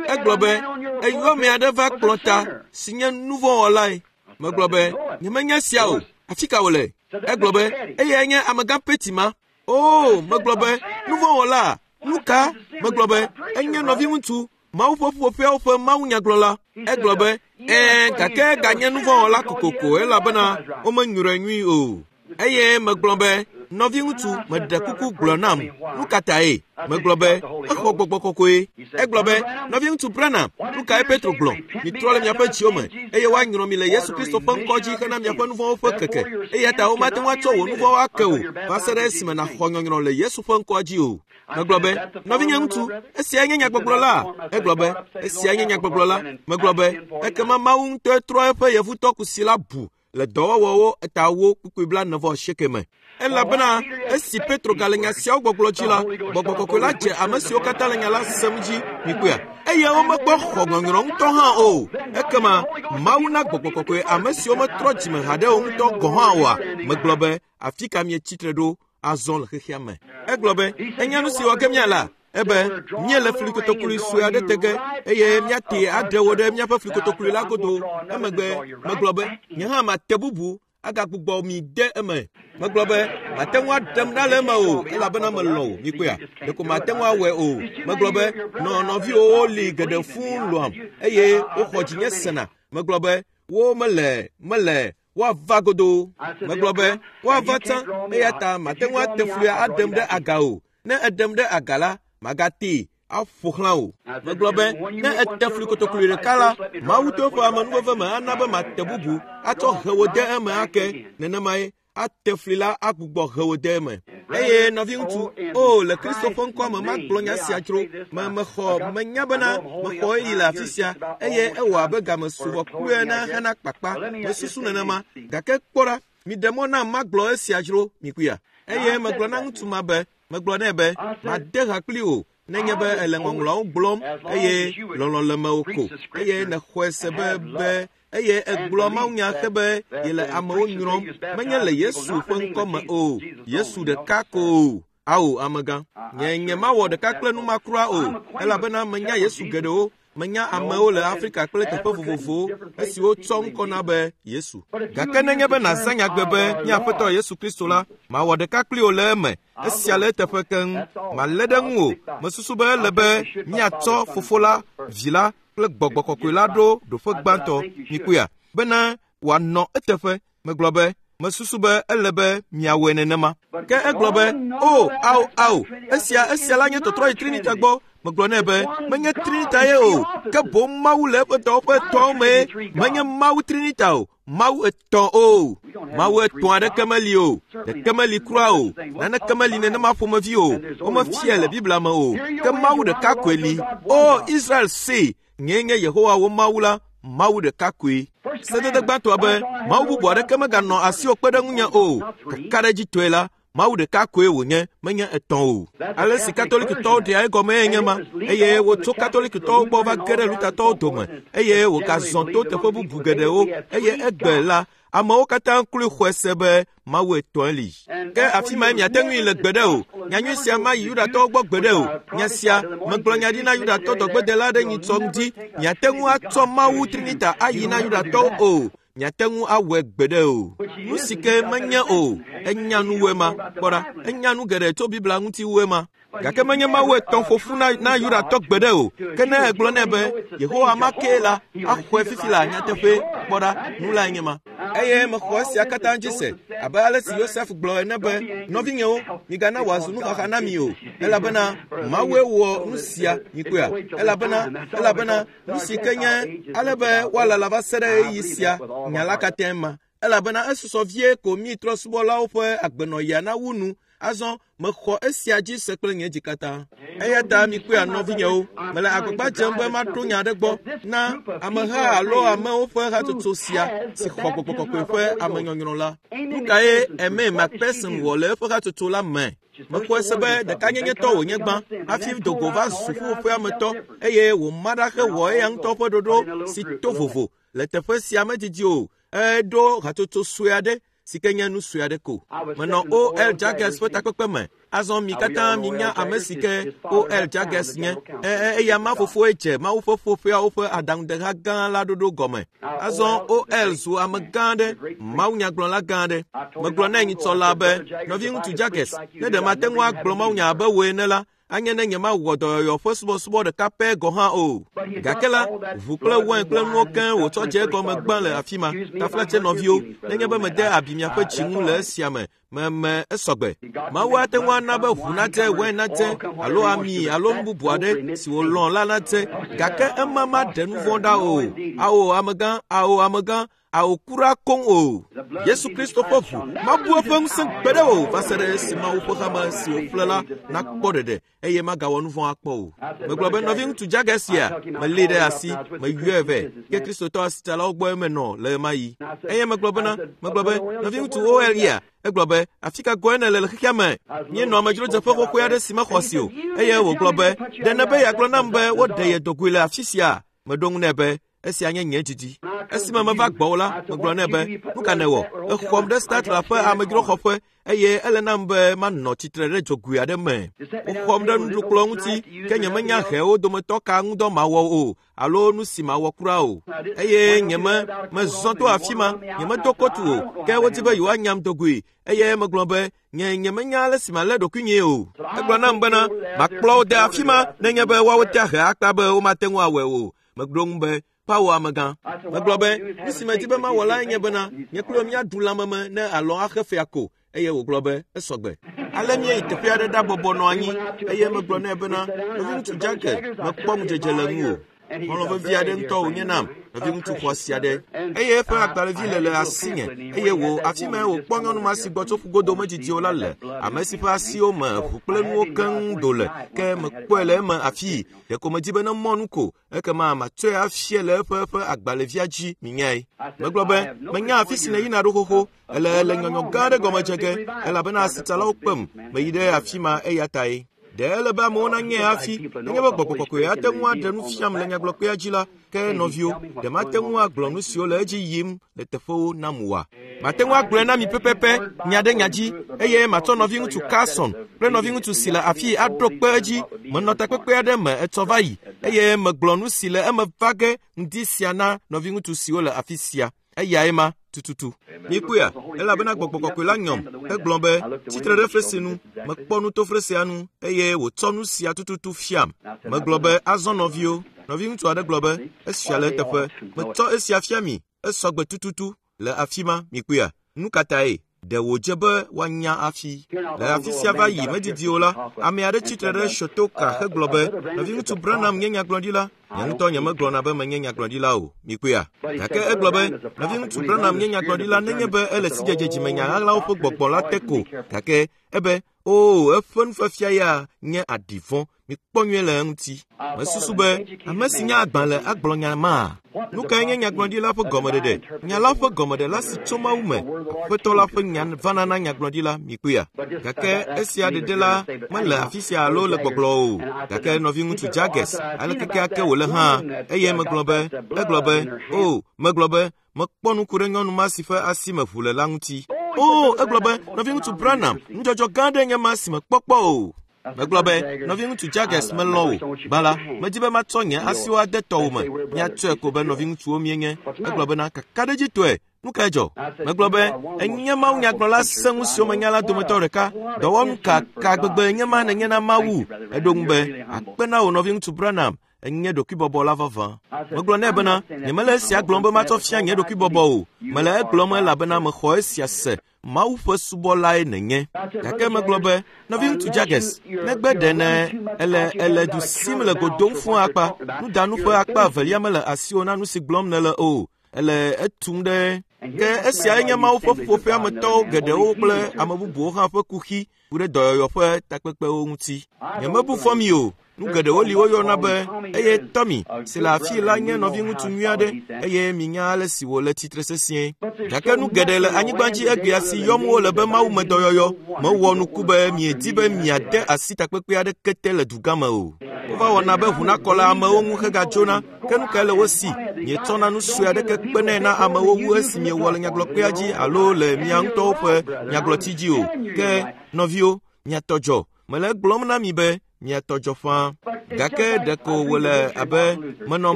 Egblɔ be, eyɔ ame aɖe va kplɔ ta si nye nuvɔ̃wɔlae. Megblɔ be, nyemenya sia o. Afi ka wòle? Egblɔ be, eyae nye amegã Petty ma. Oo, megblɔ be, nuvɔ̃wɔla, nu ka? Megblɔ be, enye nɔviŋutsu, Mawu ƒe ƒuƒoƒeawo ƒe mawunyagblɔla. Egblɔ be, ɛɛ, gake ganye nuvɔ̃wɔla kokoko elabena womenyrɔe nyui o. Eye megblɔ be, nɔviŋutsu, meɖe kuku gblɔ nam, nu ka tae? Megblɔ be, exɔ gbɔgbɔ kɔkɔe. Egblɔ be, nɔviŋutsu Branham, nu kae Petro gblɔ? Mitrɔ le miaƒe dziwo me, eye woanyrɔ mi le Yesu Kristo ƒe ŋkɔ dzi hena miaƒe nuvɔ̃wo ƒe keke. Eya ta womate ŋu atsɔ wò nuvɔ̃wo ake o va se ɖe esime nàxɔ nyɔnyrɔ le Yesu ƒe ŋkɔa dzi o. Megblɔ be, nɔvinye ŋutsu, esiae nye nyagbɔgblɔ la? Egblɔ be, esiae nye nyagbɔgblɔ la. Megblɔ be, ekema Mawu ŋutɔe trɔ eƒe yevutɔ kusi la bu le dɔwɔwɔwo eta wo kpukpui 48 me. Elabena esi Petro gale nya siawo gbɔgblɔ dzi la, gbɔgbɔ kɔkɔe la dze ame siwo katã le nya la sem dzi. Mikpɔea? Eye womekpɔ xɔ ŋɔŋlɔ ŋutɔ hã o. Ekema Mawu na gbɔgbɔ kɔkɔe ame siwo metrɔ dzime haɖe o ŋutɔ gɔ̃ hã oa? Megblɔ be, afi ka mietsi tre ɖo azɔ le xexea me? Egblɔ be, enya nu si wɔ ge míala? Ebe, míele flikotokului sue aɖe te ge eye míatee aɖe wo ɖe míaƒe flikotokului la godo. Emegbe megblɔ be, nye hã mate bubu agagbugbɔ mi de eme. Megblɔ be, mate ŋu aɖem ɖa le eme o, elabena melɔ̃ wò. Mikpɔea? Ɖeko mate ŋu awɔe o. Megblɔ be, nɔ nɔviwòwo li geɖe fũu lɔ̃am eye woxɔ dzinye sena. Megblɔ be, wo mele, mele, woava godoo. Megblɔ be, woava tsã, eya ta mate ŋu ate fluia aɖem ɖe aga o. Ne eɖem ɖe aga la, magatee aƒo xlã o. Megblɔ be, ne ete fli kotokloe ɖeka la, Mawu to eƒe amenuveve me ana be mate bubu atsɔ he wò de eme ake. Nenemae ate fli la agbugbɔ he wò de eme. Eye nɔviŋutsu, o, le Kristo ƒe ŋkɔa me magblɔ nya sia dzro. Me mexɔ, menya bena mexɔ ɣeyiɣi le afi sia, eye ewɔ abe game su vɔ kplu ene hena kpakpa. Mesusu nenema. Gake kpɔ ɖa, miɖe mɔ nam magblɔ esia dzro, mikuia. Eye megblɔ na ŋutsu ma be, megblɔ nɛ be, made ha kpli wò nenye be ele ŋɔŋlɔawo gblɔm eye lɔlɔ̃ le mewò ko eye nèxɔe se be be eye egblɔ mawunya xe be yele amewo nyrɔm menye le Yesu ƒe ŋkɔ me o, Yesu ɖeka ko o. Ao, amegã, nye nye mawɔ ɖeka kple nu ma kura o, elabena menya Yesu geɖewo. Menya amewo le Afrika kple teƒe vovovowo esiwo tsɔ ŋkɔ na be Yesu. Gake nenye be nàzã nyagbe be mía Aƒetɔ Yesu Kristo la, mawɔ ɖeka kpli wò le eme. Esia le eteƒe keŋ. Malé ɖe ŋuwò. Mesusu be ele be míatsɔ Fofo la, Vi la, kple Gbɔgbɔ Kɔkɔe la ɖo ɖoƒe gbãtɔ, mikpɔea, bena wòanɔ eteƒe. Megblɔ be, mesusu be ele be miawɔe nenema. Ke egblɔ be, o, ao, ao, esia, esia la nye tɔtrɔ yi Trinita gbɔ. Megblɔ nɛ be, menye Trinita ye o, ke boŋ Mawu le eƒe dɔwɔƒe etɔ̃awo mee. Menye Mawu Trinita o, Mawu etɔ̃ o. Mawu etɔ̃ aɖeke meli o, ɖeke meli kura o, naneke meli nenema ƒomevi o, womefiae le Biblia me o, ke Mawu ɖeka koe li. O Israel see, nyee nye Yehowa wò Mawu la, Mawu ɖeka koe. Sedede gbãtɔa be, Mawu bubu aɖeke meganɔ asiwò kpe ɖe ŋunye o. Kakaɖedzitɔe la, Mawu ɖeka koe wònye, menye etɔ̃ o. Ale si Katolikitɔwo ɖea egɔmee nye ma, eye wotso Katolikitɔwo gbɔ va ge ɖe Lutatɔwo dome, eye wògazɔ to teƒe bubu geɖewo, eye egbe la, amewo katã kloe xɔe se be Mawu etɔ̃e li. Ke afi mae miate ŋui le gbeɖe o. Nyanyui sia mayi Yudatɔwo gbɔ gbeɖe o. Nya sia, megblɔ nya ɖi na Yudatɔ dɔgbedela aɖe nyitsɔ ŋdi, miate ŋu atsɔ Mawu Trinita ayi na Yudatɔwo o. Miate ŋu awɔe gbeɖe o. Nu si ke menye o, enya nu wu ema. Kpɔ ɖa, enya nu geɖe tso Biblia ŋuti wu ema. Gake menye Mawu etɔ̃ ƒo ƒu na, na Yudatɔ gbeɖe o. Ke ne egblɔ nɛ be, Yehowa ma kee la, axɔe fifi la nyateƒee. Kpɔ ɖa, nu lae nye ma. Eye mexɔ esia katã dzi se, abe ale si Yosef gblɔ ene be, Nɔvinyewo, migana wòazu nuxaxa na mi o, elabena Mawue wɔ nu sia, mikpɔea? Elabena, elabena Nu si ke nye ale be woalala va se ɖe ɣeyiɣi sia nya la katãe ma, elabena esusɔ vie ko mí trɔ̃subɔlawo ƒe agbenɔɣia nawu nu. Azɔ mexɔ esia dzi se kple nye dzi katã. Eya ta mikpɔea, nɔvinyewo, mele agbagba dzem be maɖo nya aɖe gbɔ na ameha alo amewo ƒe hatsotso sia si xɔ Gbɔgbɔ Kɔkɔe ƒe amenyɔnyrɔ la. Nu kae Aimé Macpherson wɔ le eƒe hatsotso la me? Mexɔe se be ɖekanyenyetɔ wònye gbã hafi do go va zu ƒuƒoƒea me tɔ eye wòma ɖa hewɔ eya ŋutɔ ƒe ɖoɖo si to vovo. Le teƒe sia medidi o, eɖo hatsotso sue aɖe si ke nye nu sue aɖe ko. Menɔ O.L. Jaggers ƒe takpekpe me. Azɔ mi katã minya ame si ke O.L. Jaggers nye. Ẽ, eya ma fofoe dze Mawu ƒe ƒuƒoƒeawo ƒe adaŋudeha gã la ɖoɖo gɔme. Azɔ O.L. zu ame gã aɖe, mawunyagblɔla gã aɖe. Megblɔ nɛ nyitsɔ laa be, Nɔviŋutsu Jaggers, ne ɖe mate ŋu agblɔ mawunya abe wò ene la, anye ne nyemawɔ dɔyɔyɔ ƒe subɔsubɔ ɖeka pɛ gɔ̃ hã o. Gake la, ʋu kple wain kple nuwo keŋ wòtsɔ dze egɔme gbã le afi ma. Taflatse nɔviwo, nenye be mede abi miaƒe dzi ŋu le esia me, meme esɔgbe. Mawu ate ŋu ana be ʋu nadze, wain nadze, alo ami alo nu bubu aɖe si wòlɔ̃ la nadze, gake ema maɖe nu vɔ̃ ɖa o. Ao, amegã, ao, amegã, ao kura koŋ o. Yesu Kristo ƒe ʋu mabu eƒe ŋusẽ gbeɖe o va se ɖe esi Mawu ƒe hame si wòƒle la nakpɔ ɖeɖe eye magawɔ nu vɔ̃ akpɔ o. Megblɔ be nɔviŋutsu Jagger sia, melée ɖe asi, meyɔe vɛ, ke Kristotɔ asitsalawo gbɔe menɔ le ɣemaɣi. Eye megblɔ bena, megblɔ be, nɔviŋutsu OL ya, egblɔ be, afi ka gɔ̃e nèle le xexea me? Míenɔ amedzrodzeƒe xoxoe aɖe si mexɔ asi o. Eye wògblɔ be, ɖe nèbe yeagblɔ nam be woɖe ye dogoe le afi sia? Meɖo ŋu nɛ be, esia nye nye didi. Esime meva gbɔwò la, megblɔ nɛ be, nu ka nèwɔ? Èxɔm ɖe Statler ƒe amedzroxɔƒe eye ele nam be manɔ tsitre ɖe dzogoe aɖe me. Woxɔm ɖe nuɖukplɔ̃ ŋuti, ke nyemenya hɛwo dometɔ ka ŋudɔ mawɔ o alo nu si mawɔ kura o. Eye nyeme mezɔ to afi ma, nyemedo kotu o, ke wodi be yewoanyam do goe. Eye megblɔ be, nye nyemenya ale si malé ɖokuinyee o. Egblɔ nam bena, makplɔ wo de afi ma nenye be woawo tea he akpa be womate ŋu awɔe o. Megblɔ ŋu be, Kpawo amegã. Megblɔ be, nu si medi be mawɔ lae nye bena, nye kple wò míaɖu lãmeme ne alɔ axe fea ko. Eye wògblɔ be, esɔgbe. Ale míeyi teƒe aɖe ɖabɔbɔ nɔ anyi, eye megblɔ nɛ bena, nɔviŋutsu Jagger, mekpɔ ŋudzedze le ŋuwò. Xɔlɔ̃ vevi aɖe ŋutɔ wònye nam, nɔviŋutsu xɔasi aɖe. Eye eƒe agbalẽvi le le asinye, eye wò, afi mae wòkpɔ nyɔnu ma si gbɔ tso ƒugodo medidi o la le, ame si ƒe asiwo me ʋu kple nuwo keŋ do le, ke mekpɔe le eme afii. Ɖeko medi be ne mɔnu ko, ekema matsɔe afia le eƒe eƒe agbalẽvia dzi, minyae. Megblɔ be, menya afi si nèyina ɖo xoxo, ele le nyɔnyɔ gã aɖe gɔme dze ge, elabena asitsalawo kpem, meyi ɖe afi ma eya tae. Ɖe ele be amewo nanyae hafi, nenye be Gbɔgbɔ Kɔkɔe ate ŋu aɖe nu fiam le nyagblɔkpea dzi la, ke nɔviwo, ɖe mate ŋu agblɔ nu siwo le edzi yim le teƒewo nam oa? Mate ŋu agblɔe na mi pɛpɛpɛ, nya ɖe nya dzi, eye matsɔ nɔviŋutsu Carlson kple nɔviŋutsu si le afii aɖo kpe edzi. Menɔ takpekpe aɖe me etsɔ va yi, eye megblɔ nu si le eme va ge ŋdi sia na nɔviŋutsu siwo le afi sia. Eyae ma tututu. Mikpɔea, elabena Gbɔgbɔ Kɔkɔe la nyɔm hegblɔ be, Tsitre ɖe fesre nu. Mekpɔ nu to fesrea nu, eye wòtsɔ nu sia tututu fiam. Megblɔ be, Azɔ nɔviwo, Nɔviŋutsu aɖe gblɔ be, esia le eteƒe. Metsɔ esia fia mi. Esɔ gbe tututu le afi ma, mikpɔea? Nu ka tae? Ɖe wòdze be woanya hafi. Le afi sia va yi medidi o la, ame aɖe tsitre ɖe Shotoka hegblɔ be, Nɔviŋutsu Branham nye nyagblɔɖila. Nye ŋutɔ nyemegblɔna be menye nyagblɔɖila o, mikpɔea? Gake egblɔ be, Nɔviŋutsu Branham nye nyagblɔɖila nenye be ele sidzedze dzimenya ɣaɣlawo ƒe gbɔgbɔ la te ko. Gake ebe, Oo, eƒe nufiafia ya nye aɖi vɔ̃. Mikpɔ nyuie le eŋuti. Mesusu be ame si nye agbalẽ agblɔ nya ma. Nu kae nye nyagblɔɖila ƒe gɔmeɖeɖe? Nya la ƒe gɔmeɖela si tso Mawu me. Aƒetɔ la ƒe nya vana na nyagblɔɖila, mikpɔea? Gake esia ɖeɖe la mele afi sia alo le gbɔgblɔ o. Gake nɔviŋutsu Jaggers, aleke keake wòle hã, eye megblɔ be, egblɔ be, O, megblɔ be, mekpɔ nuku ɖe nyɔnu ma si ƒe asi me ʋu le la ŋuti. O, egblɔ be, nɔviŋutsu Branham, nudzɔdzɔ gã aɖe nye ma si mekpɔ kpɔ o. Megblɔ be, nɔviŋutsu Jaggers, melɔ̃ wò. Gbã la, medi be matsɔ nye asiwo ade tɔwò me. Míatsɔe ko be nɔviŋutsuwo míenye. Egblɔ bena, kakaɖedzitɔe, nu kae dzɔ? Megblɔ be, enye mawunyagblɔla sẽŋu siwo menya la dometɔ ɖeka. Dɔwɔnu ka ka gbegbe nye ma nènye na Mawu? Eɖo ŋu be, akpe na wò nɔviŋutsu Branham, enye ɖokuibɔbɔla vavã. Megblɔ nɛ bena, nyemele esia gblɔm be matsɔ fia nye ɖokuibɔbɔ o. Mele egblɔm elabena mexɔ esia se. Mawu ƒe subɔlae nènye. Gake megblɔ be, nɔviŋutsu Jaggers, negbe ɖe ne ele ele du sim le go dom fũ akpa, nudanu ƒe akpa evelia mele asiwò na nu si gblɔm nèle o. Ele etum ɖe. Ke esiae nye Mawu ƒe ƒuƒoƒea me tɔwo geɖewo kple ame bubuwo hã ƒe kuxi ku ɖe dɔyɔyɔ ƒe takpekpewo ŋuti. Nyemebu fɔ mi o. Nu geɖewo li woyɔna be, eye Tommy si le afii la nye nɔviŋutsu nyui aɖe eye minya ale si wòle tsitre sesĩe. Gake nu geɖe le anyigba dzi egbea si yɔm wole be mawumedɔyɔyɔ. Mewɔ nuku be miedi be miade asi takpekpe aɖeke te le dugã me o. Wova wɔna be ʋu nakɔ le amewo ŋu hegadzona. Ke nu kae le wo si? Mietsɔna nu sue aɖeke kpenɛ na amewo wu esi miewɔ le nyagblɔkpea dzi alo le mia ŋutɔwo ƒe nyagblɔti dzi o. Ke nɔviwo, mia tɔ dzɔ. Mele egblɔm na mi be mia tɔ dzɔ ƒãa. Gake ɖeko wòle abe menɔ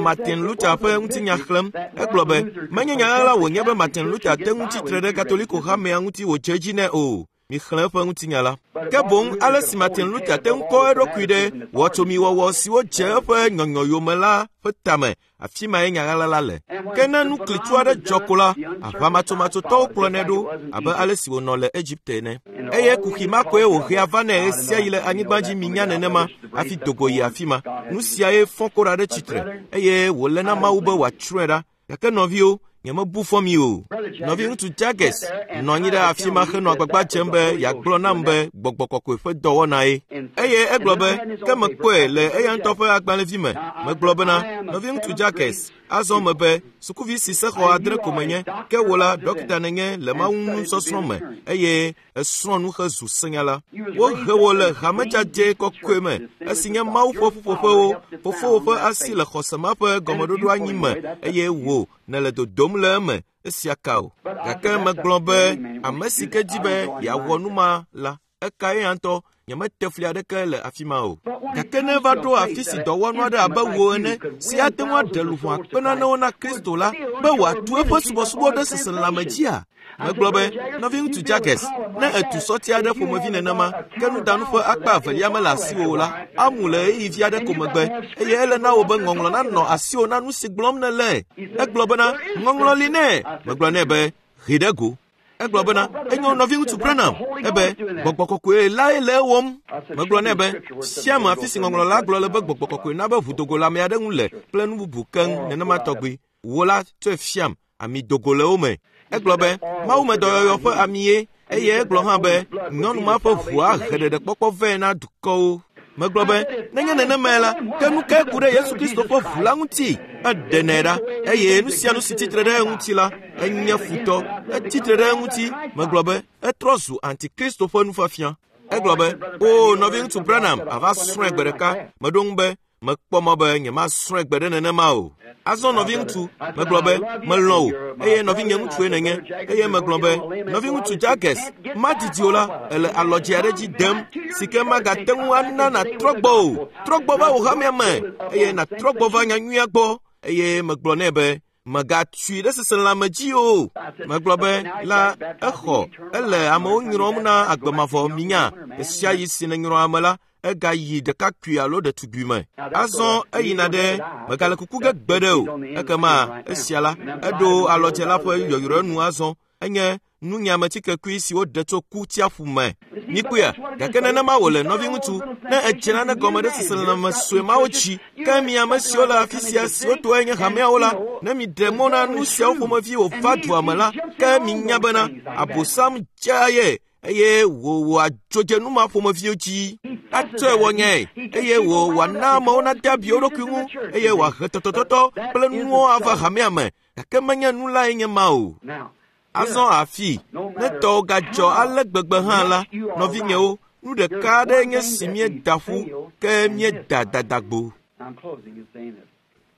Martin Luther ƒe ŋutinya xlẽm. Egblɔ be, menye nya ɣaɣla wònye be Martin Luther te ŋu tsi tre ɖe Katoliko hamea ŋuti wòdze edzi nɛ o. Mixlẽ eƒe ŋutinya la. Ke boŋ ale si Martin Luther te ŋu kɔ eɖokui ɖe wɔtsomiwɔwɔ siwo dze eƒe nyɔnyɔ yome la ƒe tame Afi mae nya ɣaɣla la le. Ke ne nu klitsu aɖe dzɔ ko la, aʋamatsomatsotɔwo kplɔnɛ ɖo abe ale si wònɔ le Egipte ene. Eye kuxi ma koe wòhea vanɛ ɣesiaɣi le anyigba dzi minya nenema hafi do go yi afi ma. Nu siae fɔ Kora ɖe tsitre eye wòle na Mawu be wòatsrɔ̃e ɖa. Gake nɔviwo, nyemebu fɔ mi o. Nɔviŋutsu Jaggers nɔ anyi ɖe afi ma henɔ agbagba dzem be yeagblɔ nam be gbɔgbɔ kɔkɔe ƒe dɔwɔnae. Eye egblɔ be, ke mekpɔe le eya ŋutɔ ƒe agbalẽvi me. Megblɔ bena, nɔviŋutsu Jaggers, azɔ mebe, sukuvi si sexɔ 7 ko menye, ke wò la, ɖɔkita nènye le Mawu nusɔsrɔ̃ me, eye esrɔ̃ nu hezu senyala. Wohe wò le hame dzadzɛ kɔkɔe me, esi nye Mawu ƒe ƒuƒoƒewo, fofowò ƒe asi le xɔse ma ƒe gɔmeɖoɖo anyi me, eye wò nèle dodom le eme. Esia ka o. Gake megblɔ be ame si ke di be yeawɔ nu ma la, eka eya ŋutɔ. Nyemete fli aɖeke le afi ma o. Gake ne eva ɖo afi si dɔwɔnu aɖe abe wò ene si ate ŋu aɖe luʋɔ akpe nanewo na Kristo la, be wòatu eƒe subɔsubɔ ɖe seselelãme dzia? Megblɔ be, nɔviŋutsu Jaggers, ne ètu sɔti aɖe ƒomevi nenema, ke nudanu ƒe akpa evelia mele asiwò o la, amu le ɣeyiɣi vi aɖe ko megbe, eye ele na wò be ŋɔŋlɔ nanɔ asiwò na nu si gblɔm nèle. Egblɔ bena, ŋɔŋlɔ li nɛ. Megblɔ nɛ be, hee ɖe go. Egblɔ bena, enyo nɔviŋutsu Branham, ebe, gbɔgbɔ kɔkɔe lae le ewɔm. Megblɔ nɛ be, fiam afi si ŋɔŋlɔ la gblɔ le be gbɔgbɔ kɔkɔe na be ʋudogo le ame aɖe ŋu le kple nu bubu keŋ nenema tɔgbi. Wò la, tsɔe fiam, ami dogo le wo me. Egblɔ be, mawumedɔyɔyɔ ƒe amie, eye egblɔ hã be, nyɔnu ma ƒe ʋua he ɖeɖekpɔkpɔ vɛ na dukɔwo. Megblɔ be, nenye nenemae la, ke nu kae ku ɖe Yesu Kristo ƒe ʋu la ŋuti? Eɖenɛ ɖa, eye nu sia nu si tsitre ɖe eŋuti la, enye futɔ. Etsitre ɖe eŋuti. Megblɔ be, etrɔ zu antikristo ƒe nufiafia. Egblɔ be, o nɔviŋutsu Branham, àva srɔ̃e gbe ɖeka. Meɖo ŋu be, mekpɔ mɔ be nyemasrɔ̃e gbe ɖe nenema o. Azɔ nɔviŋutsu, megblɔ be, melɔ̃ wò, eye nɔvinye ŋutsue nènye. Eye megblɔ be, nɔviŋutsu Jaggers, madidi o la, èle alɔdze aɖe dzi dem, si ke magate ŋu ana nàtrɔ gbɔ o. Trɔ gbɔ va wò hamea me, eye nàtrɔ gbɔ va nyanyuia gbɔ. Eye megblɔ nɛ be, mègatui ɖe seselelãme dzi o. Megblɔ be, la, exɔ, ele amewo nyrɔm na agbe mavɔ minya. Ɣesiaɣi si nènyrɔ ame la, egayi ɖekakpui alo ɖetugbui me. Azɔ eyina ɖe megale kuku ge gbe ɖe o. Ekema esia la, eɖo alɔdze la ƒe yɔyrɔe nu azɔ. Enye nunyiametikekui si woɖe tso ku tsiaƒu me. Mikpɔea, gake nenema wòle nɔviŋutsu, ne edze nane gɔme ɖe seselelãme sue mawo dzi, ke mi ame siwo le afi sia siwo tɔe nye hameawo la, ne miɖe mɔ na nu siawo ƒomevi wòva dua me la, ke minya bena Abosam dzea ye eye wòwɔ adzodze nu ma ƒomeviwo dzi. Atsɔe wɔ nyae eye wò wòana amewo nade abi wo ɖokui ŋu eye wòahe tɔtɔtɔtɔ kple nuwo ava hamea me, gake menye nu lae nye ma o. Azɔ afi, ne tɔwo gadzɔ ale gbegbe hã la, nɔvinyewo, nu ɖeka aɖe nye si míeda ƒu, ke míeda dadagbo.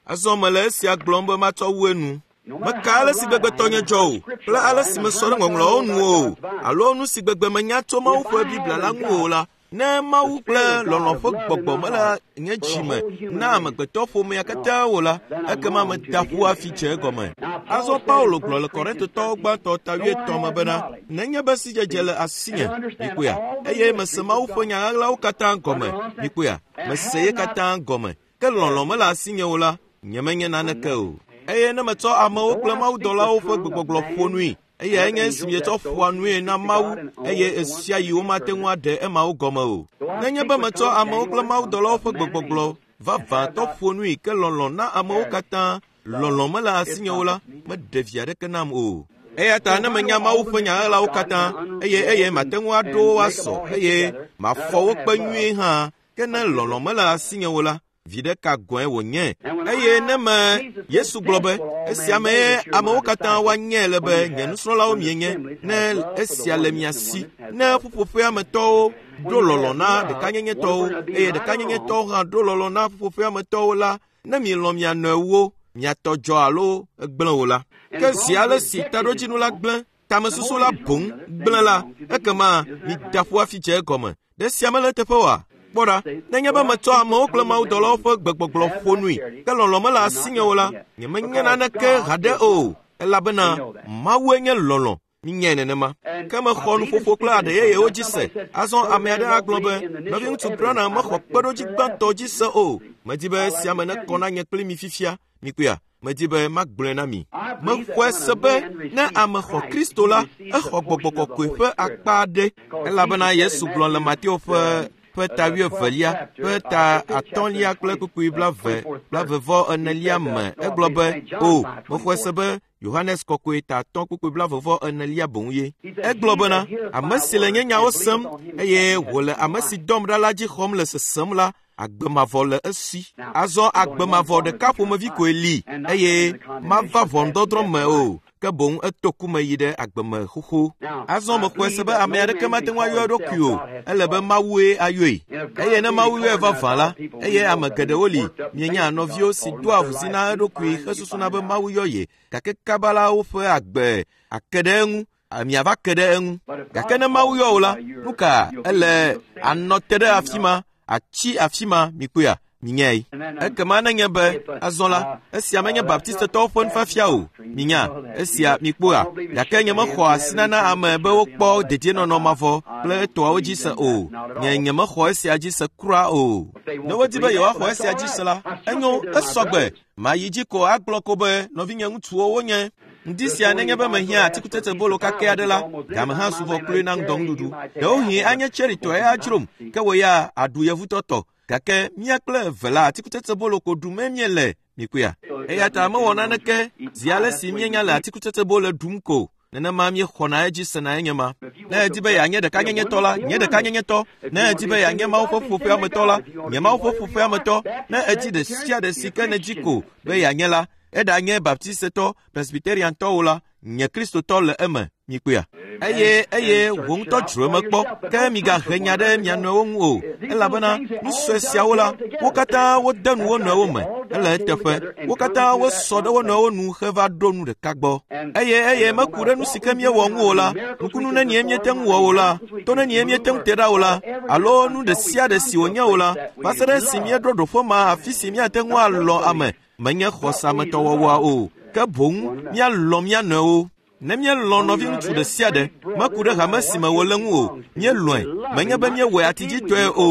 Azɔ mele esia gblɔm be matsɔ wu enu. Meka ale si gbegbe tɔnye dzɔ o, kple ale si mesɔ ɖe ŋɔŋlɔawo nu o, alo nu si gbegbe menya tso Mawu ƒe Biblia la ŋu o la, ne Mawu kple lɔlɔ̃ ƒe gbɔgbɔ mele nye dzi me na amegbetɔ ƒomea katã o la, ekema meda ƒu hafi dze egɔme. Azɔ Paulo gblɔ le Korintotɔwo gbãtɔ ta 8 me bena, nenye be sidzedze le asinye, mikpɔea, eye mese Mawu ƒe nya ɣaɣlawo katã gɔme, mikpɔea, mese ye katã gɔme, ke lɔlɔ̃ mele asinye o la, nyemenye naneke o. Eye ne metsɔ amewo kple mawudɔlawo ƒe gbegbɔgblɔ ƒo nui, eyae nye esi mietsɔ ƒoa nue na Mawu, eye esia yi womate ŋu aɖe emawo gɔme o. Nenye be metsɔ amewo kple mawudɔlawo ƒe gbegbɔgblɔ vavãtɔ ƒo nui ke lɔlɔ̃ na amewo katã, lɔlɔ̃ mele asinye o la, meɖe vi aɖeke nam o. Eya ta ne menya Mawu ƒe nya ɣaɣlawo katã, eye mate ŋu aɖo wo asɔ, eye mafɔ wo kpe nyuie hã, ke ne lɔlɔ̃ mele asinye o la, vi ɖeka gɔ̃e wònye. Eye ne me Yesu gblɔ be, esia mee amewo katã woanyae le be nye nusrɔ̃lawo mienye, ne esia le mia si, ne ƒuƒoƒea me tɔwo ɖo lɔlɔ̃ na ɖekanyenyetɔwo, eye ɖekanyenyetɔwo hã ɖo lɔlɔ̃ na ƒuƒoƒea me tɔwo la, ne mielɔ̃ mia nɔewo, miatɔ dzɔ alo egblẽ o la. Ke zi ale si taɖodzinu la gblẽ, tamesusu la boŋ gblẽ la, ekema mida ƒu hafi dze egɔme. Ɖe sia mele eteƒe oa? Kpɔ ɖa, nenye be metsɔ amewo kple mawudɔlawo ƒe gbegbɔgblɔ ƒo nui, ke lɔlɔ̃ mele asinye o la, nyemenye naneke haɖe o, elabena Mawue nye lɔlɔ̃. Minyae nenema. Ke mexɔ nuƒoƒo kple aɖe yeyewo dzi se. Azɔ ame aɖe agblɔ be, nɔviŋutsu Branham mexɔ kpeɖodzi gbãtɔ dzi se o. Medi be esia me nekɔ na nye kpli mi fifia. Mikpɔea? Medi be magblɔe na mi. Mexɔe se be ne ame xɔ Kristo la, exɔ gbɔgbɔ kɔkɔe ƒe akpa aɖe. Elabena Yesu gblɔ le Mateo ƒe ta 22 ƒe ta 5 kple kpukpui 24 me, egblɔ be, o, mexɔe se be Yohanes kɔkɔe ta 3 kpukpui 44 boŋ ye. Egblɔ bena, ame si le nye nyawo sem eye wòle ame si dɔm ɖa la dzi xɔm le sesem la, agbe mavɔ le esi. Azɔ agbe mavɔ ɖeka ƒomevi koe li eye mava ʋɔnudɔdrɔ̃ me o, ke boŋ eto ku me yi ɖe agbe me xoxo. Azɔ mexɔe se be ame aɖeke mate ŋu ayɔ eɖokui o, ele be Mawue ayɔe. Eye ne Mawu yɔe vavã la, eye ame geɖewo li, mienya nɔviwo si doa avuzi na eɖokui hesusuna be Mawu yɔ ye, gake kaba la woƒe agbe ake ɖe eŋu, miava ke ɖe eŋu. Gake ne Mawu yɔ wò la, nu ka ele anɔ te ɖe afi ma, atsi afi ma, mikpɔea? Minyae. Ekema nenye be azɔ la, esia menye Baptistetɔwo ƒe nufiafia o. Minya, esia mikpɔa. Gake nye mexɔ asi nana ame be wokpɔ dedienɔnɔ mavɔ kple etɔawo dzi se o. Nye mexɔ esia dzi se kura o. Ne wodi be yewoaxɔ esia dzi se la, enyo, esɔgbe. Mayi dzi ko agblɔ ko be nɔvinye ŋutsuwo wonye. Ŋdi sia nenye be mehiã atikutsetsebolo kakɛ aɖe la, game hã su vɔ kloe na ŋdɔnuɖuɖu. Ɖewohĩ anye tseritɔe adzrom, ke wò ya aɖu yevutɔtɔ. Gake mía kple eve la atikutsetsebolo ko ɖum míele, mikpɔea? Eya ta mewɔ naneke zi ale si míenya le atikutsetsebolo ɖum ko. Nenema míexɔna edzi sena enye ma. Ne èdi be yeanye ɖekanyenyetɔ la, nye ɖekanyenyetɔ. Ne èdi be yeanye Mawu ƒe ƒuƒoƒea me tɔ la, nye Mawu ƒe ƒuƒoƒea me tɔ. Ne èdi ɖe sia ɖe si ke nèdi ko be yeanye la, eɖanye Baptistetɔ, Presbyteriantɔ o la, nye Kristotɔ le eme, mikpɔea? Eye wò ŋutɔ dzro eme kpɔ, ke migahe nya ɖe mia nɔewo ŋu o, elabena nu sue siawo la, wo katã wode nu wo nɔewo me, ele eteƒe. Wo katã wosɔ ɖe wo nɔewo nu heva ɖo nu ɖeka gbɔ. Eye meku ɖe nu si ke míewɔ ŋu o la, nukunu nenie míete ŋu wɔ o la, to nenie míete ŋu te ɖa o la, alo nu ɖe sia ɖe si wònye o la, va se ɖe esi míeɖo ɖoƒe ma afi si míate ŋu alɔ̃ ame, menye xɔsametɔwɔwɔa o, ke boŋ míalɔ̃ mía nɔewo. Ne míelɔ̃ nɔviŋutsu ɖe sia ɖe, meku ɖe hame si me wòle ŋu o, míelɔ̃e. Menye be míewɔe atidzitɔe o,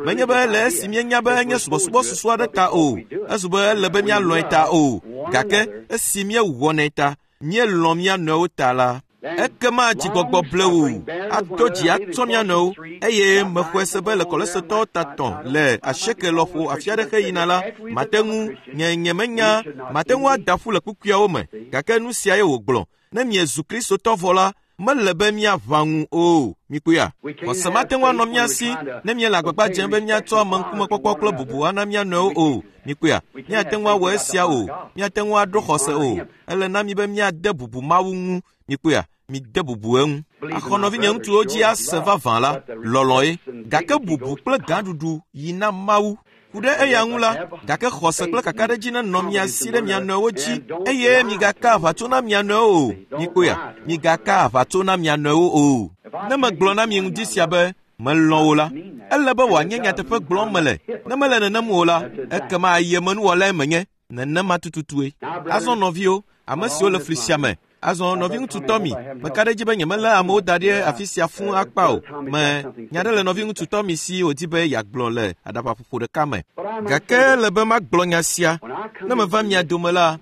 menye be le esi míenya be enye subɔsubɔsusu aɖe ta o, ezu be ele be míalɔ̃e ta o, gake esi míewɔnɛ ta, míelɔ̃ mía nɔewo ta la, ekema dzigbɔgbɔ blewu ato dzi atsɔ mía nɔewo eye mexɔe se be le kɔlesetɔwo ta tɔ̃ le asieke lɔƒo afi aɖe heyina la, mate ŋu nye nyemenya mate ŋu ada ƒu le kpukpuiawo me gake nu sia ye wògblɔ. Ne miezu Kristotɔ vɔ la, mele be míaʋã ŋu o. Mikpɔea? Xɔse mate ŋu anɔ mía si ne míele agbagba dzem be míatsɔ ameŋkumekpɔkpɔ kple bubu ana mía nɔewo o. Mikpɔea? Míate ŋu awɔ esia o. Míate ŋu aɖo xɔse o. Ele na mí be míade bubu Mawu ŋu. Mikpɔea? Mide bubu eŋu. Axɔ nɔvinye ŋutsuwo dzi ase vavã la, lɔlɔ̃e. Gake bubu kple gãɖuɖu yi na Mawu. Ku ɖe eya ŋu la, gake xɔse kple kakaɖedzi nenɔ mia si ɖe mia nɔewo dzi eye migaka aʋatso na mia nɔewo o. Mikpɔea? Migaka aʋatso na mia nɔewo o. Ne megblɔ na mi ŋdi sia be melɔ̃ wò la, ele be wòanye nyateƒe gblɔm mele. Ne mele nenem o la, ekema ayemenuwɔlae menye. Nenema tututue. Azɔ nɔviwo, ame siwo le fli sia me, azɔ nɔviŋutsu Tɔmi, meka ɖe edzi be nyemelé amewo da ɖi afi sia fũu akpa o. Me nya ɖe le nɔviŋutsu Tɔmi si wòdi be yeagblɔ le aɖabaƒoƒo ɖeka me. Gake ele be magblɔ nya sia. Ne meva mia dome la,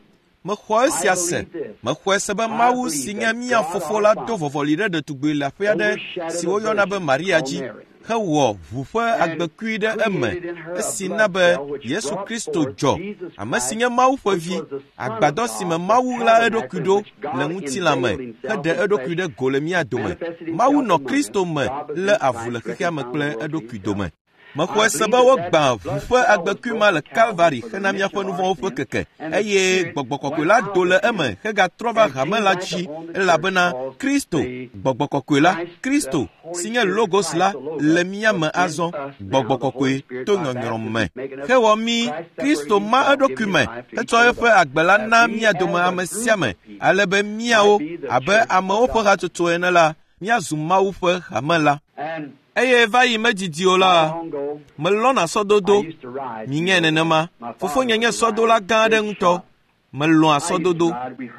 mexɔ esia se. Mexɔe se be Mawu si nye mía Fofo la do vɔvɔli ɖe ɖetugbui leaƒe aɖe si woyɔna be Maria dzi hewɔ ʋu ƒe agbekui ɖe eme esi na be Yesu Kristo dzɔ, ame si nye Mawu ƒe vi, agbadɔ si me Mawu ɣla eɖokui ɖo le ŋutilã me heɖe eɖokui ɖe go le mía dome. Mawu nɔ Kristo me lé avu le xexea me kple eɖokui dome. Mexɔe se be wogbã ʋu ƒe agbekui ma le Kalvari hena míaƒe nu vɔ̃wo ƒe keke eye gbɔgbɔ kɔkɔe la do le eme hegatrɔ va hame la dzi elabena Kristo, gbɔgbɔ kɔkɔe la, Kristo si nye Logos la le mía me azɔ, gbɔgbɔ kɔkɔe to nyɔnyrɔ me hewɔ mí. Kristo ma eɖokui me hetsɔ eƒe agbe la na mía dome ame sia ame ale be míawo abe amewo ƒe hatsotso ene la, míazu Mawu ƒe hame la. Eye va yi medidi o la, melɔ̃na sɔdodo. Minyae nenema. Fofonye nye sɔdola gã aɖe ŋutɔ. Melɔ̃a sɔdodo.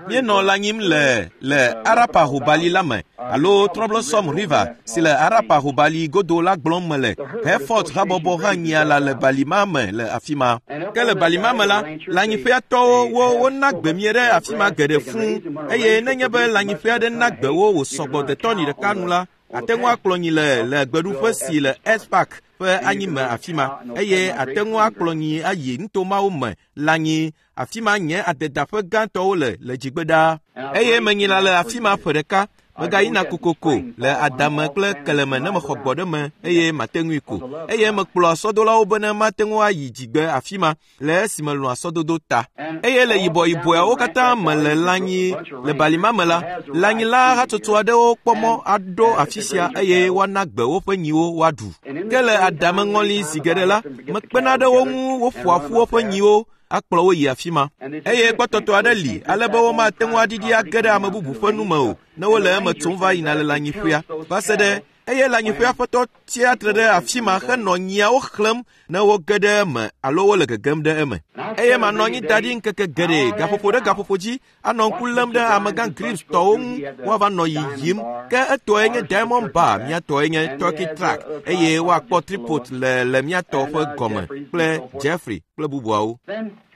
Míenɔ lãnyim le le Arapaho bali la me alo Troublesome River si le Arapaho bali godo la gblɔm mele. Hereford habɔbɔ hã nyia lã le bali ma me le afi ma. Ke le bali ma me la, lãnyiƒeatɔwo wo wona gbe mie ɖe afi ma geɖe fũu eye nenye be lãnyiƒe aɖe na gbe wo wòsɔgbɔ de tɔni ɖeka nu la, ate ŋu akplɔ nyi le le gbeɖuƒe si le S Park ƒe anyime afi ma eye ate ŋu akplɔ nyi ayi nuto mawo me lãnyi afi ma nye adedaƒe gãtɔwo le le dzigbe ɖaa. Eye menyina le afi ma ƒe ɖeka. Megayina kokoko le adame kple keleme ne mexɔ gbɔ ɖe me eye mate ŋui ko. Eye mekplɔa sɔdolawo be ne mate ŋu ayi dzigbe afi ma le esi melɔ̃a sɔdodo ta. Eye le yibɔyibɔeawo katã me le lãnyi le balima me la, lãnyila hatsotso aɖewo kpɔ mɔ aɖo afi sia eye woana gbe woƒe nyiwo woaɖu. Ke le adame ŋɔli zi geɖe la, mekpena ɖe wo ŋu woƒoa ƒu woƒe nyiwo akplɔ wo yi afi ma. Eye kpɔtɔtɔ aɖe li ale be womate ŋu aɖiɖi age ɖe ame bubu ƒe nu me o ne wole eme tsom va yina le lãnyiƒea va se ɖe eye lãnyiƒea ƒe tɔ tsia tre ɖe afi ma henɔ nyiawo xlẽm ne woge ɖe eme alo wole gegem ɖe eme. Eye manɔ anyi da ɖi ŋkeke geɖe gaƒoƒo ɖe gaƒoƒo dzi anɔ ŋku lém ɖe amegã Grips tɔwo ŋu woava nɔ yiyim. Ke etɔe nye Diamond Bar, mía tɔe nye Turkey Track eye woakpɔ Tripod le le mía tɔ ƒe gɔme kple Jeffrey kple bubuawo.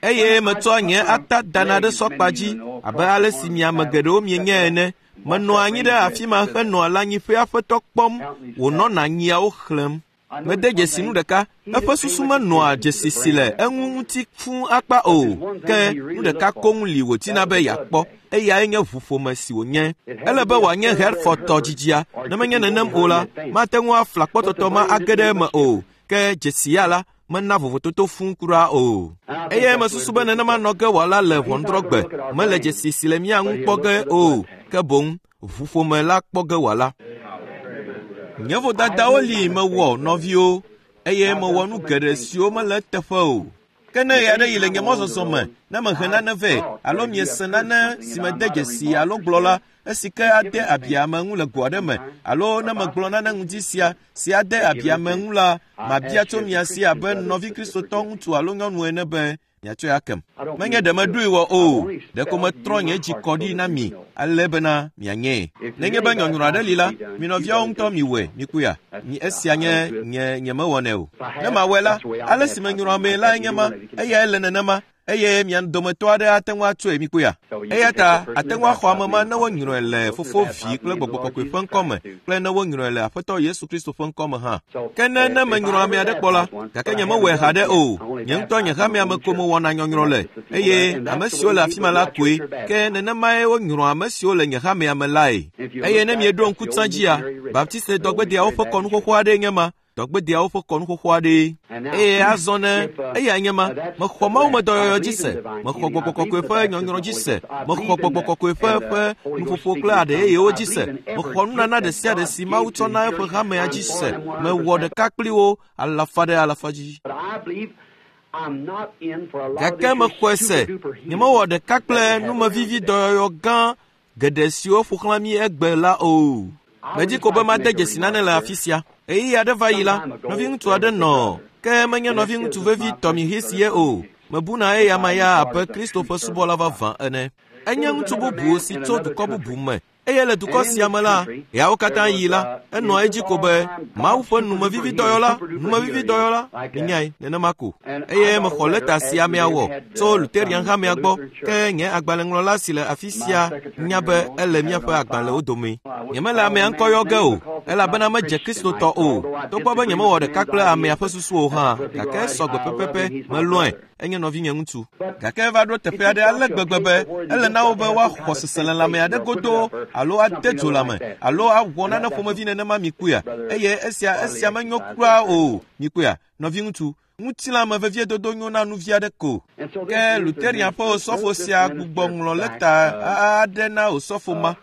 Eye metsɔa nye ata dana ɖe sɔkpa dzi abe ale si mi ame geɖewo mienyae ene. Menɔa anyi ɖe afi ma henɔa lãnyiƒea ƒe tɔ kpɔm wònɔna nyiawo xlẽm. Mede dzesi nu ɖeka, eƒe susu menɔa dzesi si le eŋu ŋuti fũu akpa o, ke nu ɖeka koŋ li wòdina be yeakpɔ, eyae nye ʋuƒome si wònye. Ele be wòanye Hereford tɔ dzidzia, ne menye nenem o la, mate ŋu afla kpɔtɔtɔ ma age ɖe eme o, ke dzesi ya la, mena vovototo fũu kura o. Eye mesusu be nenema nɔ ge wòala le ʋɔnudrɔ̃gbe, mele dzesi si le mía ŋu kpɔ ge o, ke boŋ ʋuƒome la kpɔ ge wòala. Nye vodadawo li mewɔ nɔviwo eye mewɔ nu geɖe siwo mele eteƒe o. Ke ne ɣe aɖe yi le nye mɔzɔzɔ me, ne mehe nane vɛ alo miese nane si mede dzesi alo gblɔ la, esi ke ade abi ame ŋu le go aɖe me alo ne megblɔ nane ŋdi sia si ade abi ame ŋu la, mabia tso mia si abe nɔvi Kristotɔ ŋutsu alo nyɔnu ene be Miatsɔe akem. Menye ɖe meɖoe wɔ o, ɖeko metrɔ nye dzi kɔ ɖi na mi ale bena mianyee. Nenye be nyɔnyrɔ aɖe li la, mi nɔviawo ŋutɔ miwɔe, mikpɔea? Mi esia nye nye nyemewɔnɛ o. Ne mawɔe la, ale si menyrɔ amee lae nye ma, eyae le nenema, eye mia dometɔ aɖe ate ŋu atsɔe mikpɔea? Eya ta ate ŋu axɔ ame ma ne wonyrɔe le Fofo, Vi kple Gbɔgbɔ Kɔkɔe ƒe ŋkɔ me kple ne wonyrɔe le Aƒetɔ Yesu Kristo ƒe ŋkɔ me hã. Ke ne ne menyrɔ ame aɖe kpɔ la, gake nyemewɔe haɖe o, nye ŋutɔ nye hamea me ko mewɔna nyɔnyrɔ le, eye ame siwo le afi ma la koe, ke nenemae wonyrɔa ame siwo le nye hamea me lae. Eye ne mieɖo ŋku tsã dzia, Baptiste dɔgbedeawo ƒe kɔnu xoxo aɖee nye ma, dɔgbedeawo ƒe kɔnu xoxo aɖee. Eye azɔ ne eyae nye ma, mexɔ mawumedɔyɔyɔ dzi se, mexɔ gbɔgbɔ kɔkɔe ƒe nyɔnyrɔ dzi se, mexɔ gbɔgbɔ kɔkɔe ƒe ƒe nuƒoƒo kple aɖe yeyewo dzi se, mexɔ nunana ɖe sia ɖe si Mawu tsɔ na eƒe hamea dzi se, mewɔ ɖeka kpli wo alafa ɖe alafa dzi. Gake mexɔe se, nyemewɔ ɖeka kple numevivi dɔyɔyɔ gã geɖe siwo ƒo xlã mí egbe la o. Medi ko be made dzesi nane le afi sia. Ɣeyiɣi aɖe va yi la, nɔviŋutsu aɖe nɔ, ke menye nɔviŋutsu vevi Tommy Hicks ye o. Mebuna eyama ya abe Kristo ƒe subɔla vavã ene. Enye ŋutsu bubu si tso dukɔ bubu me eye le dukɔ sia me la, ɣeawo katã yi la, enɔa edzi ko be Mawu ƒe numevividɔyɔla, numevividɔyɔla, minyae, nenema ko. Eye mexɔ lɛta si amea wɔ tso Luterian hamea gbɔ, ke nye agbalẽŋlɔla si le afi sia nya be ele míaƒe agbalẽwo dome. Nyemele amea ŋkɔ yɔ ge o, elabena medze Kristotɔ o, togbɔ be nyemewɔ ɖeka kple amea ƒe susu o hã, gake esɔ gbe pɛpɛpɛ, melɔ̃e, enye nɔvinye ŋutsu. Gake eva ɖo teƒe aɖe ale gbegbe be ele na wo be woaxɔ seselelãme aɖe godoo alo ade dzo lãme alo awɔ nane ƒomevi nenema mikpɔea? Eye esia esia menyo kura o. Mikpɔea? Nɔviŋutsu, ŋutilãme veviedodo nyo na nu vi aɖe ko. Ke Luterian ƒe osɔfo sia gbugbɔ ŋlɔ lɛta aɖe na osɔfo ma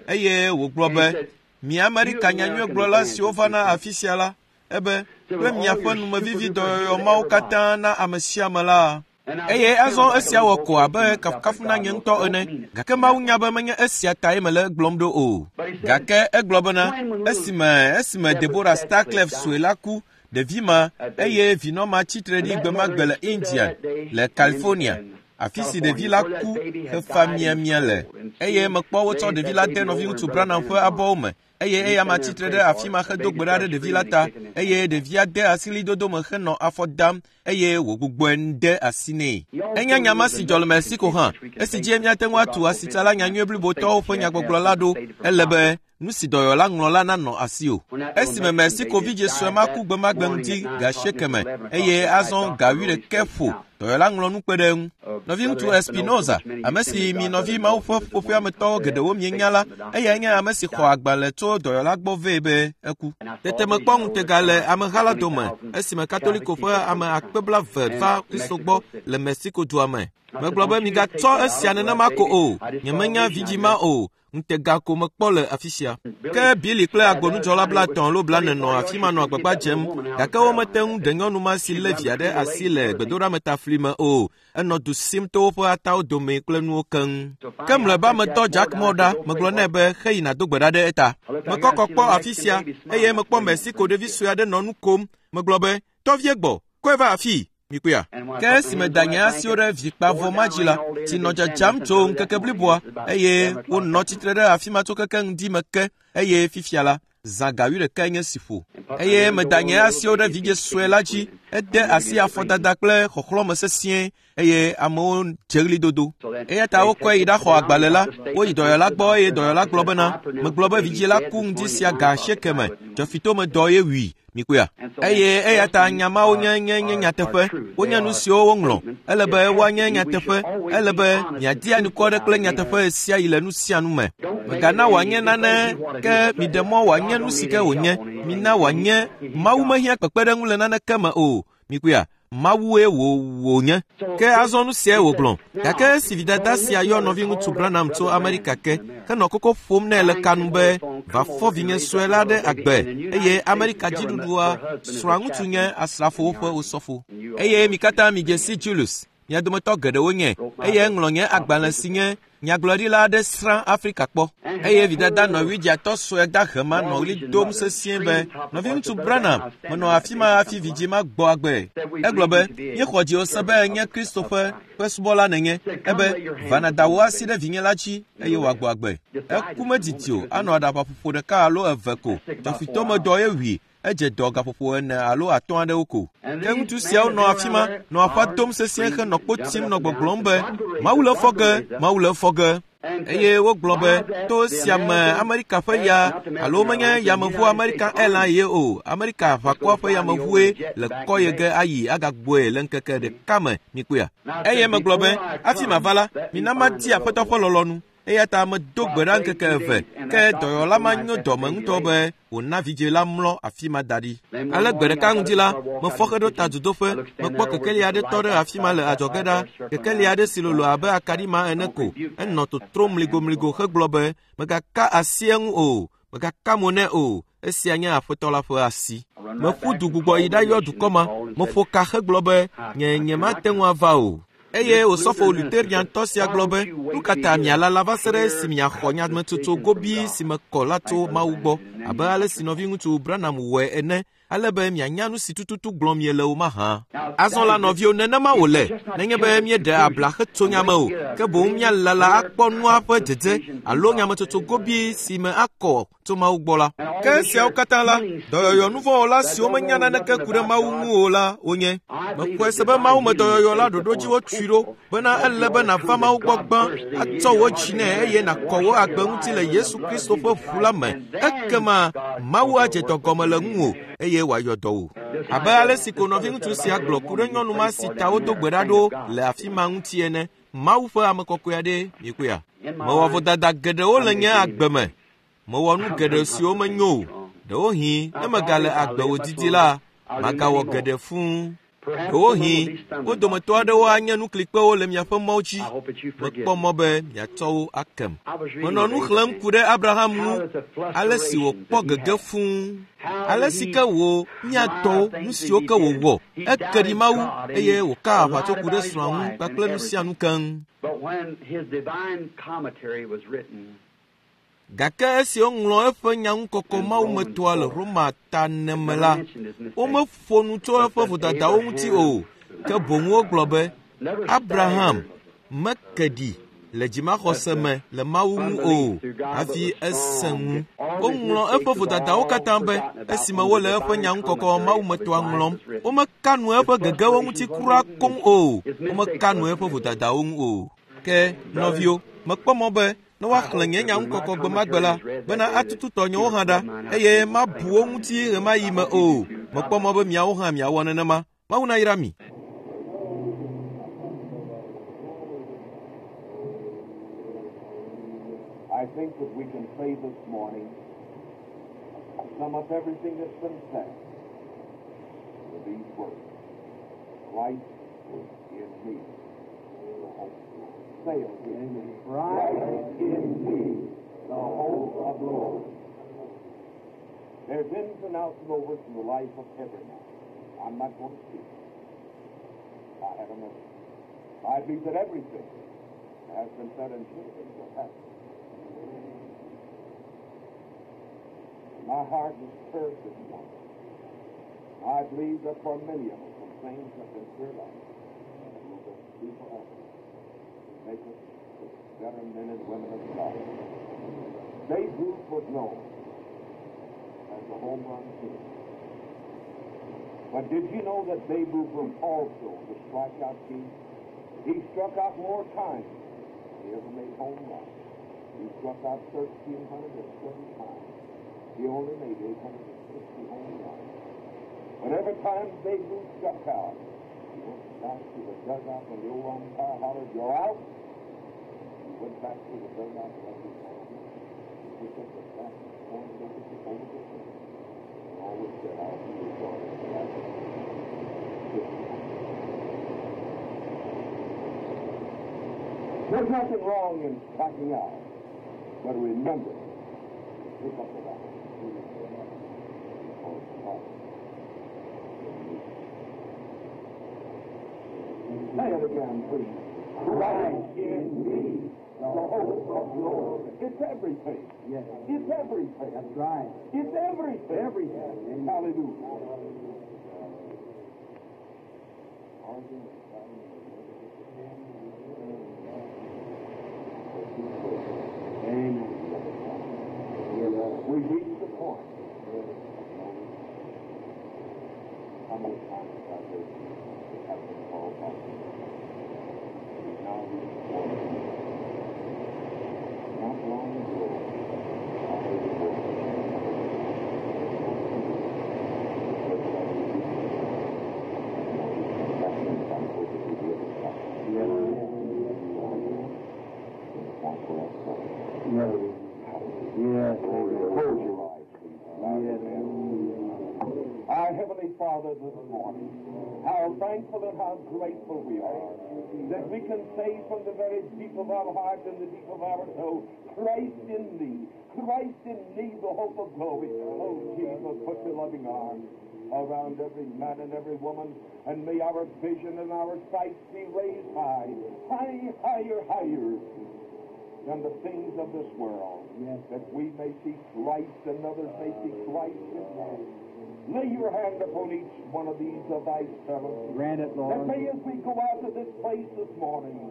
eye wògblɔ be, Mi Amerika nyanyuiegblɔla siwo vana afi sia la, ebe, kple miaƒe numevivi dɔyɔyɔ mawo katã na ame sia ame la. Eye azɔ esia wɔ ko abe kafukafu na nye ŋutɔ ene, gake Mawu nya be menye esia tae mele egblɔm ɖo o. Gake egblɔ bena, esime esime Deborah Starclef sue la ku, ɖevi ma, eye vinɔ ma tsi tre ɖi gbemagbe le India, le California, afi si ɖevi la ku hefa miamia le. Eye mekpɔ wotsɔ ɖevi la de nɔviŋutsu Branham ƒe abɔwo me, eye eyama tsitre ɖe afi ma hedo gbe ɖa ɖe ɖevi la ta, eye ɖevia de asi ɣlidodo me henɔ afɔ dam eye wògbugbɔe de asi nɛ. Enye nya ma si dzɔ le Mexico hã, esi dzie míate ŋu atu asitsala nyanyui blibotɔwo ƒe nyagbɔgblɔ la ɖo. Ele be nu si dɔyɔla ŋlɔ la nanɔ asiwò. Esime Mexico vidzĩ sue ma ku gbemagbe ŋdi ga asieke me eye azɔ ga wuiɖekɛ ƒo, dɔyɔla ŋlɔ nu kpe ɖe eŋu. Nɔviŋutsu Espinoza, ame si mi nɔvi Mawu ƒe ƒuƒoƒea me tɔwo geɖewo mienya la, eyae nye ame si xɔ agbalẽ tso dɔyɔla gbɔ vɛ be eku. Tete mekpɔ ŋutega le ameha la dome esime Katoliko ƒe ame akpe blaeve va Kristo gbɔ le Mexico dua me. Megblɔ be migatsɔ esia nenema ko o, nyemenya vidzĩ ma o, ŋutega ko mekpɔ le afi sia. Ke Billy kple agbonudzɔla blaetɔ̃ alo blaene nɔ afi ma nɔ agbagba dzem, gake womete ŋu ɖe nyɔnu ma si lé via ɖe asi le gbedoɖametafli me o. Enɔ du sim to woƒe atawo dome kple nuwo keŋ. Ke mlɔeba metɔ Jack Moore ɖa, megblɔ nɛ be xeyi nàdo gbe ɖa ɖe eta. Mekɔ kɔ kpɔ afi sia, eye mekpɔ Mexico ɖevi sue aɖe nɔ nu kom. Megblɔ be, Tɔ vie gbɔ, kɔe va afii. Mikpɔea? Ke esime meda nye asiwo ɖe vikpavɔ ma dzi la, tsi nɔ dzadzam tso ŋkeke bliboa, eye wonɔ tsitre ɖe afi ma tso keke ŋdi me ke, eye fifia la, zã ga wuiɖekae nye si ƒo. Eye meda nye asiwo ɖe vidzĩ sue la dzi, ede asi afɔdada kple xɔxlɔ̃me sesĩe, eye amewo dze ɣlidodo. Eya ta wokɔe yi ɖaxɔ agbalẽ la, woyi dɔyɔla gbɔ eye dɔyɔla gblɔ bena, megblɔ be vidzĩ la ku ŋdi sia ga asieke me, dzɔfitome dɔ ye wui. Mikpɔea? Eye eya ta nya mawo nye nye nye nyateƒe. Wonye nu siwo woŋlɔ. Ele be woanye nyateƒe. Ele be miadi anukware kple nyateƒe ɣesiaɣi le nu sia nu me. Mègana wòanye nane ke miɖe mɔ wòanye nu si ke wònye. Mina wòanye Mawu mehiã kpekpeɖeŋu le naneke me o. Mikpɔea? Mawue wò wònye. Ke azɔ nu siae wògblɔ. Gake esi vidada sia yɔ nɔviŋutsu Branham tso Amerika ke, henɔ koko ƒom nɛ le ka nu be, va fɔ vinye sue la ɖe agbe, eye Amerika dziɖuɖua srɔ̃aŋutsu nye asrafowo ƒe osɔfo. Eye mi katã midze si Julius, mia dometɔ geɖewo nye, eye eŋlɔ nye agbalẽ si nye. Nyagblɔɖila aɖe srã Afrika kpɔ eye vidada nɔvidziatɔ sue dahe ma nɔ ɣli dom sesĩe be, Nɔviŋutsu Branham, menɔ afi ma hafi vidzĩ ma gbɔ agbe. Egblɔ be, Míexɔ dziwò se be enye Kristo ƒe ƒe subɔla nènye. Ebe, Va nàda wò asi ɖe vinye la dzi eye wòagbɔ agbe. Eku medidi o, anɔ aɖabaƒoƒo ɖeka alo eve ko. Dɔfitɔmedɔ ye wui. Edze dɔ gaƒoƒo ene alo atɔ̃ aɖewo ko. Ke ŋutsu siawo nɔ afi ma, nɔ aƒa dom sesĩe henɔ kpo tim nɔ gbɔgblɔm be, Mawu le efɔ ge! Mawu le efɔ ge! Eye wogblɔ be, to esia me Amerika ƒe ya, alo menye yameʋu American Airlines ye o, Amerika aʋakɔa ƒe yameʋue le kɔ ye ge ayi agagbɔe le ŋkeke ɖeka me, mikpɔea? Eye megblɔ be, hafi mava la, mina madi Aƒetɔ ƒe lɔlɔ̃nu. Eya ta medo gbe ɖa ŋkeke eve, ke dɔyɔla ma nyo dɔme ŋutɔ be wòna vidzĩ la mlɔ afi ma da ɖi. Ale gbe ɖeka ŋdi la, mefɔ heɖo ta dudoƒe, mekpɔ kekeli aɖe tɔ ɖe afi ma le adzɔge ɖa, kekeli aɖe si lolo abe akaɖi ma ene ko, enɔ totrom mligomligo hegblɔ be, Mègaka asi eŋu o, mègaka mo nɛ o, esia nye Aƒetɔ la ƒe asi. Meƒu du gbugbɔ yi ɖayɔ dukɔ ma, meƒo ka hegblɔ be, Nye nyemate ŋu ava o. Eye osɔfo Luteriantɔ sia gblɔ be, Nu ka ta mialala va se ɖe esi miaxɔ nyametsotso gobii si me kɔ la tso Mawu gbɔ, abe ale si nɔviŋutsu Branham wɔe ene, ale be mianya nu si tututu gblɔm miele o mahã? Azɔ la, nɔviwo, nenema wòle, nenye be míeɖe abla hetso nya me o, ke boŋ míalala akpɔ nua ƒe dzedze alo nyametsotso gobii si me akɔ tso Mawu gbɔ la. Ke esiawo katã la, dɔyɔyɔ nuvɔ̃wɔla siwo menya naneke ku ɖe Mawu ŋu o la wonye. Mexɔe se be Mawu me dɔyɔyɔ la ɖoɖo dzi wotui ɖo bena ele be nàva Mawu gbɔ gbã, atsɔ wò dzi nɛ eye nàkɔ wò agbe ŋuti le Yesu Kristo ƒe ʋu la me. Ekema Mawu adze dɔ gɔme le ŋuwò eye wòayɔ dɔ wò. Abe ale si ko nɔviŋutsu sia gblɔ ku ɖe nyɔnu ma si ta wodo gbe ɖa ɖo le afi ma ŋuti ene, Mawu ƒe ame kɔkɔe aɖee, mikpɔea? Mewɔ vodada geɖewo le nye agbe me. Mewɔ nu geɖe siwo menyo o. Ɖewohĩ ne megale agbe wòdidi la, magawɔ geɖe fũu. Ɖewohĩ wo dometɔ aɖewo anye nuklikpewo le miaƒe mɔwo dzi. Mekpɔ mɔ be miatsɔ wo akem. Menɔ nu xlẽm ku ɖe Abraham ŋu, ale si wòkpɔ gege fũu, ale si ke wò mía tɔwo, nu siwo ke wòwɔ. Eke ɖi Mawu eye wòka aʋatso ku ɖe srɔ̃a ŋu kpakple nu sia nu keŋ. Gake esi woŋlɔ eƒe nyaŋukɔkɔ mawumetɔa le Roma ta ene me la, womeƒo nu tso eƒe vodadawo ŋuti o, ke boŋ wogblɔ be Abraham meke ɖi le dzimaxɔse me le Mawu ŋu o hafi esẽ ŋu. Woŋlɔ eƒe vodadawo katã be esime wole eƒe nyaŋukɔkɔ mawumetɔa ŋlɔm. Womeka nu eƒe gegewo ŋuti kura koŋ o, womeka nu eƒe vodadawo ŋu o. Ke, nɔviwo, mekpɔ mɔ be ne woaxlẽ nye nyaŋukɔkɔ gbe ma gbe la, bena atutu tɔnyewo hã ɖa, eye mabu wo ŋuti ɣemaɣi me o. Mekpɔ mɔ be miawo hã miawɔ nenema. Mawu nayra mi. I think that we can say this morning, sum up everything that's been said with these words. Christ in me, the hope of glory. Say it with me. Christ in me, the hope of glory. There's ins and outs and overs in the life of every man. I'm not going to speak. I have a message. I believe that everything that has been said and should have been will happen. My heart is stirred this morning. I believe that for many of us, some things have been stirred up that will just do for us to make us the better men and women of God. Babe Ruth was known as the home run king. But did you know that Babe Ruth was also the strikeout king? He struck out more times than he ever made home runs. He struck out 1,330 times. He only made 860 home runs. But every time Babe Ruth struck out, he went back to the dugout when the old umpire hollered, "You're out!" He went back to the dugout and his arm. He picked up the bat and pointed over the, over the fence. And always said, "I'll be your daughter." There's nothing wrong in striking out, but remember, pick up the bat. Because Christ in me. Say it again, please. Christ in me. The hope of glory. It's everything. Yes. It's everything. That's right. It's everything. Everything. Amen. Hallelujah. Amen. We reach the point. How many times have I heard have been called by Jesus? We've now reached the point. Not long ago, I heard a voice. Yes. Yes. Close your eyes, please. Bow your Yes. head. Our Heavenly Father, this morning, how thankful and how grateful we are that we can say from the very deep of our heart and the deep of our soul, Christ in me, Christ in me, the hope of glory. Oh, Jesus, put your loving arms around every man and every woman, and may our vision and our sight be raised high, high, higher, higher than the things of this world, Yes. that we may see Christ and others may see Christ in us. Lay your hand upon each one of these of thy servants. Grant it, That Lord. may as we go out of this place this morning,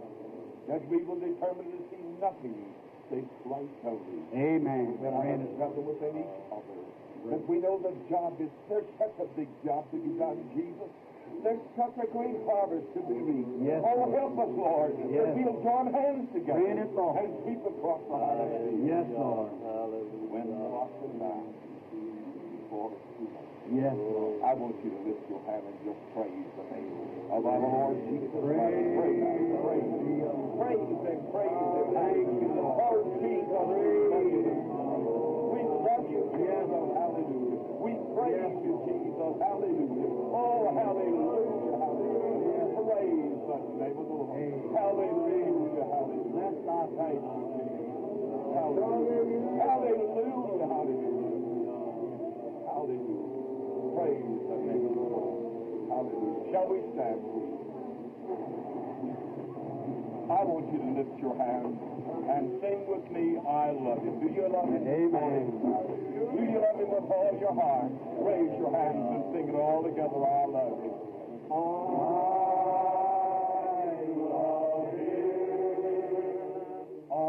that we will determine to see nothing save Christ only. Amen. Within our Grant it. brother, within each other. That we know the job is, there's such a big job to be done, Jesus. There's such a great harvest to be reaped. Yes, oh, Lord. help us, Lord, Yes. that we'll join hands together Grant it, Lord. and sweep across the harvest. Yes, Lord. When lost and bound before it's too late. Yes, Lord. I want you to lift your hand and just praise the name of our Lord Jesus Christ. Praise, praise, praise Him, praise Him. Thank you, Lord. Oh, Jesus, we love you. We love you, Jesus. Hallelujah. We praise you, Jesus. Hallelujah. Oh, hallelujah, hallelujah. Praise the name of the Lord. Hallelujah, hallelujah. Thank you, Jesus. Hallelujah, hallelujah, hallelujah. Hallelujah. Praise the name of the Lord. Hallelujah. Shall we stand, please? I want you to lift your hands and sing with me, I love him. Do you love him? Amen. Do you love him with all your heart? Raise your hands and sing it all together, I love him. I love him. I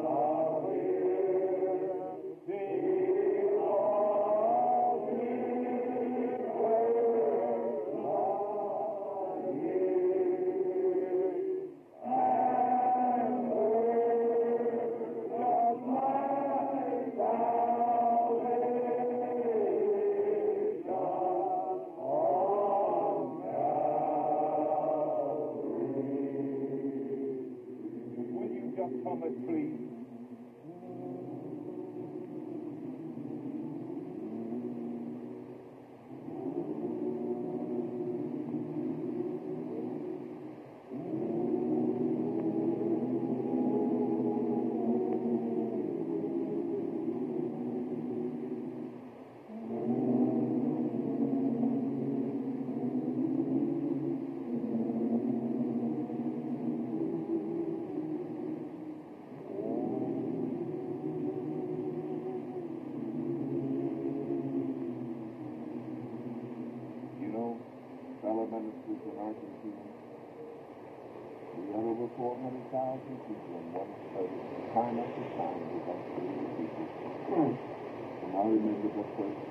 love him. Because he first loved me and purchased my salvation on Calvary. Will you just come it, please? You know, fellow ministers in Argentina, we had over 400,000 people in one service, time after time, we got through the people. And I remember the first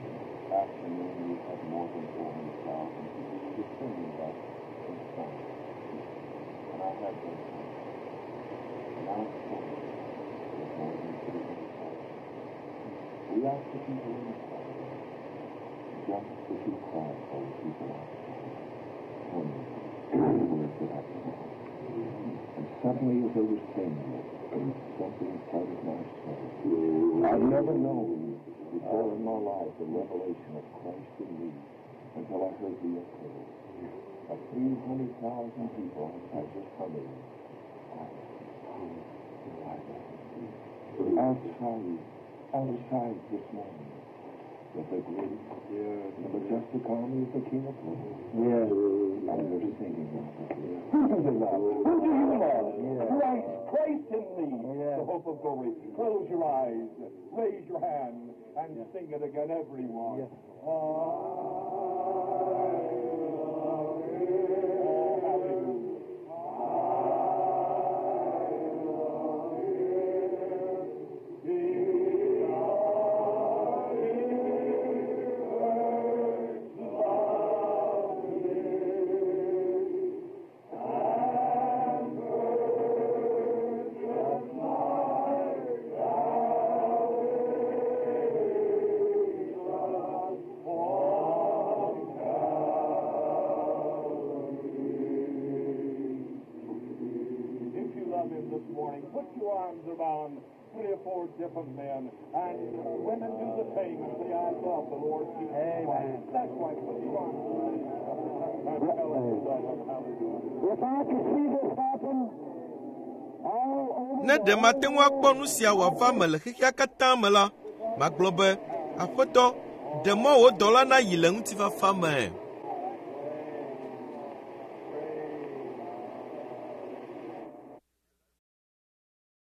afternoon we had more than 400,000 people. We were singing that in song. And I had those songs. Now it's full. There's more than 300,000. We asked the people in the choir just to keep quiet while the people outside, wondering where could I belong. And suddenly, as I was saying it, something inside of my soul. I've never known before in my life the revelation of Christ in me until I heard the echo of 300,000 people outside just humming. I love you. Outside, outside this morning, With the great, the majestic army of the King of Glory. Yes. And they're singing now. Who do they love? Who do you love? Christ, Christ in thee, the hope of glory. Close your eyes, raise your hand, and sing it again, everyone. Yes. I love him. Oh, hallelujah. If you love him this morning, put your arms around three or four different men, and women do the same and say, I love the Lord Jesus Amen. Christ. That's right. Put your arms around each other and tell him you love him. Hallelujah. If I could see this happen all over Ne ɖe mate ŋu akpɔ nu sia wòava me le xexea katã me la, magblɔ be, Aƒetɔ, ɖe mɔ wò dɔla nayi le ŋutifafa me.